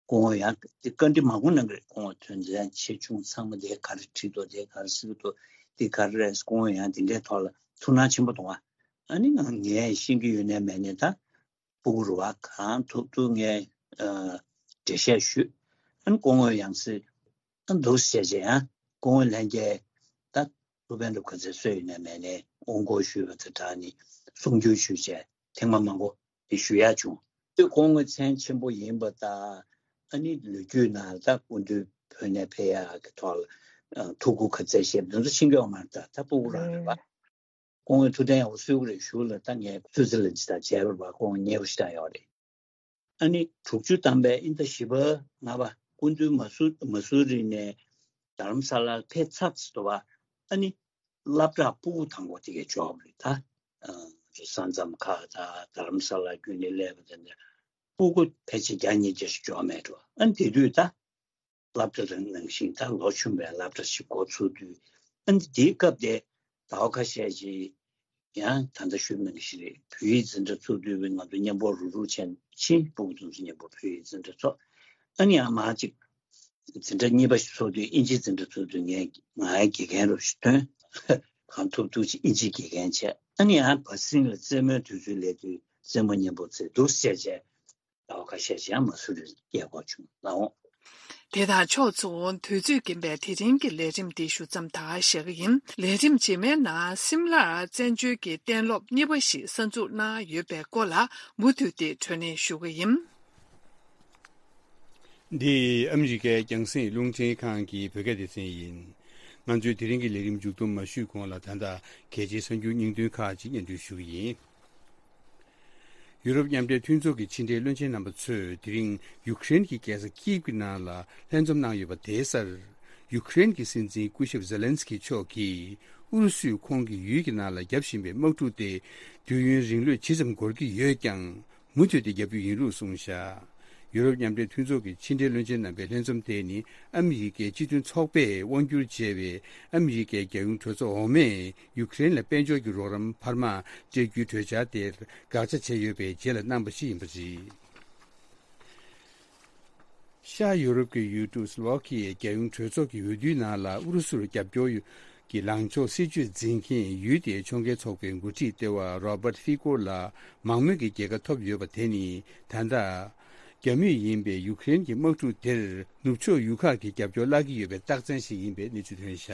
སྐུ་ངོ་ཡང་དེ་བཀའ་འདྲི་མང་པོ་གནང་གི་རེད། སྐུ་ངོ་དོན་ཚན་ཆེ་ཆུང་ཚང་མ་དེ་ག་རེ་བྲིས་འདུག་དེ་ག་རེ་གཟིགས་འདུག་དེ་ག་རེ་རེད། སྐུ་ངོ་ཡང་དེ་འདྲའི་ཐོག་ལ་ཐུགས་སྣང་ཆེན་པོ་གཏོང་བ། ཨ་ནི་ང་ངས་ཤེས་ཀྱི་ཡོད་ནའི་མེད་ནའི་ད་སྤུ་གུ་རུ་བ་གང་ཐུབ་ཐུབ་ངས་ཨ་འགྲེལ་བཤད་ཞུས། ཨ་ནི་སྐུ་ངོ་ཡང་སྲིད་ཨ་འདུག་ཟེར་བྱས་ཡང་སྐུ་ངོ་ལྷན་རྒྱས་ད་ཐུགས་ཕན་ཐོགས་ག་ཚད་སོས་ཡོད་ནའི་མེད་ནའི་དབུ་འགོག་ཞུས་པ་དང་སྦྲགས་ནས་གསུང་བསྒྱུར་ཞུས་བྱས་ཐེངས་མ་མང་པོ་དེ་ཞུ་ཡག་བྱུང་། དེ་སྐུ་ངོ་མཚན་ཆེན་པོ་ཡིན་པ་དང་། ཨ་ནི་ལོ་རྒྱུས་ནང་ད་སྐུ་མདུན་བོད་ནས་ཕེབས་ཡག་གི་ཐོག་ལ་ཨ་ཐུགས་ཁུར་ག་ཚད་བཞེས་པ་དེ་ཚོ་ཤེས་ཀྱི་ཡོད་མ་རེད། ད་ད་སྤུ་གུ་རང་རེད་པ། སྐུ་ངོ་ཐུགས་གཏན་ཡག་པོ་གསོལ་གྱི་རེད། གཞུག་ལ་ད་ངས་སུད་སི་ལན་ཅི་དང་མཇལ་བར་བ་སྐུ་ངོ་མཉེས་པོ་ཞེ་དྲག་ཡོད་རེད། ཨ་ནི་དྲུག་ཅུ་ཐམ་པའི་ཨིན་ཟླ་བཞི་པ་ལྔ་པ་སྐུ་མདུན་མ་སུ་མ་སུ་རི་ནས་རྡ་རམ་ས་ལར་ཕེབས་ཚར་ཚར་དུས་པ། ཨ་ནི་སློབ་གྲྭ་སྤུ་གུ་དང་པོ་དེ་གས་འབྱོར་བ་རེད་ད། ཨ་ས་མཚམས་ཁག་དང་རྡ་རམ་ས་ལ་བརྒྱུད་ནས་སླེབས་པ་དེ་འདྲ་སྤུ་གུ་ཕལ་ཆེར་བརྒྱ་ཉིས་བརྒྱ་ཞིག་འབྱོར་མེད་འགྲོ། ཨ་ནི་དེ་དུས་ད་སློབ་གྲྭ་རང་ནང་བཞིན་ད་ལོ་ཆུང་བའི་སློབ་གྲྭ་ཞིག་འགོ་ཚུགས་དུས། ཨ་ནི་དེའི་སྐབས་དེ་ཟླ་བ་ཁ་ཤས་ཤིག་ཡང་ད་ལྟ་ཞུས་ནང་བཞིན་རེད། བོད་ཡིག་འཛིན་གྲྭ་ཚུགས་དུས་ང་ཚོ་མཉམ་པོ་རུག་རུག་བྱས་ཕྱིན། སྤུ་གུ་དེ་ཚོ་མཉམ་པོ་བོད་ཡིག་འཛིན་གྲྭ་ཚུགས། ཨ་ནི་ཡང་མ་གཅིག་འཛིན་གྲྭ་གཉིས་པ་ཞིག་ཚུགས་དུས་ཨིན་ཇིའི་འཛིན་གྲྭ་ཚུགས་དུས་ངས་ང་ཡང་དགེ་རྒན་རུ་ཞིག་ཐོན། གང་ཐུབ་ཐུབ་ཅིག་ཨིན་ཇིའི་དགེ་རྒན་བྱས། ཨ་ནི་ཡང་བ་སིང་ལ་རྩེད་མོའི་དུས་ཚོད་སླེབས་དུས་རྩེད་མོ་མཉམ་པོ་རྩེ་འདུག་ཟེར་བྱས། ཟླ་བ་ཁ་ཤས་ཤིག་ཡང་མ་སུ་རི་སྐྱེལ་དགོས་བྱུང་ལགས་འོང་། དེ་དང་ཕྱོགས་མཚུངས་དུས་ཚོད་རྐྱེན་པས་དེ་རིང་གི་ལས་རིམ་འདི་ཞུ་མཚམས་ད་བཞག་གི་ཡིན། ལས་རིམ་རྗེས་མའི་ནང་སིམ་ལར་བཙན་བྱོལ་གྱི་གཏན་སློབ་གཉིས་པ་ཞིག་གསར་འཛུགས་གནང་ཡོད་པའི་སྐོར་ལ་མུ་མཐུད་དེ་བགྲོ་གླེང་ཞུ་གི་ཡིན། འདི་ཨ་མི་རི་ཀའི་རྒྱང་སྲིང་རླུང་འཕྲིན་ཁང་གི་བོད་སྐད་སྡེ་ཚན་ཡིན། ང་ཚོས་དེ་རིང་གི་ལས་རིམ་མཇུག་བསྡོམས་མ་ཞུས་གོང་ལ། ད་ལྟ་གལ་ཆེའི་གསར་འགྱུར་སྙིང་དོན་ཁག་ཅིག་སྙན་སྒྲོན་ཞུ་གི་ཡིན། ཡུ་རོབ་མཉམ་འབྲེལ་མཐུན་ཚོགས་ཀྱི་ཕྱི་འབྲེལ་བློན་ཆེན་རྣམ་པ་ཚོས་དེ་རིང་ཡུ་ཀེ་རེན་གྱི་རྒྱལ་ས་ཀིབ་ཀྱི་ནང་ལ་ལྷན་འཛོམས་གནང་ཡོད་པ་དེའི་སར། ཡུ་ཀེ་རེན་གྱི་སྲིད་འཛིན་སྐུ་ཞབས་ཛེ་ལན་སི་ཀི་མཆོག་གིས་ཨུ་རུ་སུས་ཁོང་གི་ཡུལ་གྱི་ནང་ལ་བརྒྱབ་བཞིན་པའི་དམག་འཁྲུག་དེ་དུས་ཡུན་རིང་ལོས་ཇི་ཙམ་འགོར་གྱི་ཡོད་ཀྱང་། མུ་མཐུད་དེ་བརྒྱབ་རྒྱུ་ཡིན་ལུགས་གསུངས་བཞག་ཡུ་རོབ་མཉམ་འབྲེལ་མཐུན་ཚོགས་ཀྱི་ཕྱི་འབྲེལ་བློན་ཆེན་རྣམ་པའི་ལྷན་འཛོམས་དེ་ནི་ཨ་མི་རི་ཀའི་སྤྱི་མཐུན་ཚོགས་པས་དབང་སྒྱུར་བྱས་པའི་ཨ་མི་རི་ཀའི་རྒྱལ་ཡོངས་གྲོས་ཚོགས་འོག་མས་ཡུ་ཀེ་རེན་ལ་དཔལ་འབྱོར་གྱི་རོགས་རམ་འཕར་མ་སྤྲད་རྒྱུའི་གྲོས་འཆར་དེར་དགག་བྱ་བྱས་ཡོད་པའི་རྗེས་ལ་གནང་པ་ཞིག་ཡིན་པ་རེད། ཤར་ཡུ་རོབ་ཀྱི་ཡུལ་གྲུ་སི་ལོ་ཝ་ཁི་ཡའི་རྒྱལ་ཡོངས་གྲོས་ཚོགས་ཀྱི་འོས་བསྡུའི་ནང་ལ་ཨུ་རུ་སུར་རྒྱབ་སྐྱོར་གྱི་ལངས་ཕྱོགས་སྲིད་ཇུས་འཛིན་མཁན་ཡུལ་དེའི་ཕྱོགས་འགལ་ཚོགས་པའི་འགོ་ཁྲིད་ལྟེ་བ་རོ་བར་ཧྥི་ཀོར་ལ་མང་མོས་ཀྱི་རྒྱལ་ཁ་ཐོབ་ཡོད་པ་དེ་ནི། ད་ལྟ་རྒྱ་མིས་ཡིན་པའི་ཡུ་ཀེ་རེན་གྱི་དམག་འཁྲུག་དེར་ནུབ་ཕྱོགས་ཡུལ་ཁག་གིས་རྒྱབ་སྐྱོར་བརླག་གི་ཡོད་པའི་རྟགས་མཚན་ཞིག་ཡིན་པའི་གནས་ཚུལ་ཐོན་བཞག་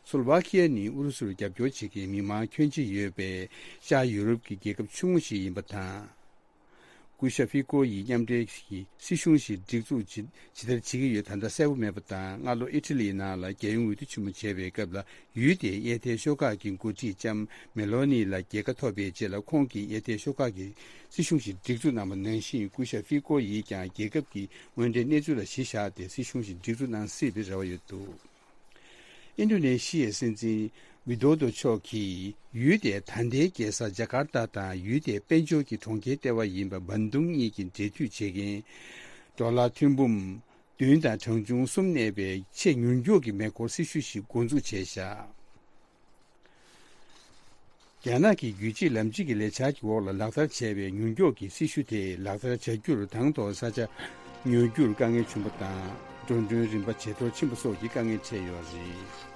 སོ་ལོ་ཝ་ཁི་ཡ་ནི་ཨུ་རུ་སུར་རྒྱབ་སྐྱོར་བྱེད་མཁན་མི་མང་ཁྱོན་ཆེ་ཡོད་པའི་ཤར་ཡུ་རོབ་ཀྱི་རྒྱལ་ཁབ་ཆུང་ངུ་ཞིག་ཡིན་པ་དང་། སྐུ་ཞབས་ཧྥི་ཀོ་ཡིས་མཉམ་འབྲེལ་གྱི་སྲིད་གཞུང་ཞིག་སྒྲིག་འཛུགས་ཇི་ཇི་ལྟར་བྱེད་ཀྱི་ཡོད་ད་ལྟ་གསལ་པོ་མེད་པ་དང་། སྔ་ལོ་ཨི་ཊ་ལིའི་ནང་ལ་རྒྱལ་ཡོངས་འོས་བསྡུ་ཆེན་མོ་བྱས་པའི་སྐབས་ལ་ཡུལ་དེའི་གཡས་ཐལ་ཤོག་ཁག་གི་འགོ་ཁྲིད་ལྕམ་མེ་ལོ་ནི་ལ་རྒྱལ་ཁ་ཐོབ་པའི་རྗེས་ལ་ཁོང་གིས་གཡས་ཐལ་ཤོག་ཁག་གི་སྲིད་གཞུང་ཞིག་སྒྲིག་འཛུགས་གནང་བ་ནང་བཞིན། སྐུ་ཞབས་ཧྥི་ཀོ་ཡིས་ཀྱང་རྒྱལ་ཁབ་ཀྱི་དངོས་འབྲེལ་གནས་ཚུལ་ལ་གཞི་བཞག་སྟེ་སྲིད་གཞུང་ཞིག་སྒྲིག་འཛུགས་གནང་སྲིད་པའི་རེ་བ་ཡོད་འདུག་ཨིན་ཌོ་ནེ་ཤི་ཡའི་སྲིད་འཛིན་ཝི་དོ་དོ་མཆོག་གིས་ཡུལ་དེའི་ད་ལྟའི་རྒྱལ་ས་ཇ་ཀར་ཏ་དང་ཡུལ་དེའི་དཔལ་འབྱོར་གྱི་གྲོང་ཁྱེར་ལྟེ་བ་ཡིན་པ་བན་དུང་གཉིས་ཀྱི་འབྲེལ་མཐུད་བྱེད་མཁན་ཌོ་ལར་ཐོན་འབུམ་བདུན་དང་གྲངས་ཆུང་གསུམ་གནས་པའི་ཆེས་མྱུར་མགྱོགས་ཀྱི་མེ་འཁོར་སྲི་ཞུ་ཞིག་འགོ་འཛུགས་བྱས་བཞག་རྒྱ་ནག་གི་རྒྱུད་གཅིག་ལམ་གཅིག་གི་ལས་འཆར་གྱི་འོག་ལ་ལག་བསྟར་བྱས་པའི་མྱུར་མགྱོགས་ཀྱི་སྲི་ཞུ་དེ་ལག་བསྟར་བྱ་རྒྱུར་དང་ཐོག་ས་ཆ་ཉོ་རྒྱུར་དཀའ་ངལ་བྱུང་བ་དང་། འགྲོ་གྲོན་རིན་པ་ཇེ་མཐོར་ཕྱིན་པ་སོགས་ཀྱི་དཀའ་ངལ་འཕྲད་ཡོད་རེད།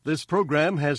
This program has